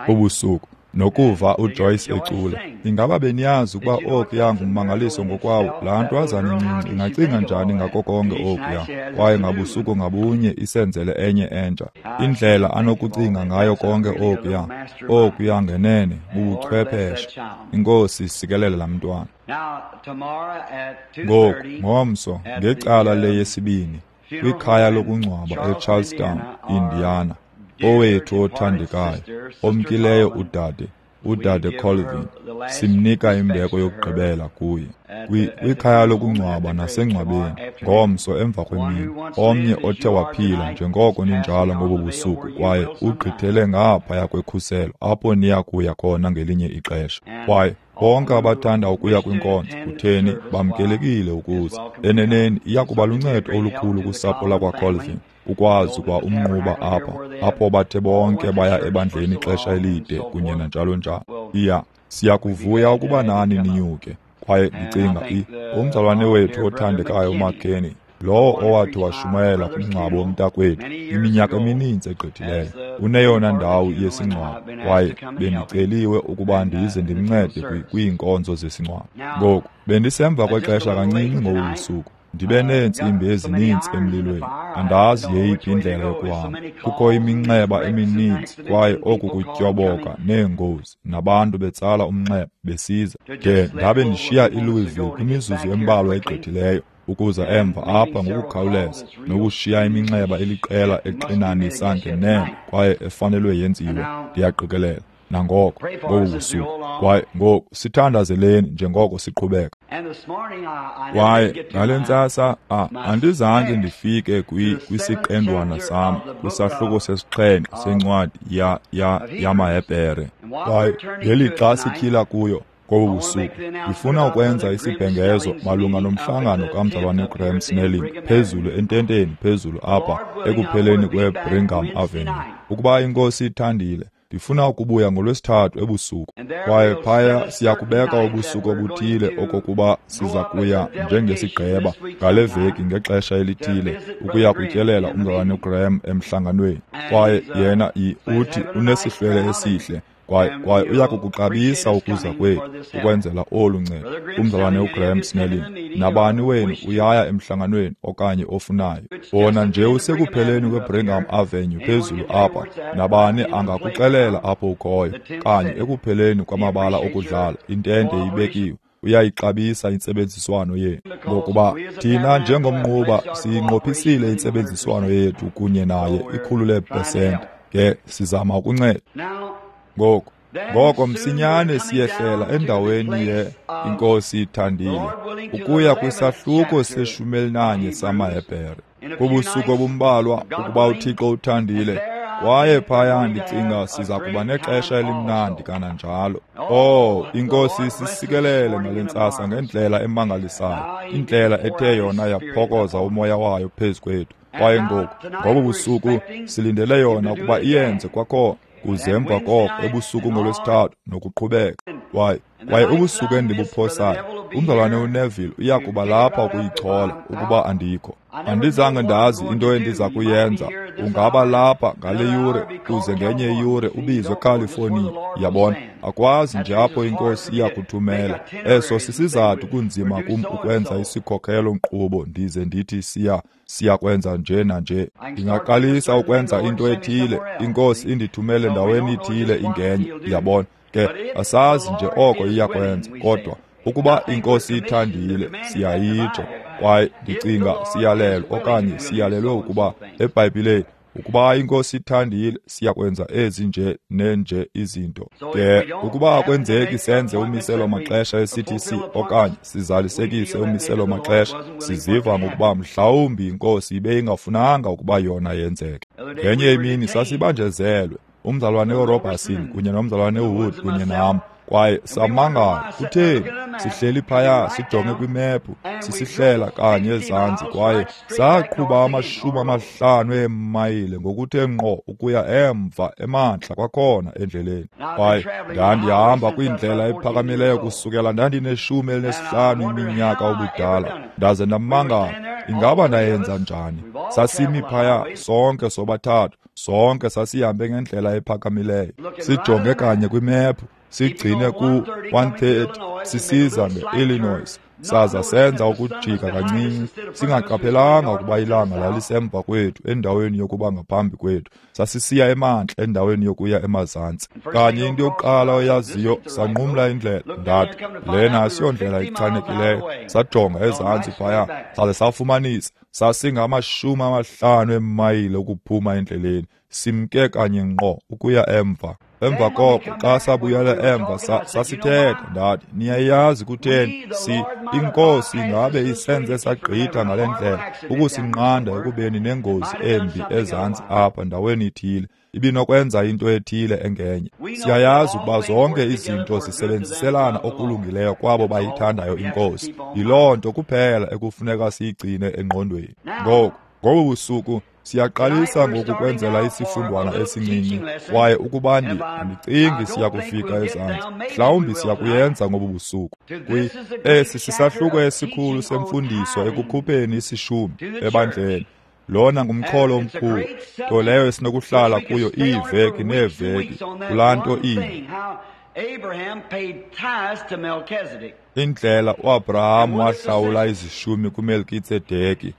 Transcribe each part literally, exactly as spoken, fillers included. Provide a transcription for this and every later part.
Ubusuku nokuva uJoyce ecula. Ingaba beniyazi ukuba okuya ngummangaliso ngokwawo? Laa ntwazana incinci ingacinga njani ngako konke okuya, kwaye ngabusuku ngabunye isenzele enye entsha. Indlela anokucinga ngayo konke okuya, okuya ngenene bubuchwepheshe. Inkosi isikelele laa mntwana. Ngoku ngomso ngecala leyesibini kwikhaya lokungcwaba eCharlestown, Indiana, owethu othandekayo omkileyo udade udade Colvin, simnika imbeko yokugqibela kuye kwikhaya lokungcwaba nasengcwabeni ngomso emva kwemini. Omnye othe waphila njengoko ninjalo ngobu busuku kwaye ugqithele ngaphaya kwekhuselo apho niya kuya khona ngelinye ixesha. Kwaye bonke abathanda ukuya kwinkonzo, kutheni, bamkelekile ukuza. Eneneni iya kuba luncedo olukhulu kusapho lakwaColvin ukwazi kwa umnquba apha, apho bathe bonke baya ebandleni ixesha elide kunye nanjalo njalo. Iya, siyakuvuya ukuba nani ninyuke. Kwaye ndicinga umzalwane wethu othandekayo uMcKinney, lowo owathi washumayela kumngcwabo womntakwethu iminyaka emininzi egqithileyo, uneyona ndawo yesingcwabo, kwaye bendiceliwe ukuba ndize ndimncede kwiinkonzo zesingcwabo. Ngoku bendisemva kwexesha kancinci ngobu busuku. Ndibe neentsimbi ezininzi emlilweni, andazi yeyiphi indlela yokuhamba. Kukho iminxeba emininzi kwaye oku kutyoboka neengozi nabantu betsala umnxeba besiza. De ndabe ndishiya iLouisville kwimizuzu embalwa egqithileyo ukuza emva apha ngokukhawuleza nokushiya iminxeba eliqela exinanisa ngenene kwaye efanelwe yenziwe, ndiyaqikelela nangoko ngobu busuku. Kwaye ngoku sithandazeleni njengoko siqhubeka. Kwaye ngale ntsasa andizange ndifike kwisiqendwana sam kwisahluko sesixhenxe sencwadi ya ya yamaHebhere. Kwaye ngelixa sityhila kuyo ngobu busuku, ndifuna ukwenza isibhengezo malunga nomhlangano kamzalwane Graham Snelling phezulu ententeni phezulu apha ekupheleni kweBringham Avenue. Ukuba iNkosi ithandile, ndifuna ukubuya ngolwesithathu ebusuku. Kwaye phaya siyakubeka ubusuku obuthile okokuba siza kuya njengesigqeba ngale veki ngexesha elithile ukuya kutyelela umzalwane uGraham emhlanganweni. Kwaye yena uthi unesihlwele esihle kwaye kwaye uya kukuxabisa ukuza kwethu ukwenzela olu ncedo. Umzalwane uGraham Snelling, nabani wenu uyaya emhlanganweni okanye ofunayo, wona nje usekupheleni kweBringham Avenue phezulu apha, nabani angakuxelela apho ukhoyo, kanye ekupheleni kwamabala okudlala, intente ibekiwe. Uyayixabisa intsebenziswano yethu, ngokuba thina njengomnquba siyinqophisile intsebenziswano yethu kunye naye ikhulu leepesenti. Ke sizama ukunceda. Ngoku ngoko msinyane siyehlela endaweni ye iNkosi ithandile ukuya kwisahluko seshumi elinanye samaHebhere kubusuku obumbalwa, ukuba uThixo uthandile. Kwaye phaya ndicinga siza kuba nexesha elimnandi kananjalo. Oh, iNkosi isisikelele ngale ntsasa ngendlela emangalisayo, indlela ethe yona yaphokoza umoya wayo phezu kwethu. Kwaye ngoku ngobu busuku silindele yona ukuba iyenze kwakhona kuze emva koko ebusuku ngolwesithathu nokuqhubeka. Kwaye kwaye ubusuku endibuphosayo, umzalwane uNeville uya kuba lapha ukuyichola ukuba andikho. Andizange ndazi into endiza kuyenza. Ungaba lapha ngale yure kuze ngenye iyure ubizwe eCalifornia. Yabona, akwazi nje apho iNkosi iya kuthumela. Eso sisizathu kunzima kum ukwenza isikhokelo nkqubo ndize ndithi siya siyakwenza nje nanje. Ndingaqalisa ukwenza into ethile, iNkosi indithumele ndaweni ithile ingenye. Yabona, ke asazi nje oko iyakwenza, kodwa ukuba iNkosi ithandile siyayitsho. Kwaye ndicinga siyalelwe okanye siyalelwe ukuba eBhayibhileni, ukuba iNkosi ithandile siyakwenza ezi nje nenje izinto. Ke ukuba akwenzeki senze umiselo maxesha e-C T C okanye sizalisekise umiselo maxesha, siziva ngokuba mhlawumbi iNkosi ibe ingafunanga ukuba yona yenzeke. Ngenye imini sasibanjezelwe, umzalwane uRobertson kunye nomzalwane uWood kunye nam, kwaye samangala kutheni sihleli phaya sijonge kwimephu sisihlela kanye ezantsi, kwaye saqhuba amashumi amahlanu eemayile ngokuthe ngqo ukuya emva emantla kwakhona endleleni. Kwaye ndandihamba kwindlela ephakamileyo kusukela ndandineshumi elinesihlanu iminyaka ubudala, ndaze ndamangala ingaba ndayenza njani. Sasimi phaya sonke sobathathu, Sonke sasihambe ngendlela ephakamileyo, sijonge kanye kwimephu, sigcine ku one thirty sisiza nge-Illinois, saza senza ukujika kancinci, singaqaphelanga ukuba ilanga lalisemva kwethu endaweni yokuba ngaphambi kwethu. Sasisiya emantla endaweni yokuya emazantsi. Kanye into yokuqala oyaziyo, sanqumla indlela. Ndathi, lena asiyondlela ichanekileyo. Sajonga ezantsi phaya, saze safumanisa sasingamashumi amahlanu eemayile ukuphuma endleleni, simke kanye ngqo ukuya emva. Emva koko xa sabuyela emva sasithetha, ndathi, niyayazi kutheni si inkosi ingabe isenze sagqitha ngale ndlela ukusinqanda ekubeni nengozi embi ezantsi apha ndaweni ithile, ibinokwenza into ethile engenye. Siyayazi ukuba zonke izinto zisebenziselana okulungileyo kwabo bayithandayo inkosi. Yiloo nto kuphela ekufuneka siyigcine engqondweni. Ngoku ngobu busuku siyaqalisa ngoku kwenzela isifundwana esincinci, kwaye ukuba andicingi siya kufika ezantsi, mhlawumbi siya kuyenza ngobu busuku. Kwi esi sisahluko esikhulu semfundiso ekukhupheni isishumi ebandleni. Lona ngumxholo omkhulu, nto leyo esinokuhlala kuyo iiveki neeveki kulaa nto inye. Indlela uAbraham wahlawula izishumi kuMelkitsedeki,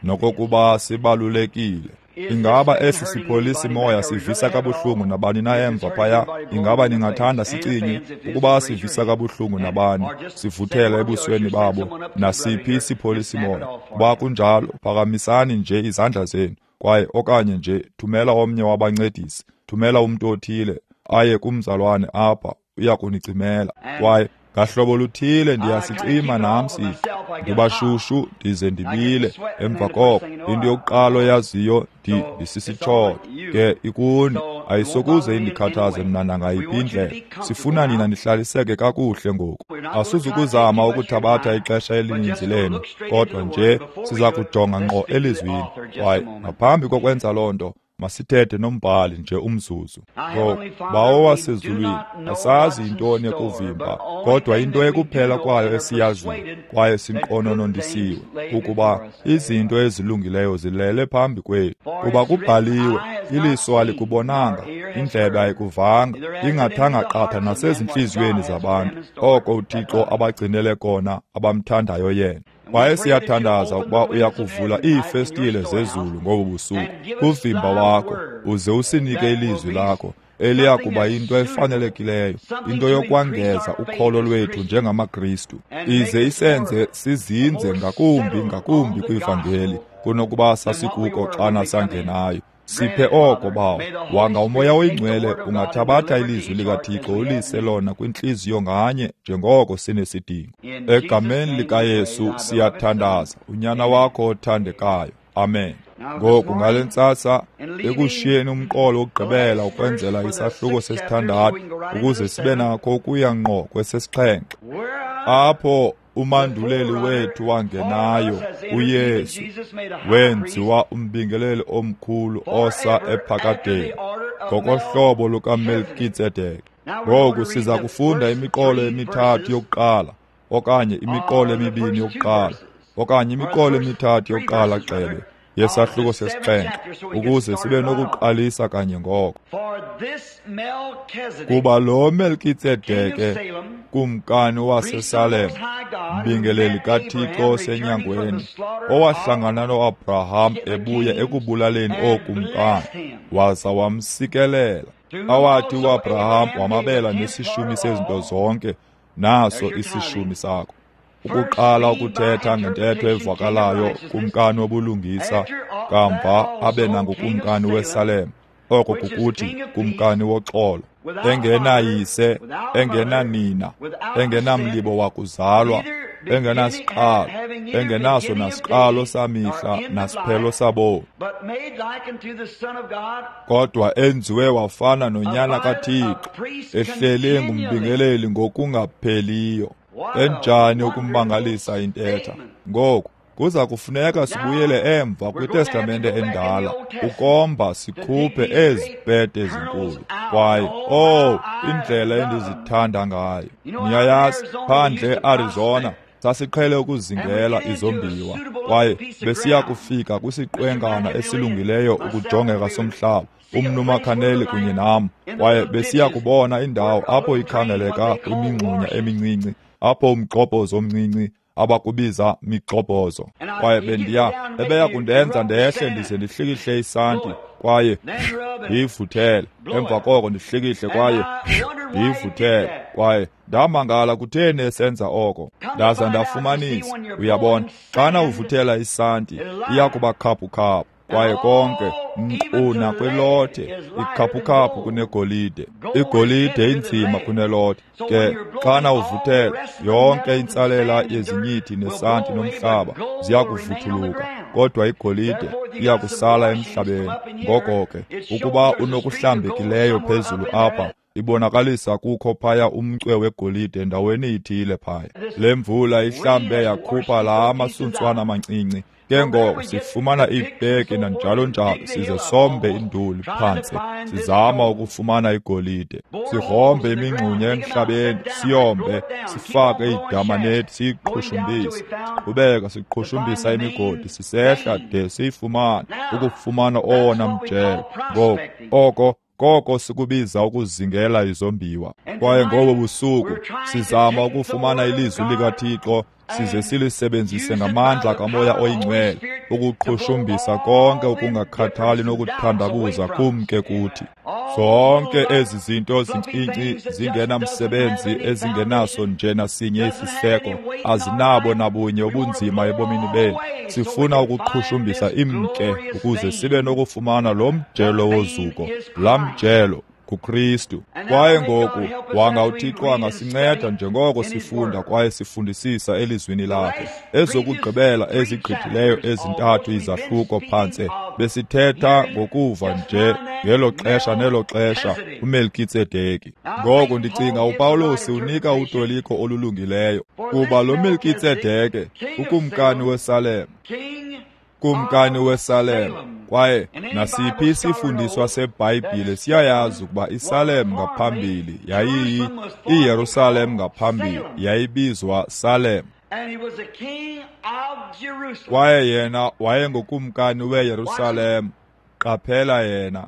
nokokuba sibalulekile. Ingaba esi sipholisi moya sivisa kabuhlungu nabani na emva phaya? Ingaba ningathanda sicinye ukuba sivisa kabuhlungu nabani, sivuthele ebusweni babo nasiphi isipholisi moya? Kuba kunjalo, phakamisani nje izandla zenu, kwaye okanye nje thumela omnye wabancedisi, thumela umntu othile aye kumzalwane apha, uya kunicimela. Kwaye ngahlobo luthile ndiyasicima nam siqu, ndibashushu ndize ndibile. Emva koko into yokuqala oyaziyo, ndi ndisisitshoto ke ikuni, ayisokuze indikhathaze mna nangayiphi indlela. Sifuna nina nihlaliseke kakuhle ngoku. Asizukuzama ukuthabatha ixesha elininzi lenu, kodwa nje siza kujonga ngqo elizwini. Kwaye ngaphambi kokwenza loo nto, masithethe nombhali nje umzuzu. Ngoku, Bawo wasezulwini, asazi yintoni ekuvimba, kodwa into ekuphela kwayo esiyaziyo kwaye sinqononondisiwe kukuba izinto ezilungileyo zilele phambi kwethu. Kuba kubhaliwe, iliso alikubonanga, indlebe ayikuvanga, ingathanga qatha nasezintliziyweni zabantu, oko uThixo abagcinele kona abamthandayo yena. Kwaye siyathandaza ukuba uya kuvula iifestile zezulu ngobu busuku kuvimba wakho, uze usinike ilizwi lakho eliya kuba into efanelekileyo, into yokwangeza ukholo lwethu njengamaKristu, ize isenze sizinze ngakumbi ngakumbi kwivangeli kunokuba sasikuko xana sangenayo. Siphe oko, Bawo. Wanga uMoya oyiNgcwele ungathabatha ilizwi likaThixo ulise lona kwintliziyo nganye njengoko sinesidingo. Egameni likaYesu siyathandaza, uNyana wakho othandekayo. Amen. Ngoku ngale ntsasa, ekushiyeni umqolo wokugqibela ukwenzela isahluko sesithandathu, ukuze sibe nakho ukuya ngqo kwesesixhenxe, apho umanduleli wethu wangenayo uYesu wenziwa umbingeleli omkhulu osa ephakadeni ngokohlobo lukaMelkitsedeke. Ngoku siza kufunda imiqolo emithathu yokuqala, okanye imiqolo emibini yokuqala, okanye imiqolo emithathu yokuqala gxebe yesahluko sesixhenxe, ukuze sibe nokuqalisa kanye ngoko. Kuba lo Melkitsedeke, kumkani waseSalem, mbingeleli kaThixo osenyangweni, owahlangana noAbraham ebuya ekubulaleni ookumkani, waza wamsikelela, awathi uAbraham wamabela nesishumi sezinto zonke, naso isishumi sakho. Ukuqala ukuthetha ngentetho evakalayo kumkani wobulungisa, kamva abe nangukumkani weSalem, oko kukuthi kumkani woxolo, engenayise, engenanina, engenamlibo wakuzalwa, engenasiqalo, engenaso nasiqalo samihla nasiphelo sabomi, kodwa enziwe wafana noNyana kaThixo, ehleli engumbingeleli ngokungapheliyo. Enjani ukumangalisa intetha! Ngoku kuza kufuneka sibuyele emva kwiTestamente endala ukomba sikhuphe ezi pete ezinkulu. Kwaye oh, indlela endizithanda ngayo! Niyayazi, phandle eArizona Sasiqhele ukuzingela izombiwa, kwaye besiya kufika kwisiqwengana esilungileyo ukujongeka somhlaba, umnumakhaneli kunye nam, kwaye besiya kubona indawo apho ikhangeleka kwimingxunya emincinci, apho umgxobhozo omncinci abakubiza migxobhozo. Kwaye bendiya ebeya kundenza ndehle ndize ndihlikihle isanti, kwaye ndiyivuthele, emva koko ndihlikihle kwaye ndiyivuthele. Kwaye ndamangala kutheni esenza oko. Ndaza ndafumanisa, uyabona, xana uvuthela isanti iya kuba khaphukhaphu, kwaye konke nkqu nakwilothe ikhaphukhaphu kunegolide, igolide inzima kunelothe. Ke xana uvuthela, yonke intsalela yezinyithi nesanti nomhlaba ziya kuvuthuluka, kodwa igolide iya kusala emhlabeni. Ngoko ke ukuba unokuhlambekileyo phezulu apha, ibonakalisa kukho phaya umcwe wegolide ndaweni ithile phaya. Le mvula ihlambe yakhupha laa masuntswana amancinci. Ke ngoko sifumana iipeki nanjalo njalo, size sombe induli phantsi, sizama ukufumana igolide. Sigrombe imingxunya emhlabeni, siyombe, sifake iidamanethi, siyiqhushumbise. Siqhubeka siqhushumbisa imigodi, sisehla de siyifumane, ukufumana owona mjelo. Ngoku oko koko sikubiza ukuzingela izombiwa. Kwaye ngobo busuku sizama ukufumana ilizwi likaThixo, size silisebenzise ngamandla kaMoya oyiNgcwele ukuqhushumbisa konke ukungakhathali nokuthandabuza kumke kuthi. Zonke ezi zinto zincinci zingenamsebenzi, ezingenaso nje nasinye isiseko, azinabo nabunye ubunzima ebomini bethu. Sifuna ukuqhushumbisa imke ukuze sibe nokufumana lo mjelo wozuko, laa mjelo kuKristu. Kwaye ngoku wanga uThixo angasinceda njengoko sifunda kwaye sifundisisa elizwini lakhe. Ezokugqibela ezigqithileyo ezintathu izahluko phantse besithetha ngokuva nje ngelo xesha nelo xesha uMelkitsedeki. Ngoku ndicinga uPawulos unika utoliko olulungileyo, kuba lo Melkitsedeke ukumkani weSalem, kumkani weSalem, kwaye nasiphi isifundiswa seBhayibhile siyayazi ukuba iSalem ngaphambili yayiyi iYerusalem ngaphambili yayibizwa Salem. Kwaye yena wayengukumkani weYerusalem. Qaphela yena,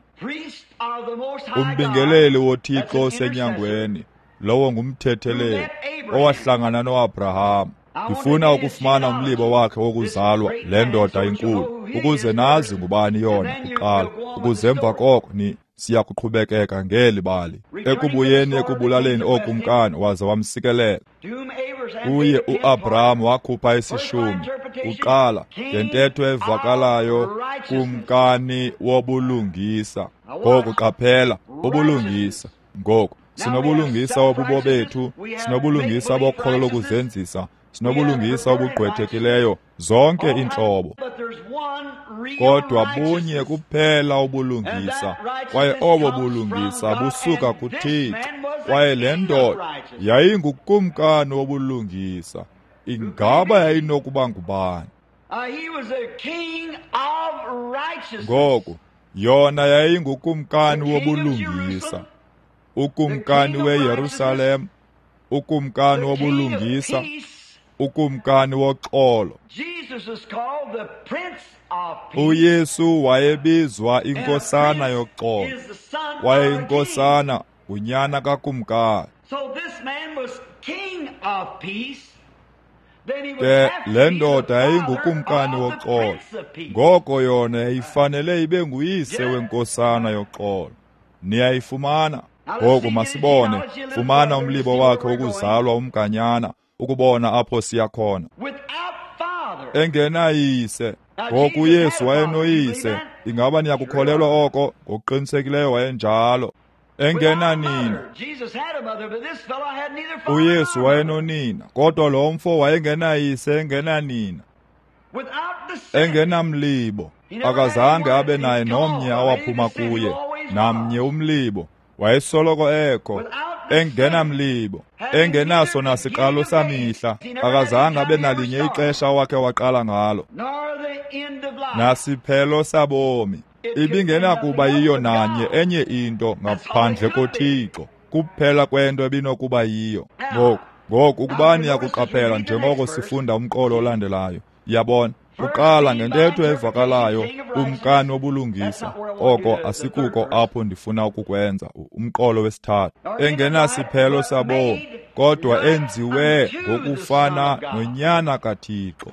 umbingeleli woThixo osenyangweni, lowo ngumthetheleli owahlangana noAbraham. Ndifuna ukufumana umlibo wakhe wokuzalwa, le ndoda inkulu, ukuze nazi ngubani yona kuqala, ukuze emva koko ni siya kuqhubekeka ngeli bali. Ekubuyeni ekubulaleni ookumkani, waze wamsikelela. Kuye uAbraham wakhupha isishumi kuqala ngentetho evakalayo, kumkani wobulungisa. Ngoku qaphela, ubulungisa. Ngoku sinobulungisa obubo bethu, sinobulungisa bokholo lokuzenzisa, sinobulungisa obugqwethekileyo, zonke iintlobo. Kodwa bunye kuphela ubulungisa, kwaye obo bulungisa busuka kuThixo. Kwaye le ndoda yayingukumkani wobulungisa. Ingaba yayinokuba ngubani? Ngoku yona yayingukumkani wobulungisa, ukumkani weYerusalem, ukumkani wobulungisa, ukumkani woxolo. UYesu wayebizwa inkosana yoxolo, kwaye inkosana ngunyana kakumkani. Ke le ndoda yayingukumkani woxolo, ngoko yona yayifanele ibe nguyise wenkosana yoxolo. Niyayifumana? Ngoku masibone, fumana umlibo wakhe wokuzalwa umganyana, ukubona apho siya khona. Engenayise. Ngoku uYesu wayenoyise. Ingaba niyakukholelwa oko? Ngokuqinisekileyo wayenjalo. Engenanina. uYesu wayenonina, kodwa lo mfo wayengenayise, engenanina, engenamlibo. Akazange abe naye nomnye awaphuma kuye, namnye umlibo. Wayesoloko ekho, engenamlibo, engenaso nasiqalo samihla. Akazange abe nalinye ixesha awakhe waqala ngalo, nasiphelo sabomi. Ibingenakuba yiyo nanye enye into ngaphandle koThixo, kuphela kwento ebinokuba yiyo. Ngoku Ngoku ukuba niyakuqaphela njengoko sifunda umqolo olandelayo, yabona, kuqala ngentetho evakalayo kumkani wobulungisa. Oko asikuko apho ndifuna ukukwenza, umqolo wesithathu. Engenasiphelo sabomi, kodwa enziwe ngokufana noNyana kaThixo.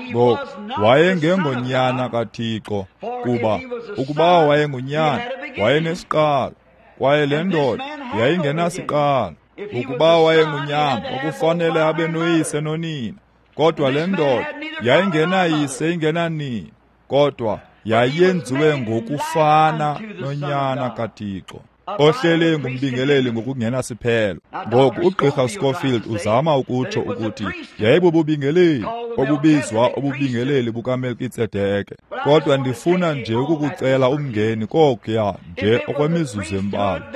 Ngoku wayengengonyana kaThixo, kuba ukuba wayengunyana wayenesiqalo, kwaye le ndoda yayingenasiqalo. Ukuba wayengunyana kwakufanele abe noyise nonina, kodwa le ndoda yayingenayise ingenanina, kodwa yayenziwe ngokufana noNyana kaThixo, ohlele ngumbingeleli ngokungenasiphelo. Ngoku uGqirha Scofield uzama ukutsho ukuthi yayibububingeleli obubizwa ububingeleli bukaMelkitsedeke, kodwa ndifuna nje ukukucela umngeni kokuya nje okwemizuzu embalwa.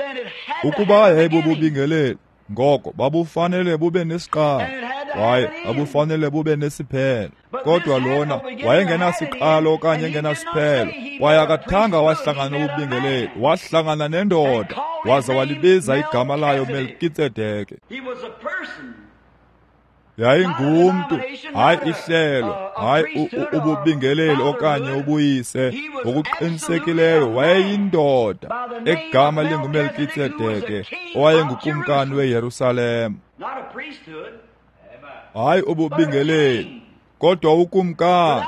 Ukuba yayibububingeleli, ngoko babufanele bube nesiqalo, kwaye babufanele bube nesiphelo. Kodwa lona wayengenasiqalo okanye engenasiphelo, kwaye akathanga wahlangana nobubingeleli, wahlangana nendoda, waza walibiza igama layo Melkitsedeke. Yayingumntu, hayi ihlelo, hayi ububingeleli okanye ubuyise. Ngokuqinisekileyo wayeyindoda egama linguMelkitsedeke, owayengukumkani weYerusalem. Hayi ububingeleli, kodwa ukumkani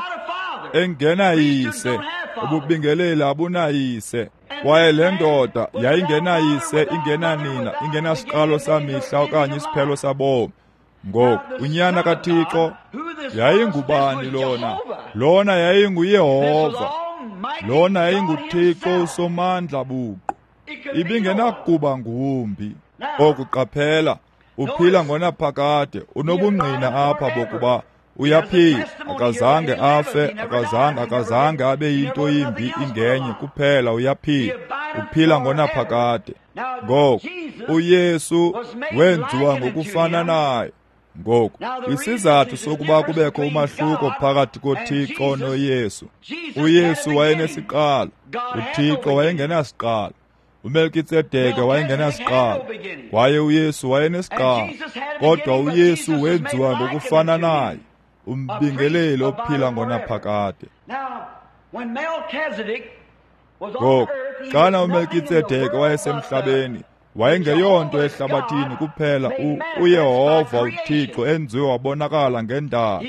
engenayise. Ububingeleli abunayise. Kwaye le ndoda yayingenayise, ingenanina, ingenasiqalo samihla okanye isiphelo sabomi. Ngoku uNyana kaThixo yayingubani lona? Lona yayinguYehova. Lona yayinguThixo uSomandla buqu. Ibingenakuba ngumbi. Okuqaphela, uphila ngonaphakade, unobungqina apha bokuba uyaphila, akazange afe, akazange akazange abe yinto yimbi ingenye, kuphela uyaphila, uphila ngonaphakade. Ngoku uYesu wenziwa ngokufana naye. Ngoku isizathu sokuba kubekho umahluko phakathi koThixo noYesu, uYesu wayenesiqalo, uThixo wayengenasiqalo. uMelkitsedeke wayengenasiqalo, kwaye uYesu wayenesiqalo, kodwa uYesu wenziwa ngokufana naye, umbingeleli ophila ngonaphakade. Ngoku xana uMelkitsedeke wayesemhlabeni, wayengeyonto ehlabathini kuphela uYehova uThixo enziwe wabonakala ngendalo.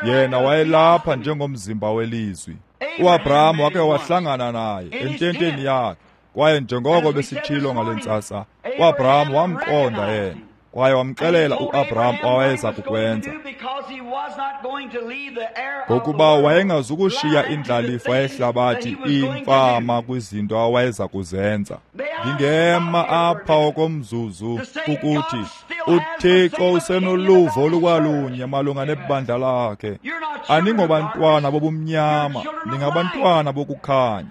Yena wayelapha njengomzimba welizwi. uAbraham wake wahlangana naye ententeni yakhe, kwaye njengoko besitshilo ngale ntsasa, uAbraham wamqonda yena, kwaye wamxelela uAbraham awayeza kukwenza, ngokuba wayengazukushiya indlalifa yehlabathi imfama kwizinto awayeza kuzenza. Ndingema apha okomzuzu ukuthi uThixo usenoluvo olukwalunye malunga nebandla lakhe. Aningobantwana bobumnyama, ningabantwana bokukhanya.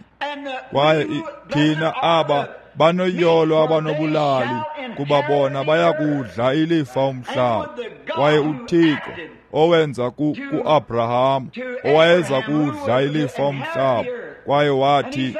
Kwaye thina aba banoyolo abanobulali, kuba bona bayakudla ilifa umhlaba. Kwaye uThixo owenza ku-Abraham, owayeza kudla ilifa umhlaba, kwaye wathi,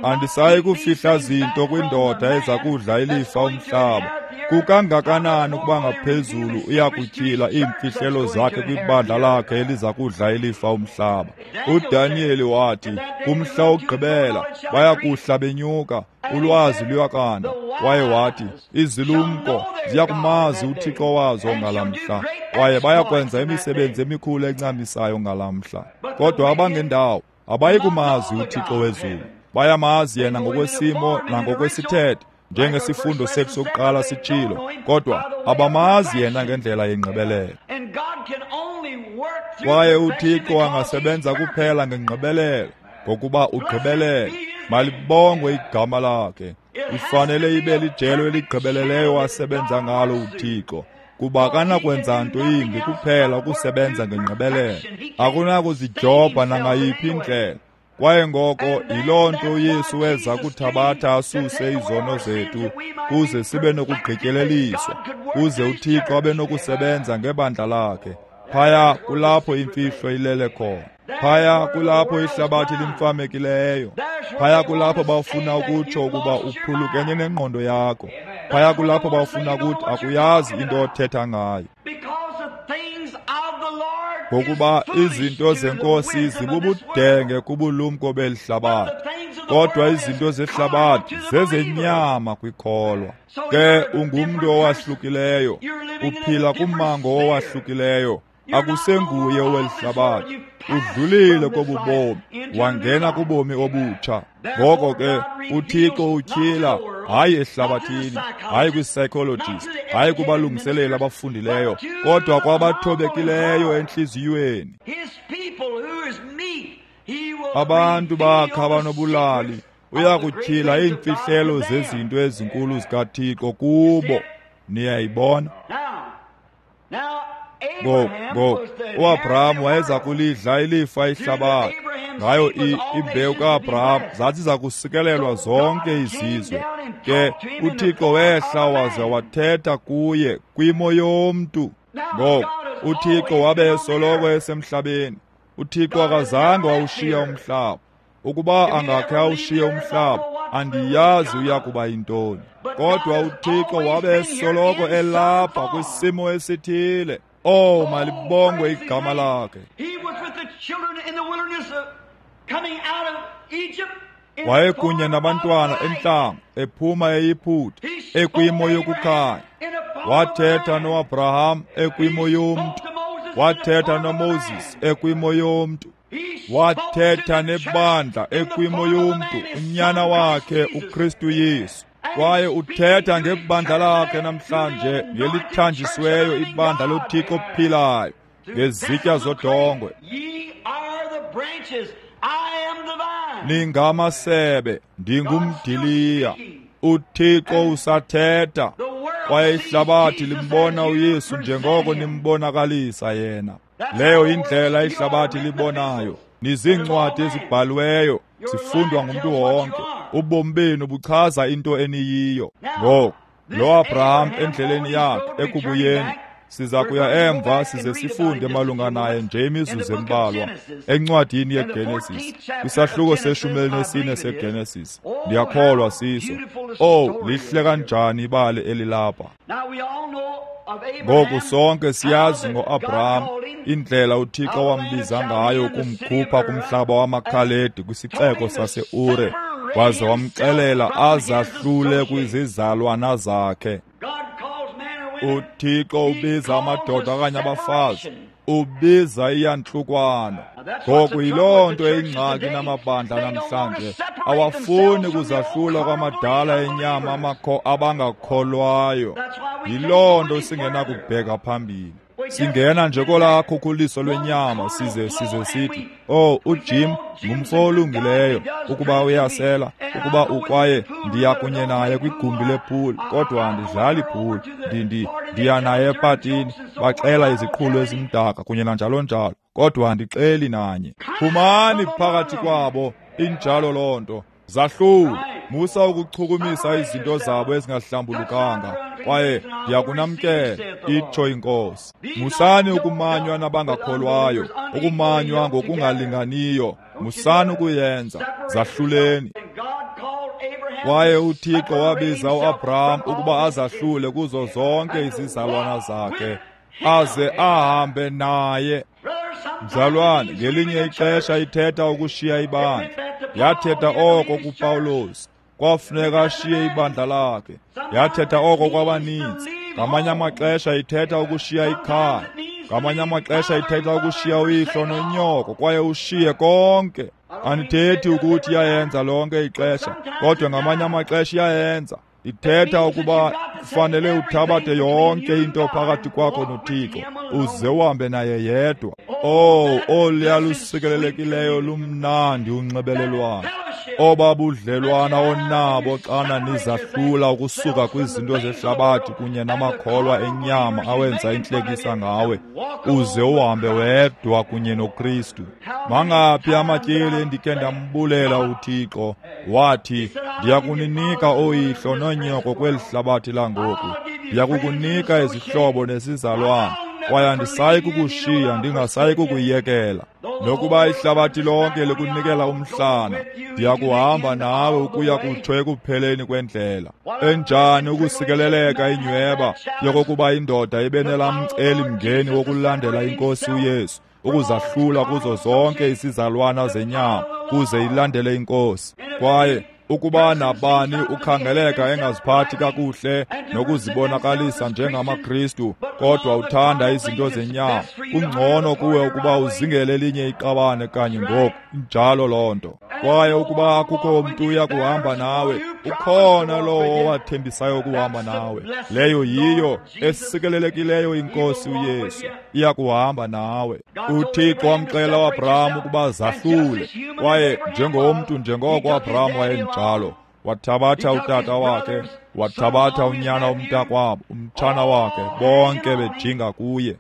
andisayi kufihla zinto kwindoda eza kudla ilifa umhlaba. Kukangakanani ukuba ngaphezulu uyakutyhila iimfihlelo zakhe kwibandla lakhe eliza kudla ilifa umhlaba. uDaniyeli wathi, kumhla wokugqibela bayakuhla benyuka, ulwazi luyakanda. Kwaye wathi, izilumko ziyakumazi uThixo wazo ngalamhla, kwaye bayakwenza imisebenzi emikhulu encamisayo ngalamhla. Kodwa abangendawo abayi kumazi uThixo wezulu. Bayamazi yena ngokwesimo nangokwesithethe, njengesifundo sethu sokuqala sitshilo, kodwa abamazi yena ngendlela yengqibelelo. Kwaye uThixo angasebenza kuphela ngengqibelelo, ngokuba ugqibelele. Malibongwe igama lakhe. Ifanele ibe lijelo eligqibeleleyo asebenza ngalo uThixo, kuba akanakwenza nto yimbi kuphela ukusebenza ngengqibelelo. Akunakuzidyobha nangayiphi indlela. Kwaye ngoko yiloo nto uYesu weza kuthabatha asuse izono zethu, kuze sibe nokugqityeleliswa, kuze uThixo abe nokusebenza ngebandla lakhe. Phaya kulapho imfihlo ilele khona. Phaya kulapho ihlabathi limfamekileyo. Phaya kulapho bafuna ukutsho ukuba uphulukene nengqondo yakho. Phaya kulapho bafuna ukuthi akuyazi into othetha ngayo. Ngokuba izinto zeNkosi zibubudenge kubulumko beli hlabathi, kodwa izinto zehlabathi zezenyama kwikholwa. Ke ungumntu owahlukileyo, uphila kummango owahlukileyo, akusenguye oweli hlabathi. Udlulile kobubomi, wangena kubomi obutsha. Ngoko ke uThixo utyhila hayi ehlabathini, hayi kwi-psychologist, hayi kubalungiseleli abafundileyo, kodwa kwabathobekileyo entliziyweni. Abantu bakhe abanobulali uyakutyhila iimfihlelo zezinto ezinkulu zikaThixo kubo. Niyayibona? Ngoku, ngoku, uAbraham wayeza kulidla ilifa ihlabathi. Ngayo imbewu kaAbraham zathi zakusikelelwa zonke izizwe. Ke uThixo wehla waze wathetha kuye kwimo yomntu. Ngoku uThixo wabe esoloko esemhlabeni. uThixo akazange wawushiya umhlaba. Ukuba angakhe awushiye umhlaba, andiyazi uya kuba yintoni. Kodwa uThixo wabe esoloko elapha kwisimo esithile. Oh, malibongwe igama lakhe. Wayekunye nabantwana entlango, ephuma eYiputa, ekwimo yokukhanya. Wathetha noAbraham ekwimo yomntu. Wathetha noMoses ekwimo yomntu. Wathetha nebandla ekwimo yomntu, unyana wakhe uKristu Yesu. Kwaye uthetha ngebandla lakhe namhlanje, ngelithanjisiweyo ibandla loThixo ophilayo, ngezitya zodongwe. Ningamasebe, ndingumdiliya. uThixo usathetha, kwaye ihlabathi limbona uYesu njengoko nimbonakalisa yena. Leyo indlela ihlabathi libonayo. Nizincwadi ezibhaliweyo, zifundwa ngumntu wonke. Ubomi benu buchaza into eniyiyo. Ngoku lo Abraham endleleni yakhe ekubuyeni, siza kuya emva size sifunde malunga naye nje imizuzu embalwa encwadini yeGenesis, kwisahluko seshumi elinesine seGenesis. Ndiyakholwa siso. Oh, lihle kanjani ibali elilapha. Ngoku sonke siyazi ngoAbraham, indlela uThixo wambiza ngayo kumkhupha kumhlaba wamaKhaledi kwisixeko saseUre, waze wamxelela azahlule kwizizalwana zakhe. uThixo ubiza amadoda okanye abafazi, ubiza iyantlukwano. Ngoku yiloo nto eyingxaki namabandla namhlanje, awafuni kuzahlula kwamadala enyama amakho abangakholwayo. Yiloo nto singenakubheka phambili. Singena nje kolaa khukhuliso lwenyama size size sithi, oh, uJim ngumfo olungileyo, ukuba uyasela, ukuba ukwaye ndiya kunye naye kwigumbi lepool, kodwa andidlali pool, ndi ndiya naye epatini, baxela iziqhulo ezimdaka kunye nanjalo njalo, kodwa andixeli nanye. Phumani phakathi kwabo, injalo loo nto. Zahlule, musa ukuchukumisa izinto zabo ezingahlambulukanga, kwaye ndiyakunamkela, itsho iNkosi. Musani ukumanywa nabangakholwayo, ukumanywa ngokungalinganiyo, musani ukuyenza, zahluleni. Kwaye uThixo wabiza uAbraham ukuba azahlule kuzo zonke izizalwana zakhe, aze ahambe naye. Mzalwane, ngelinye ixesha ithetha ukushiya ibandla. Yathetha oko kuPawulos, kwafuneka ashiye ibandla lakhe. Yathetha oko kwabaninzi. Ngamanye amaxesha ithetha ukushiya ikhaya. Ngamanye amaxesha ithetha ukushiya uyihlo nonyoko, kwaye ushiye konke. Andithethi ukuthi iyayenza lonke ixesha, kodwa ngamanye amaxesha iyayenza. Ithetha ukuba kufanele uthabathe yonke into phakathi kwakho noThixo, uze uhambe naye yedwa. Oh, oluya lusikelelekileyo lumnandi unxibelelwano, obabudlelwana onabo xana nizahlula ukusuka kwizinto zehlabathi kunye namakholwa enyama awenza intlekisa ngawe, uze uhambe wedwa kunye noKristu. Mangaphi amatyeli endikhe ndambulela uThixo, wathi, ndiyakuninika oyihlo nonyoko kweli hlabathi langoku, ndiyakukunika izihlobo nesizalwana. kwaye andisayi kukushiya ndingasayi kukuyekela. Nokuba ihlabathi lonke likunikela umhlana, ndiyakuhamba nawe ukuya kutsho ekupheleni kwendlela. Enjani ukusikeleleka inyweba yokokuba indoda ibe nelamcelimngeni wokulandela iNkosi uYesu, ukuzahlula kuzo zonke isizalwana zenyama kuze ilandele iNkosi. Kwaye ukuba nabani ukhangeleka engaziphathi kakuhle nokuzibonakalisa njengamaKristu, kodwa uthanda izinto zenyama, kungcono kuwe ukuba uzingele elinye iqabane kanye ngoku. Injalo loo nto. Kwaye ukuba akukho mntu uya kuhamba nawe, ukhona lowo owathembisayo ukuhamba nawe. Leyo yiyo esikelelekileyo iNkosi uYesu, iya kuhamba nawe. UThixo wamxelela uAbraham ukuba zahlule, kwaye njengomntu njengoko uAbraham wayenjalo, wathabatha utata wakhe, wathabatha unyana womntakwabo, umtshana wakhe, bonke bejinga kuye.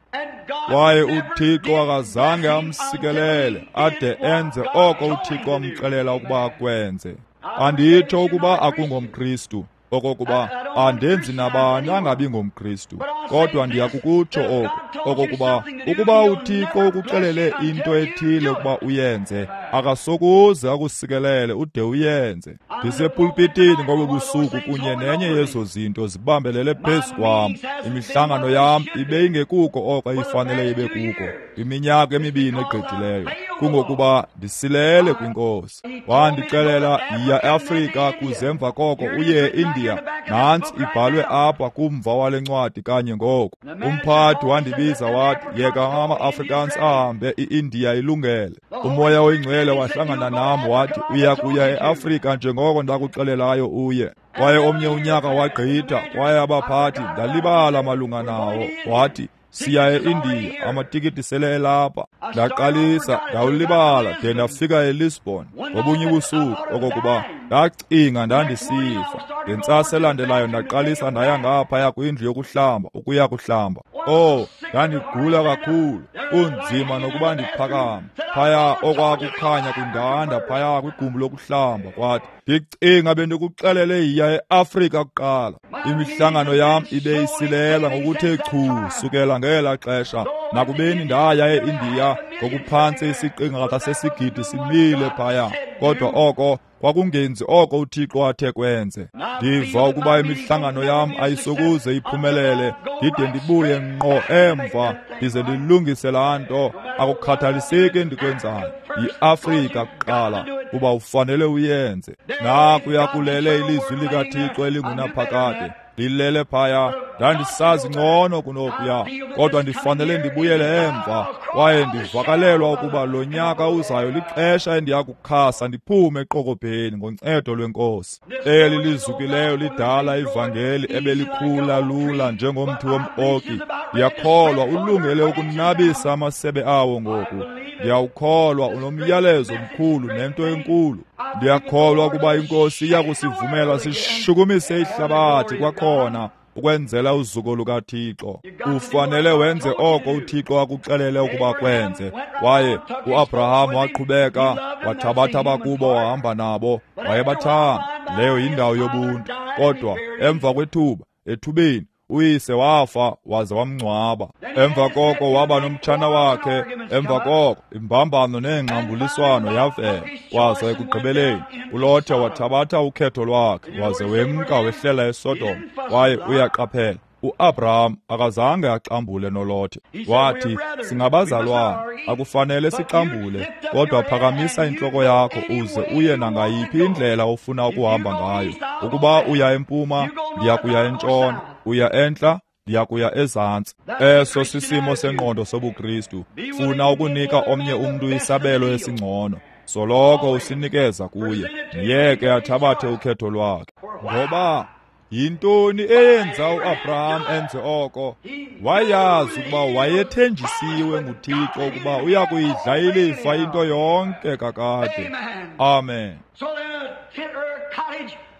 Kwaye uThixo akazange amsikelele ade enze oko uThixo amxelela ukuba akwenze. Anditsho ukuba akungomKristu, okokuba andenzi nabani angabi ngomKristu, kodwa ndiyakukutsho oku, okokuba ukuba uThixo ukuxelele into ethile ukuba uyenze, akasokuze akusikelele ude uyenze. Ndisepulpitini ngobu busuku kunye nenye yezo zinto zibambelele phezu kwam. Imihlangano yam ibe ingekuko oko ifanele ibe kuko iminyaka emibini egqithileyo, kungokuba ndisilele kwiNkosi. Wandixelela, yiya eAfrika kuze emva koko uye eIndiya. Nantsi ibhalwe apha kumva wale ncwadi kanye ngoku. Umphathi wandibiza wathi, yeka ama-Afrikaans ahambe, i-Indiya ilungele. UMoya oyiNgcwele wahlangana nam wathi, uya kuya eAfrika njengoko ndakuxelelayo uye. Kwaye omnye unyaka wagqitha, kwaye abaphathi ndalibala malunga nawo. Wathi, siya e-Indiya, amatikiti sele elapha. Ndaqalisa ndawulibala de ndafika eLisbon ngobunye ubusuku, okokuba ndacinga ndandisifa. Ngentsasa elandelayo ndaqalisa ndaya ngaphaya kwindlu yokuhlamba ukuya kuhlamba. Oh, ndandigula kakhulu, kunzima nokuba ndiphakame. Phaya okwakukhanya kundanda phaya kwigumbi lokuhlamba, kwathi ndicinga bendikuxelele yiya eAfrika kuqala. Imihlangano yam ibe isilela ngokuthe chu sukela ngela xesha. Nakubeni ndaya eIndiya ngokuphantse isiqingatha sesigidi simile phaya, kodwa oko kwakungenzi oko uThixo athe kwenze. Ndiva ukuba imihlangano yam ayisokuze iphumelele ndide ndibuye ngqo emva ndize ndilungise laa nto. Akukhathaliseki endikwenzayo, yiAfrika kuqala, kuba ufanele uyenze. Nakuya kulele ilizwi likaThixo elingunaphakade lilele phaya. Ndandisazi ngcono kunokuya, kodwa ndifanele ndibuyele emva. Kwaye ndivakalelwa ukuba lo nyaka uzayo lixesha endiya kukhasa ndiphume eqokobheni ngoncedo lweNkosi. Eli lizukileyo lidala ivangeli ebelikhula lula njengomthi wom-oki, ndiyakholwa ulungele ukunabisa amasebe awo ngoku. Ndiyawukholwa unomyalezo omkhulu nento enkulu. Ndiyakholwa ukuba iNkosi iya kusivumela sishukumise ihlabathi kwakhona ukwenzela uzuko lukaThixo. Ufanele wenze oko uThixo akuxelele ukuba kwenze. Kwaye uAbraham waqhubeka, wathabatha abakubo wahamba nabo, wayebathanda. Leyo yindawo yobuntu. Kodwa emva kwethuba, ethubeni, uyise wafa waze wamngcwaba. Emva koko waba nomtshana wakhe. Emva koko imbambano neengxambuliswano yavela. Kwaze ekugqibeleni uLothe wathabatha ukhetho lwakhe waze wemka wehlela eSodom. Kwaye uyaqaphela, uAbraham akazange axambule noLothe. Wathi, singabazalwana, akufanele sixambule, kodwa phakamisa intloko yakho uze uye nangayiphi indlela ofuna ukuhamba ngayo. Ukuba uya empuma, ndiya kuya entshona, uya entla, ndiya kuya ezantsi. Eso sisimo sengqondo sobuKristu. Funa ukunika omnye umntu isabelo esingcono, soloko usinikeza kuye, myeke athabathe ukhetho lwakhe. Ngoba yintoni eyenza uAbraham enze oko? Wayazi ukuba wayethenjisiwe nguThixo ukuba uya kuyidla ilifa into yonke kakade. Amen.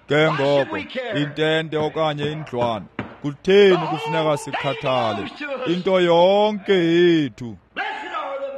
Ke ngoko intente okanye indlwana, kutheni kufuneka sikhathale? Into yonke yethu.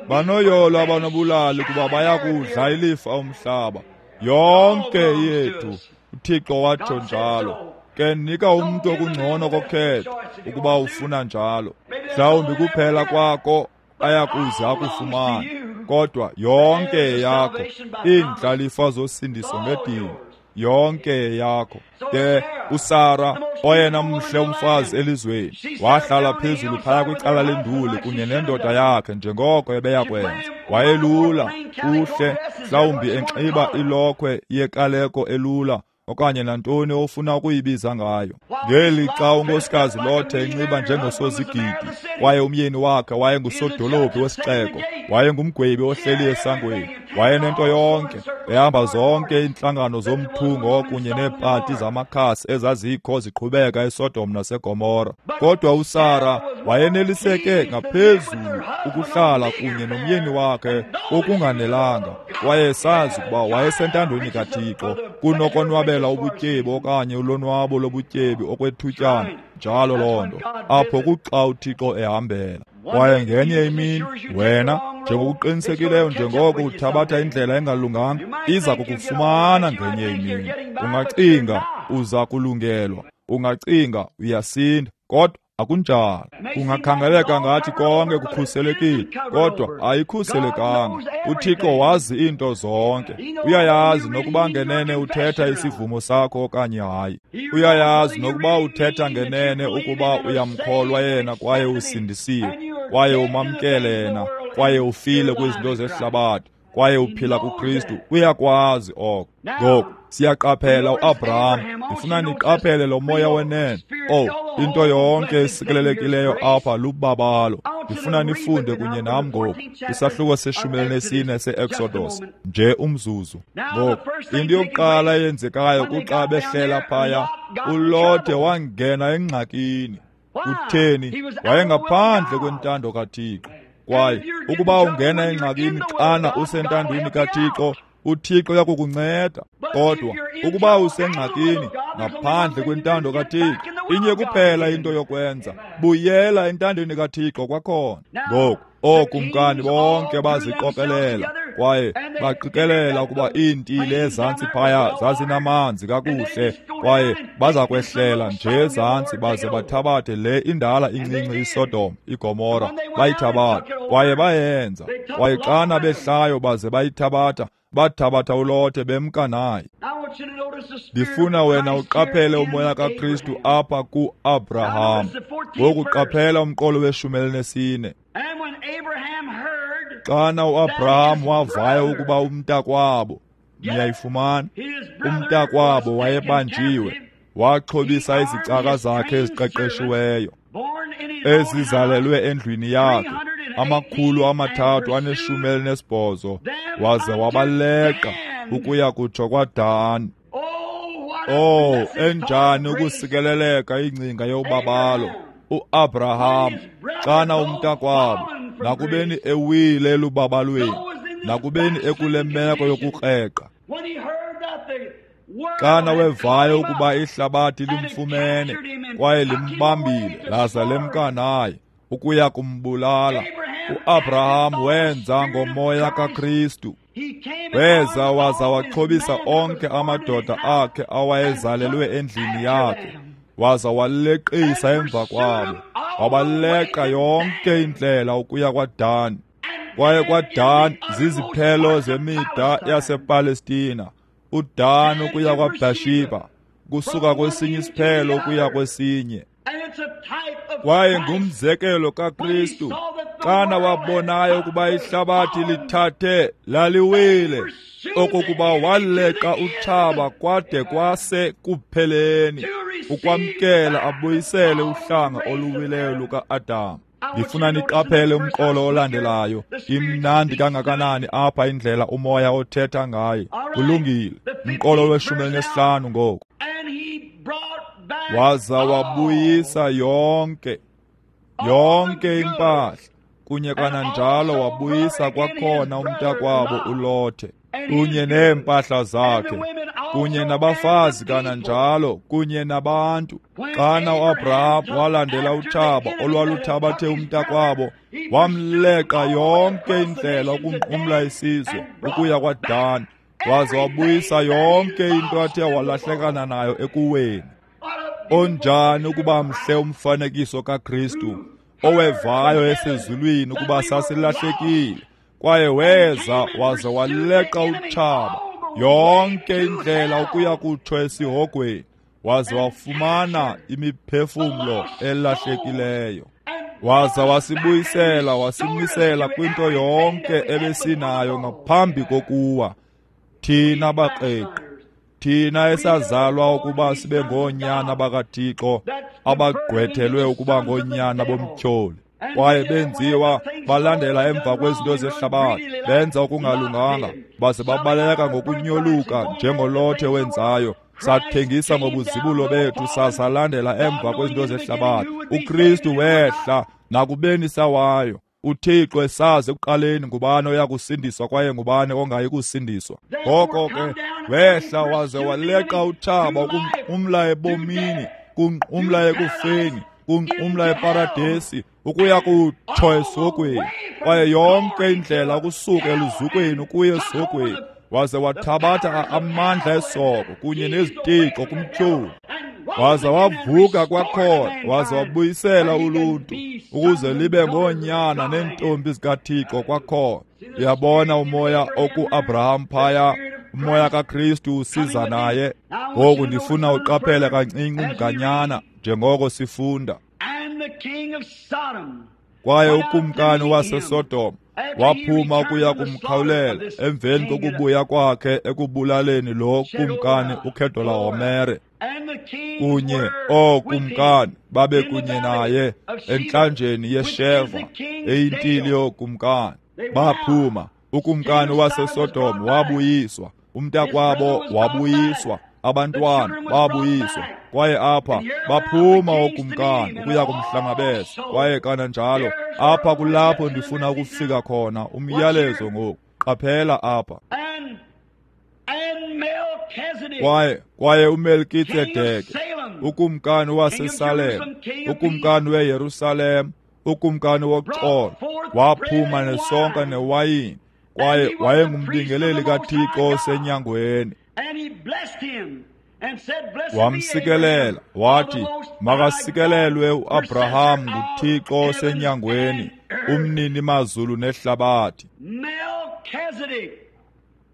Banoyolo abanobulali kuba bayakudla ilifa umhlaba. Yonke yethu. uThixo watsho njalo. Ke nika umntu okungcono kokhetho ukuba ufuna njalo. Mhlawumbi kuphela kwako ayakuze akufumane, kodwa yonke yakho iindlalifa zosindiso ngedini, yonke yakho. Ke uSara, oyena mhle umfazi elizweni, wahlala phezulu phaya kwicala lenduli kunye nendoda yakhe njengoko ebeyakwenza. Wayelula, kuhle, mhlawumbi enxiba ilokhwe yekaleko elula okanye nantoni ofuna ukuyibiza ngayo. Ngelixa unkosikazi Lothe enxiba njengosozigidi, kwaye umyeni wakhe wayengusodolophu wesixeko, wayengumgwebi ohleli esangweni, wayenento yonke, ehamba zonke iintlangano zomthungo kunye neepati zamakhasi ezazikho ziqhubeka eSodom naseGomora. Kodwa uSara wayeneliseke ngaphezulu ukuhlala kunye nomyeni wakhe okunganelanga, kwaye sazi ukuba wayesentandweni kaThixo kunokonwabela ubutyebi okanye ulonwabo lobutyebi okwethutyana. Njalo loo nto apho kuxa uThixo ehambela. Kwaye ngenye imini wena, njengokuqinisekileyo njengoko uthabatha indlela engalunganga, iza kukufumana ngenye imini. Ungacinga uza kulungelwa, ungacinga uyasinda, kodwa akunjalo. Kungakhangeleka ngathi konke kukhuselekile, kodwa ayikhuselekanga. UThixo wazi iinto zonke. Uyayazi nokuba ngenene uthetha isivumo sakho okanye hayi. Uyayazi nokuba uthetha ngenene ukuba uyamkholwa yena kwaye usindisiwe, kwaye umamkele yena, kwaye ufile kwizinto zehlabathi, kwaye uphila kuKristu. Uyakwazi oko. Ngoku siyaqaphela uAbraham. Ndifuna niqaphele lo moya wenene. Oh, into yonke esikelelekileyo apha lubabalo. Ndifuna nifunde kunye nam ngoku isahluko seshumi elinesine se-Exodus, nje umzuzu. Ngoku into yokuqala eyenzekayo kuxa behlela phaya, uLothe wangena engxakini. Kutheni? Wayengaphandle kwentando kaThixo. Kwaye ukuba ungena engxakini xana usentandweni kaThixo, uThixo uyakukunceda. Kodwa ukuba usengxakini ngaphandle kwentando kaThixo, inye kuphela into yokwenza, buyela entandweni kaThixo kwakhona. Ngoku ookumkani bonke baziqokelela kwaye baqikelela ukuba iintili ezantsi phaya zazinamanzi kakuhle, kwaye baza kwehlela nje ezantsi baze bathabathe le indala incinci iSodom, iGomora, bayithabatha. Kwaye bayenza. Kwaye xana behlayo baze bayithabatha, bathabatha uLothe bemka naye. Ndifuna wena uqaphele umoya kaKristu apha ku-Abraham. Ngoku qaphela umqolo weshumi elinesine. Xana uAbraham wavayo ukuba umntakwabo, niyayifumana, umntakwabo wayebanjiwe, waxhobisa izicaka zakhe eziqeqeshiweyo ezizalelwe endlwini yakhe, amakhulu amathathu aneshumi elinesibhozo, waze wabaleqa ukuya kutsho kwaDani. Oh, enjani ukusikeleleka ingcinga yobabalo uAbraham xana umntakwabo, nakubeni ewile elubabalweni, nakubeni ekule meko yokukreqa, xana wevayo ukuba ihlabathi limfumene kwaye limbambile laza lemka naye ukuya kumbulala, uAbraham wenza ngomoya kaKristu. Weza waza waxhobisa onke amadoda akhe awayezalelwe endlini yakhe, waza waleqisa emva kwabo, wabaleqa yonke indlela ukuya kwaDani. Kwaye kwaDani ziziphelo zemida yasePalestina, uDani ukuya kwaBhashiba, kusuka kwesinye isiphelo ukuya kwesinye. Kwaye ngumzekelo kaKristu xana wabonayo ukuba ihlabathi lithathe laliwile, okokuba waleqa utshaba kwade kwase kupheleni, ukwamkela abuyisele uhlanga oluwileyo luka-Adam. Ndifuna niqaphele umqolo olandelayo. Imnandi kangakanani apha indlela umoya othetha ngaye. Kulungile. Umqolo weshumi elinesihlanu ngoku. Waza wabuyisa yonke yonke impahla, kunye kananjalo wabuyisa kwakhona umntakwabo uLothe, kunye neempahla zakhe, kunye nabafazi kananjalo, kunye nabantu. Xana uAbraham walandela utshaba olwaluthabathe umntakwabo, wamleqa yonke indlela ukunqumla isizwe ukuya kwaDani, waze wabuyisa yonke into athe walahlekana nayo ekuweni. Onjani ukuba mhle umfanekiso kaKristu, owevayo esezulwini ukuba sasilahlekile, kwaye weza waze waleqa utshaba yonke indlela ukuya kutsho esihogweni, waze wafumana imiphefumlo elahlekileyo, waza wasibuyisela wasimisela kwinto yonke ebesinayo ngaphambi kokuwa. Thina baqeqi, thina esazalwa ukuba sibe ngoonyana bakaThixo, abagqwethelwe ukuba ngoonyana bomtyholi, kwaye benziwa balandela emva kwezinto zehlabathi, benza okungalunganga, baze babaleka ngokunyoluka njengolothe wenzayo. Sathengisa ngobuzibulo bethu, sasalandela emva kwezinto zehlabathi. UKristu wehla nakubeni sawayo. UThixo esazi ekuqaleni ngubani oya kusindiswa kwaye ngubani ongayi kusindiswa. Ngoko ke wehla waze waleqa utshaba ukunqumla ebomini, kunqumla ekufeni, kunqumla eparadesi, ukuya kutsho esihogweni, kwaye yonke indlela ukusuka eluzukweni ukuya esihogweni, waze wathabatha amandla esoko kunye nezitixo kumtyholi, waza wavuka kwakhona, waza wabuyisela uluntu ukuze libe ngoonyana neentombi zikaThixo kwakhona. Uyabona umoya oku-Abraham phaya, umoya kaKristu usiza naye. Ngoku ndifuna uqaphele kancinci umganyana njengoko sifunda. Kwaye ukumkani waseSodom waphuma ukuya kumkhawulela emveni kokubuya kwakhe ekubulaleni lo kumkani uKedorlahomere, kunye ookumkani babe kunye naye entlanjeni yeSheva eyintili yookumkani. Baphuma, ukumkani waseSodom wabuyiswa, umntakwabo wabuyiswa, abantwana babuyiswa, kwaye apha baphuma ookumkani ukuya kumhlangabeza. Kwaye kananjalo apha kulapho ndifuna ukufika khona umyalezo ngoku. Qaphela apha. Kwaye kwaye uMelkitsedeke, ukumkani waseSalem, ukumkani weYerusalem, ukumkani woxolo, waphuma nesonka newayini, kwaye wayengumbingeleli kaThixo osenyangweni. Wamsikelela wathi, makasikelelwe uAbraham nguThixo osenyangweni, umnini mazulu nehlabathi.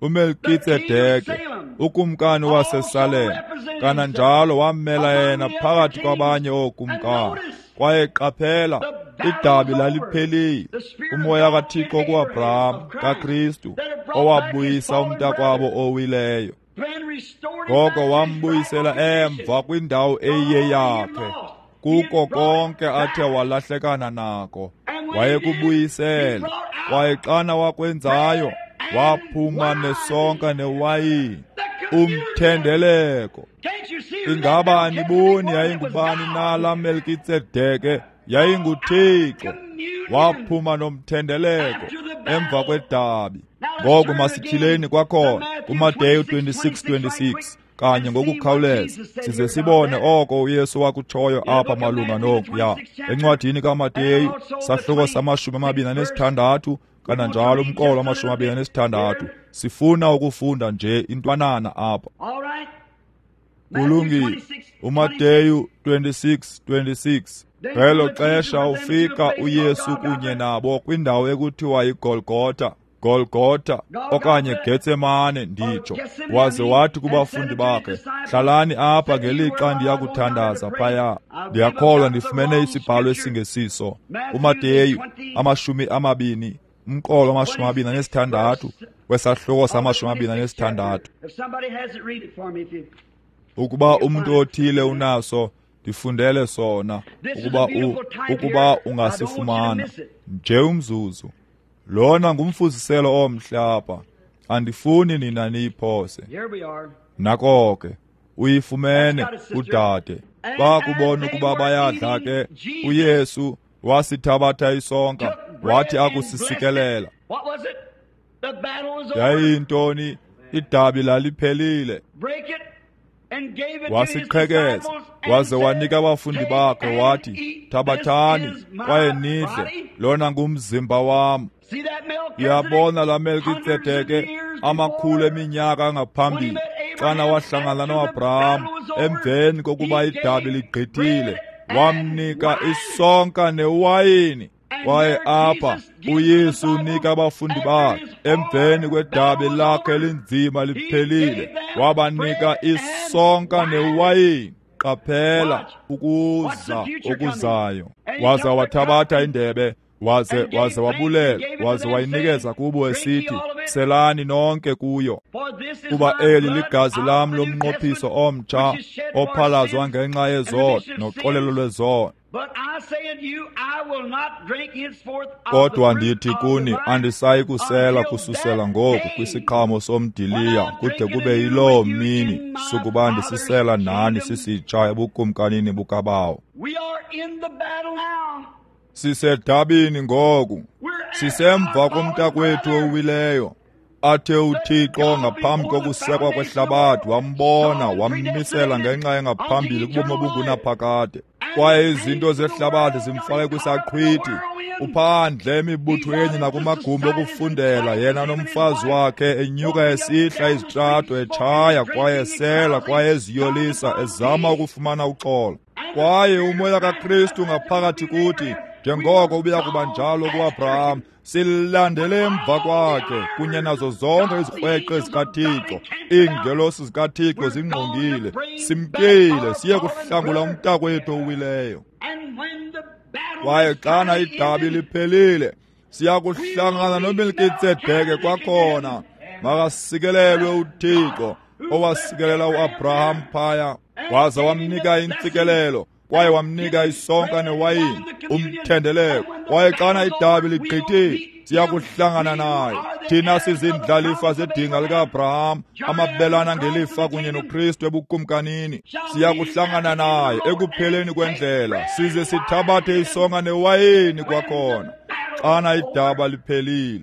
uMelkitsedeke, ukumkani waseSalem, kananjalo wammela yena phakathi kwabanye ookumkani. Kwaye qaphela, idabi laliphelile. Umoya kaThixo kuAbraham kaKristu, owabuyisa umntakwabo owileyo, ngoko wambuyisela emva kwindawo eyeyakhe, kuko konke athe walahlekana nako wayekubuyisela. Kwaye xana wakwenzayo, waphuma nesonka newayini, umthendeleko. Ingaba aniboni yayingubani na la Melkitsedeke? YayinguThixo. Waphuma nomthendeleko emva kwedabi. Ngoku masityhileni kwakhona kuMateyu twenty-six twenty-six kanye ngokukhawuleza, size sibone oko uYesu wakutshoyo apha malunga nokuya. Encwadini kaMateyu sahluko samashumi amabini anesithandathu, kananjalo umqolo wamashumi amabini anesithandathu. Sifuna ukufunda nje intwanana apha. Kulungile. uMateyu twenty-six twenty-six. Ngelo xesha ufika uYesu kunye nabo kwindawo ekuthiwa yiGolgotha, Golgotha okanye Getsemane nditsho. Waze wathi kubafundi bakhe, hlalani apha ngelixa ndiya kuthandaza phaya. Ndiyakholwa ndifumene isibhalo esingesiso. uMateyu amashumi amabini, umqolo amashumi amabini anesithandathu, wesahluko samashumi amabini anesithandathu. Ukuba umntu othile unaso, ndifundele sona, ukuba u, ukuba ungasifumana nje umzuzu. Lona ngumfuziselo omhle apha, andifuni nina niyiphose. Nako ke uyifumene udade. Bakubona ukuba bayadla ke, uYesu wasithabatha isonka, wathi akusisikelela. Yayintoni? Idabi laliphelile. Wasiqhekeza waze wanika abafundi bakhe, wathi, thabathani kwaye nidle, lona ngumzimba wam. Uyabona la Melkitsedeke amakhulu eminyaka ngaphambili, Xana wahlangana noAbraham emveni kokuba idabi ligqithile, wamnika isonka newayini. Kwaye apha uYesu unika abafundi bakhe emveni kwedabi lakhe elinzima liphelile, wabanika isonka newayini. Qaphela ukuza okuzayo. Waza wathabatha indebe, waze waze wabulela, waze wayinikeza kubo esithi, selani nonke kuyo, kuba eli ligazi lam lomnqophiso omtsha ophalazwa ngenxa yezono noxolelo lwezono. Kodwa ndithi kuni, andisayi kusela kususela ngoku kwisiqhamo somdiliya kude kube yiloo mini sukuba ndisisela nani sisitsha ebukumkanini bukaBawo. Sisedabini ngoku, sisemva komntakwethu owileyo, athe uThixo ngaphambi kokusekwa kwehlabathi wambona wammisela ngenxa engaphambili kubomi obungunaphakade. Kwaye izinto zehlabathi zimfake kwisaqhwithi. Uphandle emibuthweni nakumagumbi okufundela, yena nomfazi wakhe enyuka esihla izitrato, etshaya kwaye esela kwaye eziyolisa, ezama ukufumana uxolo. Kwaye umoya kaKristu ngaphakathi kuthi, njengoko ubuya kuba njalo kuAbraham, silandele emva kwakhe kunye nazo zonke izikrweqe zikaThixo. Iingelosi zikaThixo zingqongile, simkile siye kuhlangula umntakwethu owileyo. Kwaye xana idabi liphelile, siya kuhlangana noMelkitsedeke kwakhona. Makasikelelwe uThixo owasikelela uAbraham phaya, waza wamnika intsikelelo, kwaye wamnika isonka newayini, umthendeleko. Kwaye xana idabi ligqithile, siya kuhlangana naye. Thina sizindlalifa zedinga likaAbraham, amabelana ngelifa kunye noKristu ebukumkanini. Siya kuhlangana naye ekupheleni kwendlela, size sithabathe isonka newayini kwakhona xana idaba liphelile.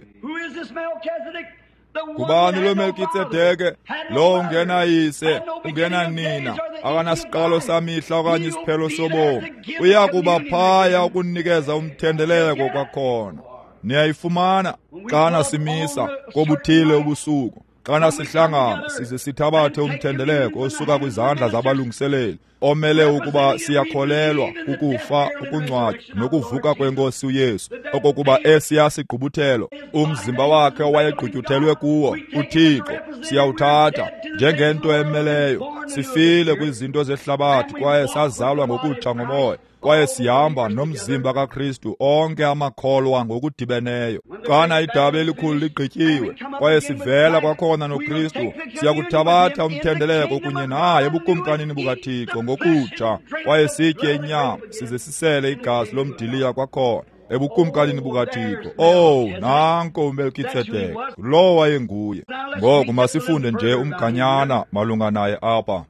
Ngubani lo Melkitsedeke? Lo ungenayise, ungenanina, akanasiqalo samihla okanye isiphelo sobomi. Uya kuba phaya ukunikeza umthendeleko kwakhona. Niyayifumana xana simisa kobuthile ubusuku, xana sihlangana size sithabathe umthendeleko osuka kwizandla zabalungiseleli, omele ukuba siyakholelwa ukufa, ukungcwatywa nokuvuka kweNkosi uYesu, okokuba esiya sigqubuthelo umzimba wakhe owayegqutyuthelwe kuwo uThixo siyawuthatha njengento emeleyo. Sifile kwizinto zehlabathi kwaye sazalwa ngokutsha ngomoya, kwaye sihamba nomzimba kaKristu onke amakholwa ngokudibeneyo. Xana idabi elikhulu ligqityiwe kwaye sivela kwakhona noKristu, siyakuthabatha umthendeleko kunye naye ebukumkanini bukaThixo ngokutsha, kwaye sitye inyama size sisele igazi lomdiliya kwakhona ebukumkanini bukaThixo. Oh, nanko uMelkitsedeke, lo wayenguye. Ngoku masifunde nje umganyana malunga naye apha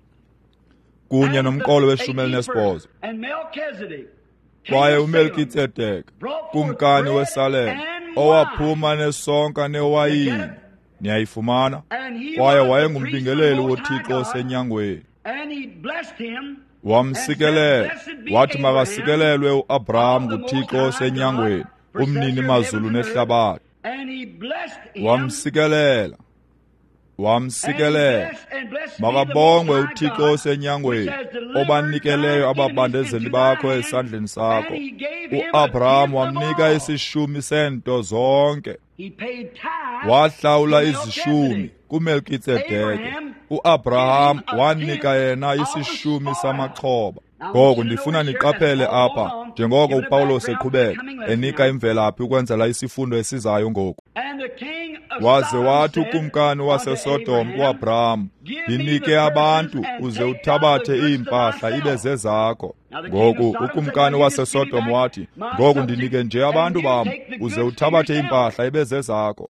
kunye nomqolo weshumi elinesibhozo. Kwaye uMelkitsedeke, kumkani weSalem, owaphuma nesonka newayini, niyayifumana, kwaye wayengumbingeleli woThixo osenyangweni. Wamsikelela, wathi makasikelelwe uAbraham nguThixo osenyangweni, umnini mazulu nehlabathi. Wamsikelela, wamsikelela. Makabongwe uThixo osenyangweni, obanikeleyo ababandezeli bakho esandleni sakho. uAbraham wamnika isishumi sento zonke. Wahlawula izishumi kuMelkitsedeke. uAbraham wanika yena isishumi samaxhoba. Ngoku ndifuna niqaphele apha, njengoko uPawulos eqhubeka enika imvelaphi ukwenzela isifundo esizayo ngoku. Waze wathi ukumkani waseSodom kuAbraham, ndinike abantu uze uthabathe iimpahla ibe zezakho. Ngoku ukumkani waseSodom wathi, ngoku ndinike nje abantu bam uze uthabathe iimpahla ibe zezakho.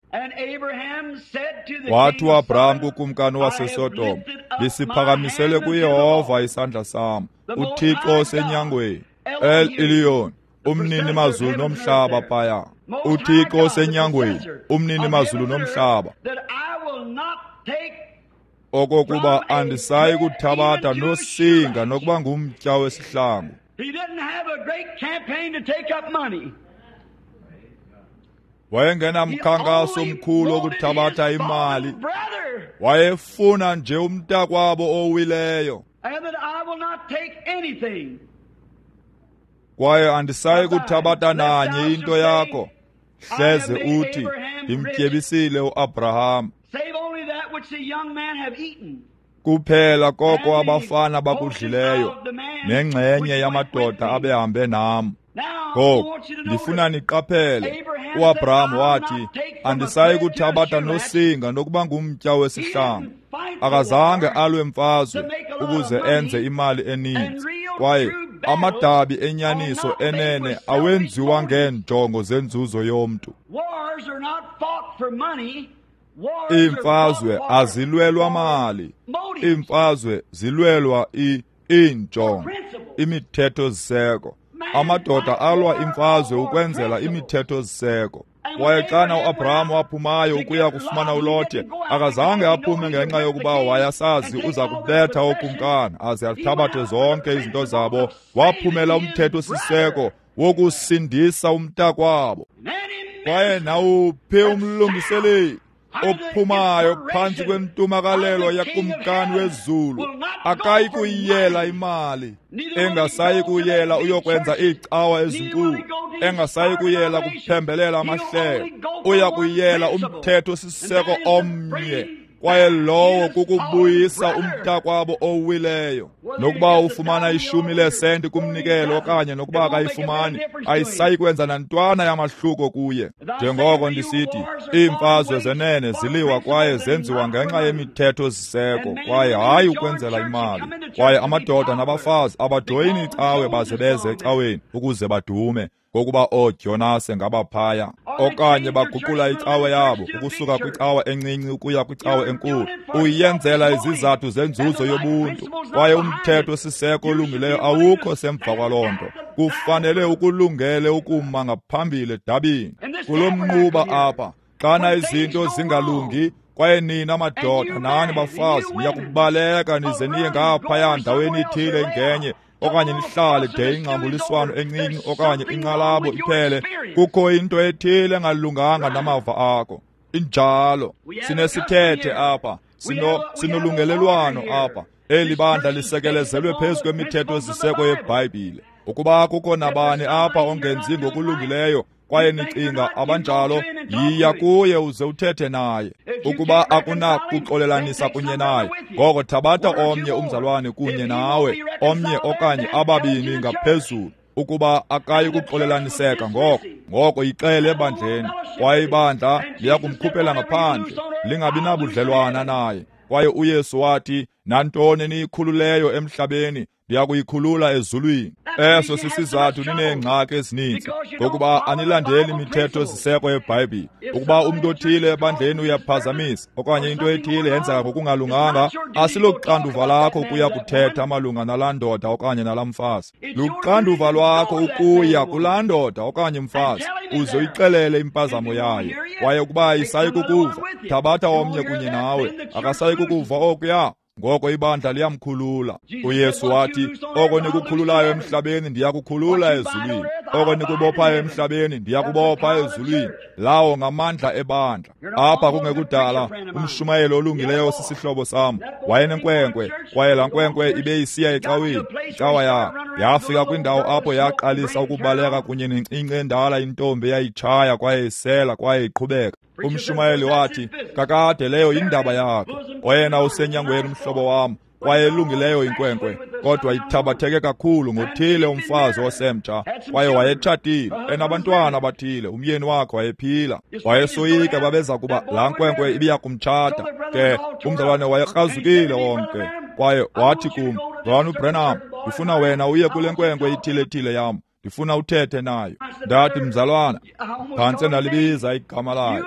Wathi uAbraham kukumkani waseSodom, ndisiphakamisele kuYehova isandla sam, uThixo osenyangweni, El Elyon, umnini mazulu nomhlaba phaya. uThixo osenyangweni, umnini mazulu nomhlaba, okokuba andisayi kuthabatha nosinga nokuba ngumtya wesihlangu. Wayengenamkhankaso omkhulu wokuthabatha imali. Wayefuna nje umntakwabo owileyo. Kwaye andisayi kuthabatha nanye into yakho, hleze uthi ndimtyebisile uAbraham. Kuphela koko abafana bakudlileyo nengxenye yamadoda abehambe nam. Ngoku ndifuna niqaphele, uAbraham wathi, andisayi kuthabatha nosinga nokuba ngumtya wesihlangu. Akazange alwe mfazwe ukuze enze imali eninzi. Kwaye amadabi enyaniso enene awenziwa ngeenjongo zenzuzo yomntu. Iimfazwe azilwelwa mali. Iimfazwe zilwelwa iinjongo, imithetho-siseko. Amadoda alwa imfazwe ukwenzela imithetho-siseko. Kwaye xana uAbraham waphumayo ukuya kufumana uLothe, akazange aphume ngenxa yokuba wayasazi uza kubetha ookumkani aze athabathe zonke izinto zabo. Waphumela umthetho-siseko wokusindisa umntakwabo. Kwaye nawuphi umlungiseleli ophumayo phantsi kwentumakalelo yakumkani wezulu akayi kuyiyela imali, engasayi kuyela uyokwenza iicawa ezinkulu, engasayi kuyela kuphembelela amahlelo. Uya kuyela umthetho-siseko omnye, kwaye lowo kukubuyisa umntakwabo owileyo. Nokuba ufumana ishumi leesenti kumnikelo okanye nokuba akayifumani, ayisayi kwenza nantwana yamahluko kuye. Njengoko ndisithi, iimfazwe zenene ziliwa kwaye zenziwa ngenxa yemithetho-siseko, kwaye hayi ukwenzela imali. Kwaye amadoda nabafazi abajoyini icawe baze beze ecaweni ukuze badume, ngokuba ooDyonase ngabaphaya, okanye baguqula icawe yabo ukusuka kwicawa encinci ukuya kwicawa enkulu. Uyenzela izizathu zenzuzo yobuntu, kwaye umthetho-siseko olungileyo awukho semva kwaloo nto. Kufanele ukulungele ukuma ngaphambili edabini. Kulo mnquba apha, xana izinto zingalungi, kwaye nina madoda nani bafazi niyakubaleka nize niye ngaphaya ndaweni ithile ngenye, okanye nihlale de ingxambuliswano encinci okanye inqalabo iphele, kukho into ethile engalunganga namava akho. Injalo. Sinesithethe apha, sino sinolungelelwano apha. Eli bandla lisekelezelwe phezu kwemithetho-siseko yeBhayibhile. Ukuba kukho nabani apha ongenzi ngokulungileyo, kwaye nicinga abanjalo, yiya kuye uze uthethe naye. Ukuba akunakuxolelanisa kunye naye, ngoko thabatha omnye umzalwane kunye nawe, omnye okanye ababini ngaphezulu. Ukuba akayi kuxolelaniseka, ngoko ngoko yixele ebandleni, kwaye ibandla liyakumkhuphela ngaphandle, lingabi nabudlelwana naye. Kwaye uYesu wathi, nantoni niyikhululeyo emhlabeni, ndiyakuyikhulula ezulwini. Eso sisizathu nineengxaki ezininzi, ngokuba anilandeli imithetho-siseko yeBhayibhile. Ukuba umntu othile ebandleni uyaphazamisa okanye into ethile yenzeka ngokungalunganga, asiloxanduva lakho ukuya kuthetha malunga nalaa ndoda okanye nalaa mfazi. Luxanduva lwakho ukuya kulaa ndoda okanye mfazi uze uyixelele impazamo yayo. Kwaye ukuba ayisayi kukuva, thabatha omnye kunye nawe. Akasayi kukuva okuya, ngoko ibandla liyamkhulula. uYesu wathi, oko nikukhululayo emhlabeni ndiyakukhulula ezulwini, oko nikubophayo emhlabeni ndiyakubopha ezulwini. Lawo ngamandla ebandla. Apha kungekudala, umshumayeli olungileyo sisihlobo sam wayenenkwenkwe, kwaye laa nkwenkwe ibe isiya ecaweni. Icawa yakhe yafika kwindawo apho yaqalisa ukubaleka kunye nencinci endala intombi eyayitshaya kwaye isela kwaye iqhubeka. Umshumayeli wathi, kakade leyo yindaba yakho. Oyena usenyangweni umhlobo wam, kwaye elungileyo inkwenkwe, kodwa ithabatheke kakhulu ngothile umfazi osemtsha. Kwaye wayetshatile, enabantwana abathile, umyeni wakhe wayephila. Wayesoyika babeza kuba laa nkwenkwe ibiya kumtshata. Ke umzalwane wayekrazukile wonke. Kwaye wathi kum, Mzalwane uBranham, ndifuna wena uye kule nkwenkwe ithile-thile yam, ndifuna uthethe nayo. Ndathi, mzalwana, phantse ndalibiza igama layo,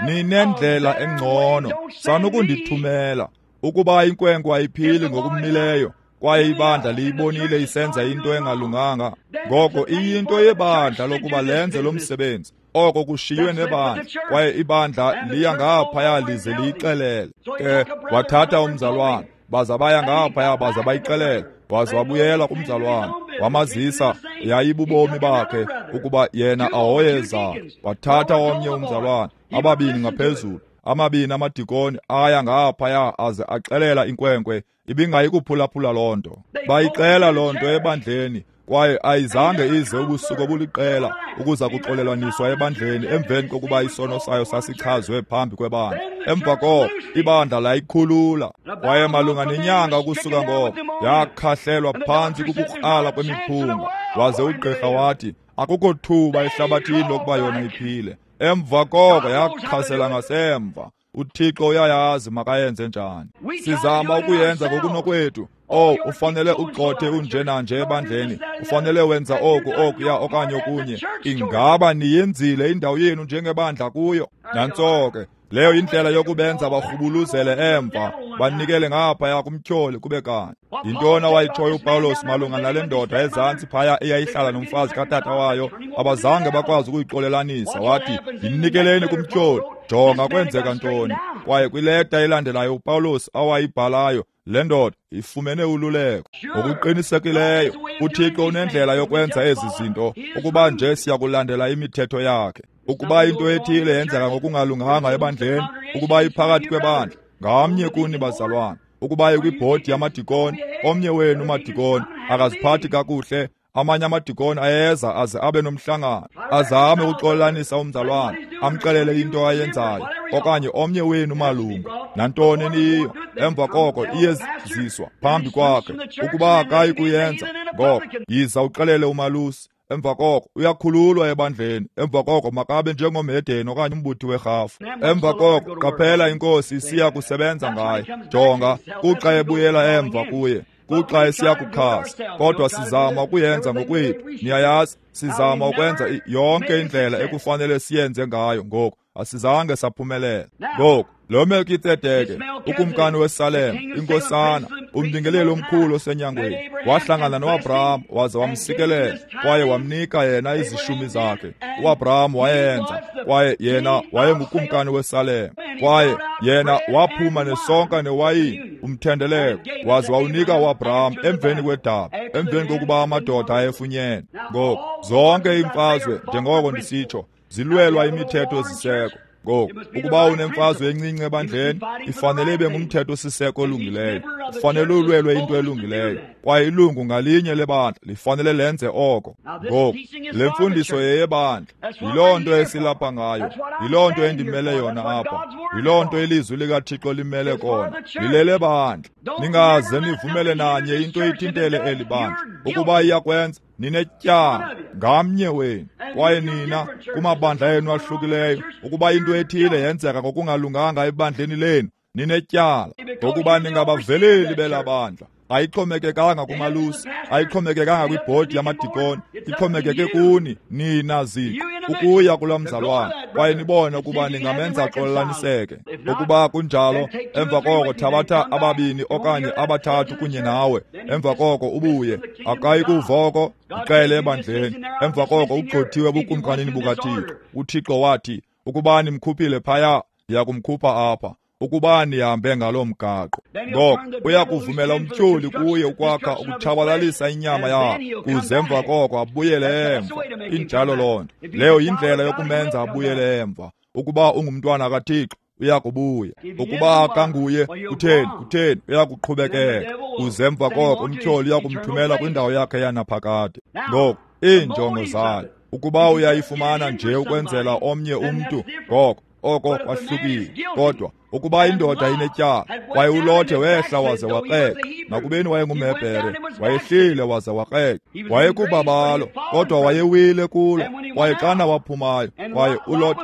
ninendlela engcono, sanukundithumela. Ukuba inkwenkwe ayiphili ngokumileyo, kwaye ibandla liyibonile isenza into engalunganga, ngoko iyinto yebandla lokuba lenze lo msebenzi. Oko kushiywe nebandla, kwaye ibandla liya ngaphaya lize liyixelele. Ke wathatha umzalwana, baza baya ngaphaya baza bayixelela. Waze wabuyela kumzalwana, wamazisa, Yayibubomi bakhe ukuba yena ahoye zakhe. Wathatha omnye umzalwana, ababini ngaphezulu, amabini amadikoni aya ngaphaya aze axelela inkwenkwe ibingayi kuphulaphula loo nto. Bayixela loo nto ebandleni, kwaye ayizange ize ubusuku obuliqela ukuza kuxolelwaniswa ebandleni emveni kokuba isono sayo sasichazwe phambi kwebandla. Emva koko ibandla layikhulula. Kwaye malunga nenyanga ukusuka ngoko yakhahlelwa phantsi kukukrala kwemiphunga, waze ugqirha wathi akukho thuba ehlabathini lokuba yona iphile. Emva koko yakhasela ngasemva. UThixo uyayazi makayenze njani. Sizama ukuyenza ngokunokwethu. Oh, ufanele ugxothe unjena nje ebandleni, ufanele wenza oku okuya okanye okunye. Ingaba niyenzile indawo yenu njengebandla kuyo? Nantso ke, leyo indlela yokubenza barhubuluzele emva, banikele ngaphaya kumtyholi kube kanye. Yintoni awayitshoyo uPawulos malunga nale ndoda ezantsi phaya eyayihlala nomfazi katata wayo? Abazange bakwazi ukuyixolelanisa. Wathi, yinikeleni kumtyholi. Jonga kwenzeka ntoni. Kwaye kwileta elandelayo uPawulos awayibhalayo, le ndoda ifumene ululeko. Ngokuqinisekileyo uThixo unendlela yokwenza ezi zinto, ukuba nje siyakulandela imithetho yakhe. Ukuba into ethile yenzeka ngokungalunganga ebandleni, ukuba iphakathi kwebandla, ngamnye kuni bazalwana, ukuba ikwibhodi yamadikoni, omnye wenu madikoni akaziphathi kakuhle, amanye amadikoni ayeza aze abe nomhlangano, azame ukuxolelanisa umzalwana, amxelele into ayenzayo, okanye omnye wenu malungu, nantoni eniyiyo, emva koko iyeziswa phambi kwakhe. Ukuba akayi kuyenza, ngoko yiza uxelele umalusi. Emva koko uyakhululwa ebandleni. Emva koko makabe njengomhedeni okanye umbuthi werhafu. Emva koko qaphela inkosi isiya kusebenza ngaye. Jonga, kuxa ebuyela emva kuye, kuxa esiya kukhasa. Kodwa sizama ukuyenza ngokwethu. Niyayazi, sizama ukwenza yonke indlela ekufanele siyenze ngayo. Ngoku asizange saphumelela. Ngoku lo Melkitsedeke, ukumkani weSalem, inkosana, umbingeleli omkhulu osenyangweni, wahlangana noAbraham waze wamsikelela kwaye wamnika yena izishumi zakhe. uAbraham wayenza, kwaye yena wayengukumkani weSalem, kwaye yena waphuma nesonka newayini, umthendeleko, waze wawunika uAbraham emveni kwedabi, emveni kokuba amadoda ayefunyene. Ngoku zonke iimfazwe, njengoko ndisitsho, zilwelwa imithetho ziseko. Ngoku ukuba unemfazwe encinci ebandleni, ifanele ibe ngumthetho siseko olungileyo, ufanele ulwelwe into elungileyo, kwaye ilungu ngalinye lebandla lifanele lenze oko. Ngoku le mfundiso yeyebandla, yiloo nto esilapha ngayo, yiloo nto endimele yona apha, yiloo nto ilizwi likaThixo limele kona, lilele bandla. Ningaze nivumele nanye into ithintele eli bandla. Ukuba iyakwenza, ninetyala ngamnye wenu. Kwaye nina kumabandla enu ahlukileyo, ukuba into ethile yenzeka ngokungalunganga ebandleni lenu, ninetyala, ngokuba ningabaveleli belabandla. Ayixhomekekanga kumalusi, ayixhomekekanga kwibhodi yamadikoni, ixhomekeke kuni nina ziqu ukuya kulaa mzalwana, kwaye nibone ukuba ningamenza axolelaniseke. Ukuba kunjalo, emva koko thabatha ababini okanye abathathu kunye nawe, emva koko ubuye. Akayi kuva oko, uxele ebandleni. Emva koko ugxothiwe ebukumkanini bukaThixo. UThixo wathi, ukuba nimkhuphile phaya, ndiyakumkhupha apha. Ukuba nihambe ngaloo mgaqo, ngoko uyakuvumela umtyholi kuye ukwakha ukutshabalalisa inyama yakhe, kuze emva koko abuyele emva. Injalo loo nto. Leyo yindlela yokumenza abuyele emva. Ukuba ungumntwana kaThixo, uyakubuya. Ukuba akanguye, kutheni kutheni uyakuqhubekeka, kuze emva koko umtyholi uyakumthumela kwindawo yakhe yanaphakade. Ngoku iinjongo zayo, ukuba uyayifumana nje ukwenzela omnye umntu, ngoko oko kwahlukile. Kodwa ukuba indoda inetyala, kwaye uLothe wehla waze wakreqa, nakubeni wayengumHebhere, wayehlile waze wakreqa, wayekubabalo, kodwa wayewile kulo. Kwaye xana waphumayo, kwaye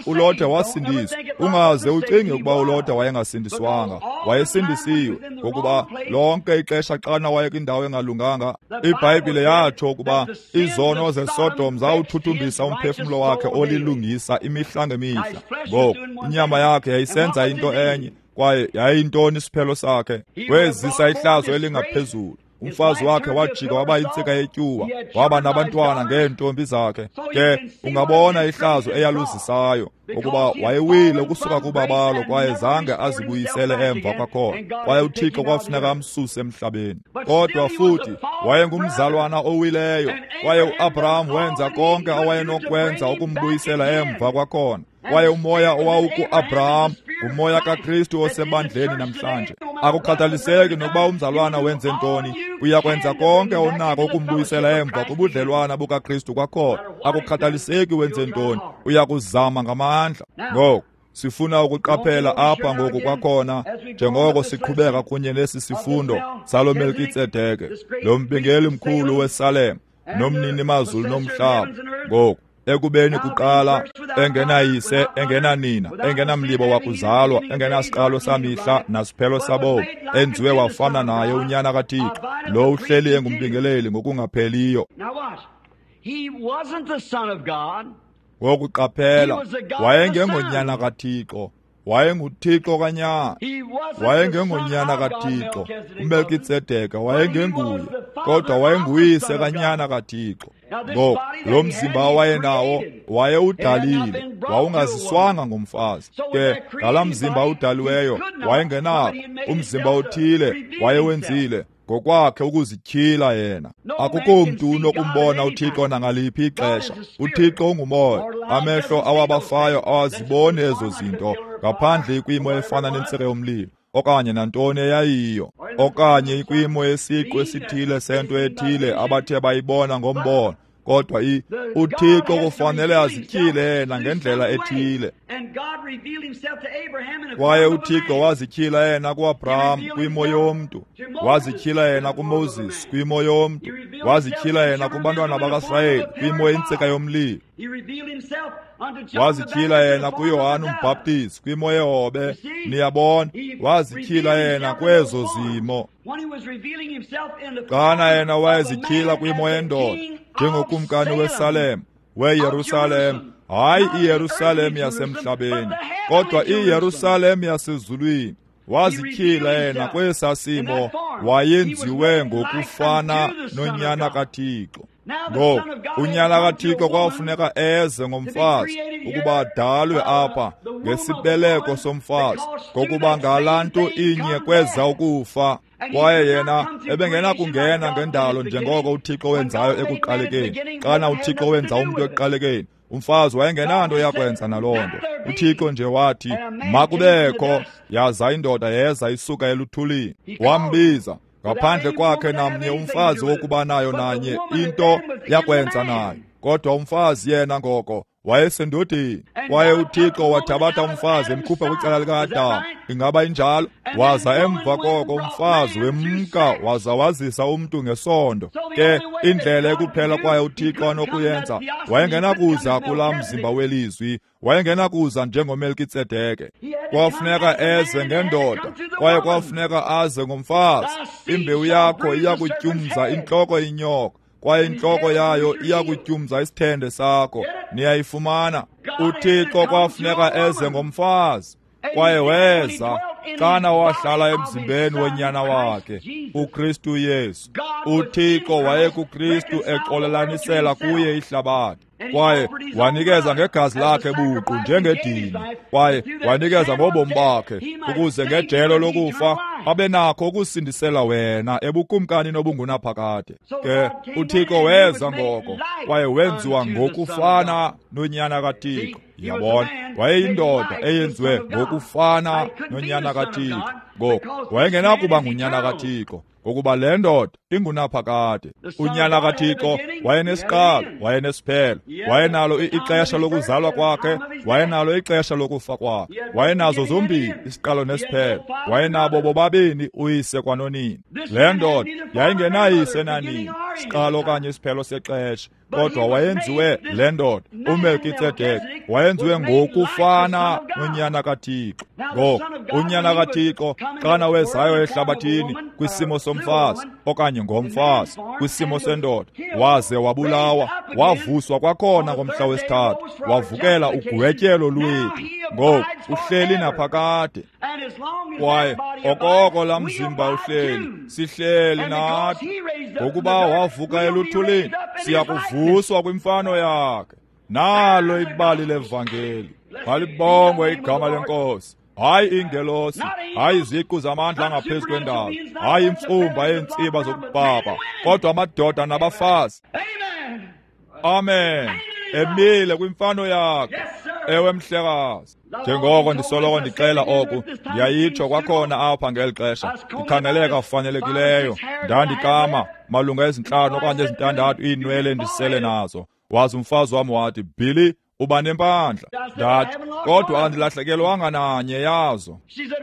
uLothe wasindiswa. Ungaze ucinge ukuba uLothe wayengasindiswanga, wayesindisiwe, ngokuba lonke ixesha xana wayekwindawo engalunganga, iBhayibhile yatsho ukuba izono zeSodom zawuthuthumbisa umphefumlo wakhe olilungisa imihla ngemihla. Ngoku inyama yakhe yayisenza into enye, kwaye yayintoni isiphelo sakhe? Wezisa ihlazo elingaphezulu. Umfazi wakhe wajika waba yintsika yetyuwa, waba nabantwana ngeentombi zakhe. Ke ungabona ihlazo eyaluzisayo, ukuba wayewile ukusuka kubabalo kwaye zange azibuyisele emva kwakhona, kwaye uThixo kwafuneka amsuse emhlabeni. Kodwa futhi wayengumzalwana owileyo, kwaye uAbraham wenza konke awayenokwenza ukumbuyisela emva kwakhona. Kwaye umoya owawuku-Abraham ngumoya kaKristu osebandleni namhlanje. Akukhathaliseki nokuba umzalwana wenze ntoni, uyakwenza konke onako ukumbuyisela emva kubudlelwana bukaKristu kwakhona. Akukhathaliseki wenze ntoni, uyakuzama ngamandla. Ngoku sifuna ukuqaphela apha ngoku kwakhona, njengoko siqhubeka kunye nesi sifundo salo Melkitsedeke, lo mbingeli mkhulu weSalem nomnini mazulu nomhlaba. Ngoku ekubeni kuqala engenayise, engenanina, engenamlibo wakuzalwa, engenasiqalo samihla nasiphelo sabomi, enziwe wafana naye unyana kaThixo, lo uhleli engumbingeleli ngokungapheliyo. Ngokuqaphela, wayengengonyana kaThixo, wayenguThixo kanyana. Wayengengonyana kaThixo, uMelkitsedeke wayengenguye, kodwa wayenguyise kanyana kaThixo. Ngoku lo mzimba wayenawo wayewudalile, wawungaziswanga ngumfazi. Ke ngalaa mzimba udaliweyo wayengenako umzimba othile wayewenzile ngokwakhe ukuzityhila yena. Akukho mntu unokumbona uThixo nangaliphi ixesha. UThixo ungumoya, amehlo awabafayo awaziboni ezo zinto ngaphandle kwimo efana nentsika yomlilo okanye nantoni eyayiyo, okanye ikwimo yesiqu esithile sento ethile abathe bayibona ngombono. Kodwa uThixo kufanele azityhile yena ngendlela ethile. Kwaye uThixo wazityhila yena kuAbraham kwimo yomntu, wazityhila yena kuMoses kwimo yomntu, wazityhila yena kubantwana bakaSirayeli kwimo yentsika yomlilo, wazityhila yena kuYohane uMbhaptizi kwimo yehobe. Niyabona, wazityhila yena kwezo zimo. Xana yena wayezityhila kwimo yendoda njengokumkani weSalem, weYerusalem, hayi iYerusalem yasemhlabeni, kodwa iYerusalem yasezulwini. Wazityhila yena kwesa simo, wayenziwe ngokufana nonyana kaThixo. Ngoku unyana kaThixo kwafuneka eze ngomfazi ukuba adalwe apha ngesibeleko somfazi, ngokuba ngalaa nto inye kweza ukufa. Kwaye yena ebengenakungena ngendalo njengoko uThixo wenzayo ekuqalekeni. Xana uThixo wenza umntu ekuqalekeni, umfazi wayengenanto yakwenza naloo nto. uThixo nje wathi makubekho, yaza indoda yeza isuka eluthulini. Wambiza ngaphandle kwakhe namnye umfazi wokuba nayo nanye into yakwenza nayo, kodwa umfazi yena ngoko wayesendodeni. Kwaye uThixo wathabatha umfazi emkhupha kwicala lika-Adamu. Ingaba injalo? Waza emva koko umfazi wemka waza wazisa umntu ngesondo. Ke indlela ekuphela kwaye uThixo anokuyenza, wayengenakuza kulaa mzimba welizwi, wayengenakuza njengoMelkitsedeke. Kwafuneka eze ngendoda, kwaye kwafuneka aze ngomfazi. Imbewu yakho iyakutyumza intloko inyoka, kwaye intloko yayo iyakutyumza isithende sakho. Niyayifumana? uThixo kwafuneka eze ngomfazi, kwaye weza xana wahlala emzimbeni wonyana wakhe uKristu Yesu. uThixo wayekuKristu exolelanisela kuye ihlabathi, kwaye wanikeza ngegazi lakhe buqu njengedini, kwaye wanikeza ngobomi bakhe ukuze ngejelo lokufa abe nakho ukusindisela wena ebukumkanini obungunaphakade. Ke uThixo weza ngoko, kwaye wenziwa ngokufana nonyana kaThixo. Yabona, wayeyindoda eyenziwe ngokufana nonyana kaThixo. Ngoku wayengenakuba ngunyana kaThixo, ngokuba le ndoda ingunaphakade. Unyana kaThixo wayenesiqalo, wayenesiphelo, wayenalo ixesha lokuzalwa kwakhe, wayenalo ixesha lokufa kwakhe, wayenazo zombini isiqalo nesiphelo, wayenabo bobabini uyise kwanonina. Le ndoda yayingenayise nanini, siqalo okanye isiphelo sexesha, kodwa wayenziwe le ndoda uMelkitsedeke wayenziwe ngokufana nonyana kaThixo. Ngoku unyana kaThixo xana wezayo ehlabathini kwisimo somfazi okanye ngomfazi kwisimo sendoda, waze wabulawa, wavuswa kwakhona ngomhla wesithathu, wavukela ugwetyelo lwethu. Ngoku uhleli naphakade. Kwaye okoko laa mzimba uhleli, sihleli nathi. Ngokuba wavuka eluthulini, siya kuvuswa kwimfano yakhe. Nalo ibali levangeli. Malibongwe igama leNkosi. Hayi ingelosi, hayi iziqu zamandla angaphezu kwendalo, hayi imfumba yeentsiba zokubaba, kodwa amadoda nabafazi. Amen. Emile kwimfano yakhe. Ewe mhlekazi. Njengoko ndisoloko ndixela oku, ndiyayitsho kwakhona apha ngeli xesha. Ndikhangeleka fanelekileyo. Ndandikama malunga ezintlanu okanye ezintandathu iinwele endisele nazo. Waza umfazi wam wathi, Billy, uba nempandla. Ndathi, kodwa andilahlekelwanga nanye yazo.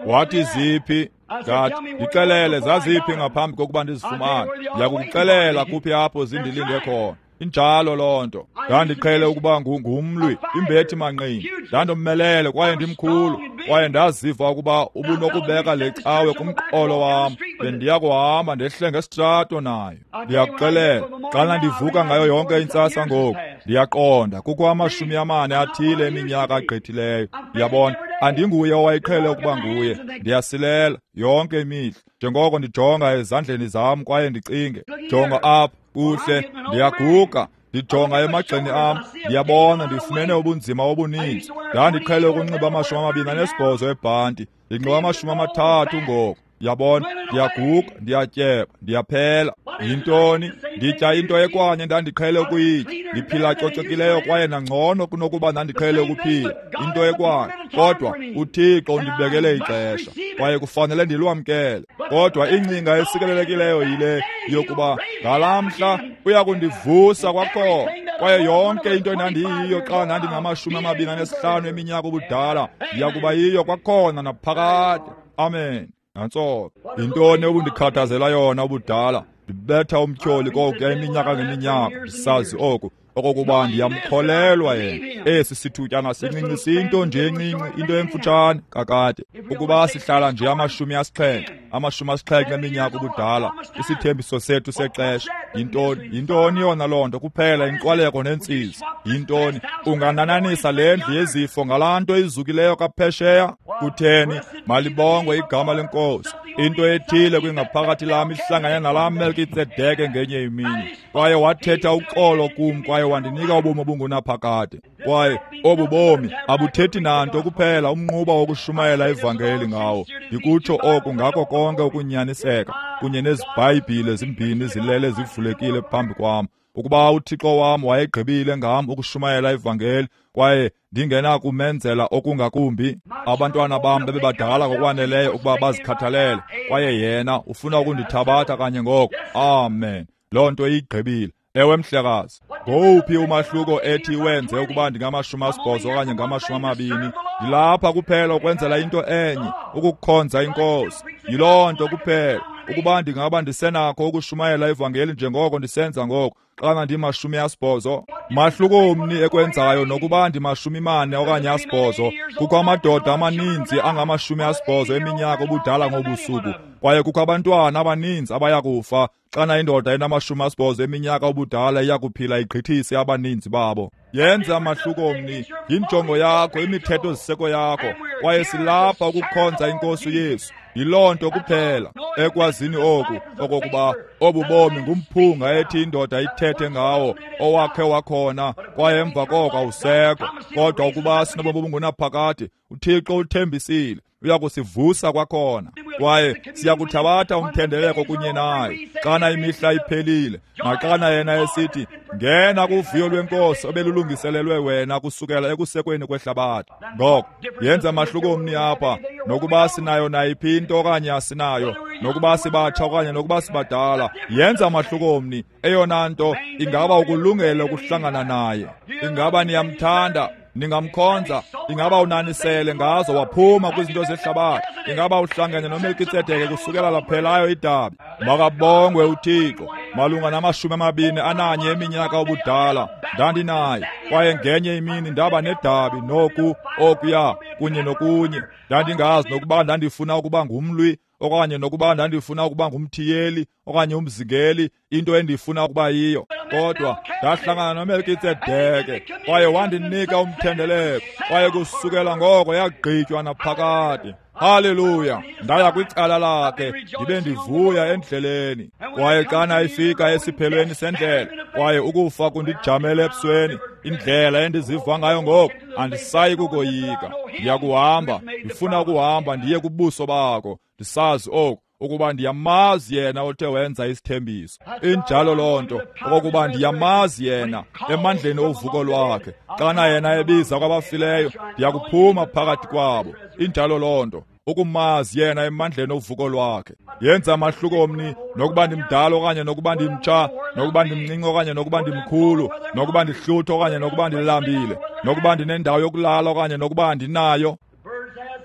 Wathi, ziphi? Ndathi, ndixelele zaziphi ngaphambi kokuba ndizifumane. Ndiyakukuxelela kuphi apho zindilinde khona. Injalo loo nto. Ndandiqhele ukuba ngumlwi, imbethi manqindi. Ndandommelele kwaye ndimkhulu, kwaye ndaziva ukuba ubunokubeka le cawe kumqolo wam, bendiya kuhamba ndehle ngesitrato nayo. Ndiyakuxelela, xana ndivuka ngayo yonke intsasa ngoku, ndiyaqonda kukho amashumi amane athile eminyaka agqithileyo. Ndiyabona, andinguye owayeqhele ukuba nguye. Ndiyasilela yonke imihla, njengoko ndijonga ezandleni zam kwaye ndicinge, jonga apha, kuhle, ndiyaguga. Ndijonga emagxeni am, ndiyabona ndifumene ubunzima obuninzi. Ndandiqhele ukunxiba amashumi amabini anesibhozo ebhanti, ndinxiba amashumi amathathu ngoku. Yabona, ndiyaguga, ndiyatyeba, ndiyaphela. Yintoni? Nditya into ekwanye ndandiqhele ukuyitya. Ndiphila cocekileyo kwaye nangcono kunokuba ndandiqhele ukuphila. Into ekwanye. Kodwa uThixo undibekele ixesha, kwaye kufanele ndilwamkele. Kodwa ingcinga esikelelekileyo yile yokuba ngalaa mhla uya kundivusa kwakhona. Kwaye yonke into endandiyiyo xa ndandingamashumi amabini anesihlanu eminyaka ubudala, ndiya kuba yiyo kwakhona naphakade. Amen. Nantso yintoni obundikhathazela yona ubudala? Ndibetha umtyholi kokuya iminyaka ngeminyaka, ndisazi oku okokuba ndiyamkholelwa yena. Esi sithutyana sincinci siyinto nje encinci, into emfutshane kakade. Ukuba sihlala nje amashumi asixhenxe, amashumi asixhenxe eminyaka ubudala, isithembiso sethu sexesha yintoni? Yintoni yona loo nto? Kuphela inqwaleko nentsizi. Yintoni? Unganananisa le ndlu yezifo ngalaa nto izukileyo kaphesheya? Kutheni? Malibongwe igama leNkosi. Into ethile kwingaphakathi lam ihlangane nalaa Melkitsedeke ngenye imini, kwaye wathetha uxolo kum, kwaye wandinika ubomi obungunaphakade. Kwaye obu bomi abuthethi nanto kuphela umnquba wokushumayela ivangeli ngawo. Ndikutsho oku ngako konke ukunyaniseka, kunye nezibhayibhile zimbini zilele zivulekile phambi kwam. Ukuba uThixo wam wayegqibile ngam ukushumayela ivangeli, kwaye ndingenakumenzela okungakumbi, abantwana bam bebebadala ngokwaneleyo ukuba bazikhathalele, kwaye yena ufuna ukundithabatha kanye ngoko. Amen. Loo nto iyigqibile. Ewe mhlekazi. Ngowuphi umahluko ethi wenze ukuba ndingamashumi asibhozo okanye ngamashumi amabini? Ndilapha kuphela ukwenzela into enye, ukukhonza iNkosi. Yiloo nto kuphela. Ukuba ndingaba ndisenakho ukushumayela ivangeli njengoko ndisenza ngoku, xana ndimashumi asibhozo, mahluko mni ekwenzayo nokuba ndimashumi mane okanye asibhozo? Kukho amadoda amaninzi angamashumi asibhozo eminyaka obudala ngobusuku, kwaye kukho abantwana abaninzi abaya kufa. Xana indoda enamashumi asibhozo eminyaka obudala iya kuphila igqithise abaninzi babo. Yenza mahluko mni, yinjongo yakho, imithetho ziseko yakho, kwaye silapha ukukhonza iNkosi uYesu. Yiloo nto kuphela. Ekwazini oku okokuba obu bomi ngumphunga ethi indoda ithethe ngawo owakhe wakhona, kwaye emva koko awusekho. Kodwa ukuba sinobomi obungunaphakade, uThixo uthembisile uya kusivusa kwakhona, kwaye siya kuthabatha umthendeleko kunye naye xana imihla iphelile, naxana yena esithi, ngena kuvuyo lweNkosi obelulungiselelwe wena kusukela ekusekweni kwehlabathi. Ngoko yenza mahluko mni apha, nokuba sinayo nayiphi into okanye asinayo, nokuba sibatsha okanye nokuba sibadala. Yenza mahluko mni. Eyona nto ingaba ukulungele ukuhlangana naye. Ingaba niyamthanda? Ningamkhonza? Ingaba unanisele ngazo waphuma kwizinto zehlabathi? Ingaba uhlangene noMelkitsedeke kusukela laphelayo idabi? Makabongwe uThixo. Malunga namashumi amabini ananye eminyaka ubudala ndandinaye, kwaye ngenye imini ndaba nedabi noku okuya kunye nokunye. Ndandingazi nokuba ndandifuna ukuba ngumlwi okanye nokuba ndandifuna ukuba ngumthiyeli okanye umzingeli, into endifuna ukuba yiyo. Kodwa ndahlangana noMelkitsedeke kwaye wandinika umthendeleko, kwaye kusukela ngoko yagqitywa naphakade. Haleluya! Ndaya kwicala lakhe, ndibe ndivuya endleleni. Kwaye xana ifika esiphelweni sendlela, kwaye ukufa kundijamele ebusweni, indlela endiziva ngayo ngoku, andisayi kukoyika. Ndiyakuhamba, ndifuna ukuhamba ndiye kubuso bakho, ndisazi oku, ukuba ndiyamazi yena othe wenza isithembiso. Injalo loo nto, okokuba ndiyamazi yena emandleni ovuko lwakhe. Xana yena ebiza kwabafileyo, ndiyakuphuma phakathi kwabo. Injalo loo nto, ukumazi yena emandleni ovuko lwakhe. Yenza amahluko mni, nokuba ndimdala okanye nokuba ndimtsha, nokuba ndimncinci okanye nokuba ndimkhulu, nokuba ndihlutha okanye nokuba ndilambile, nokuba ndinendawo yokulala okanye nokuba andinayo.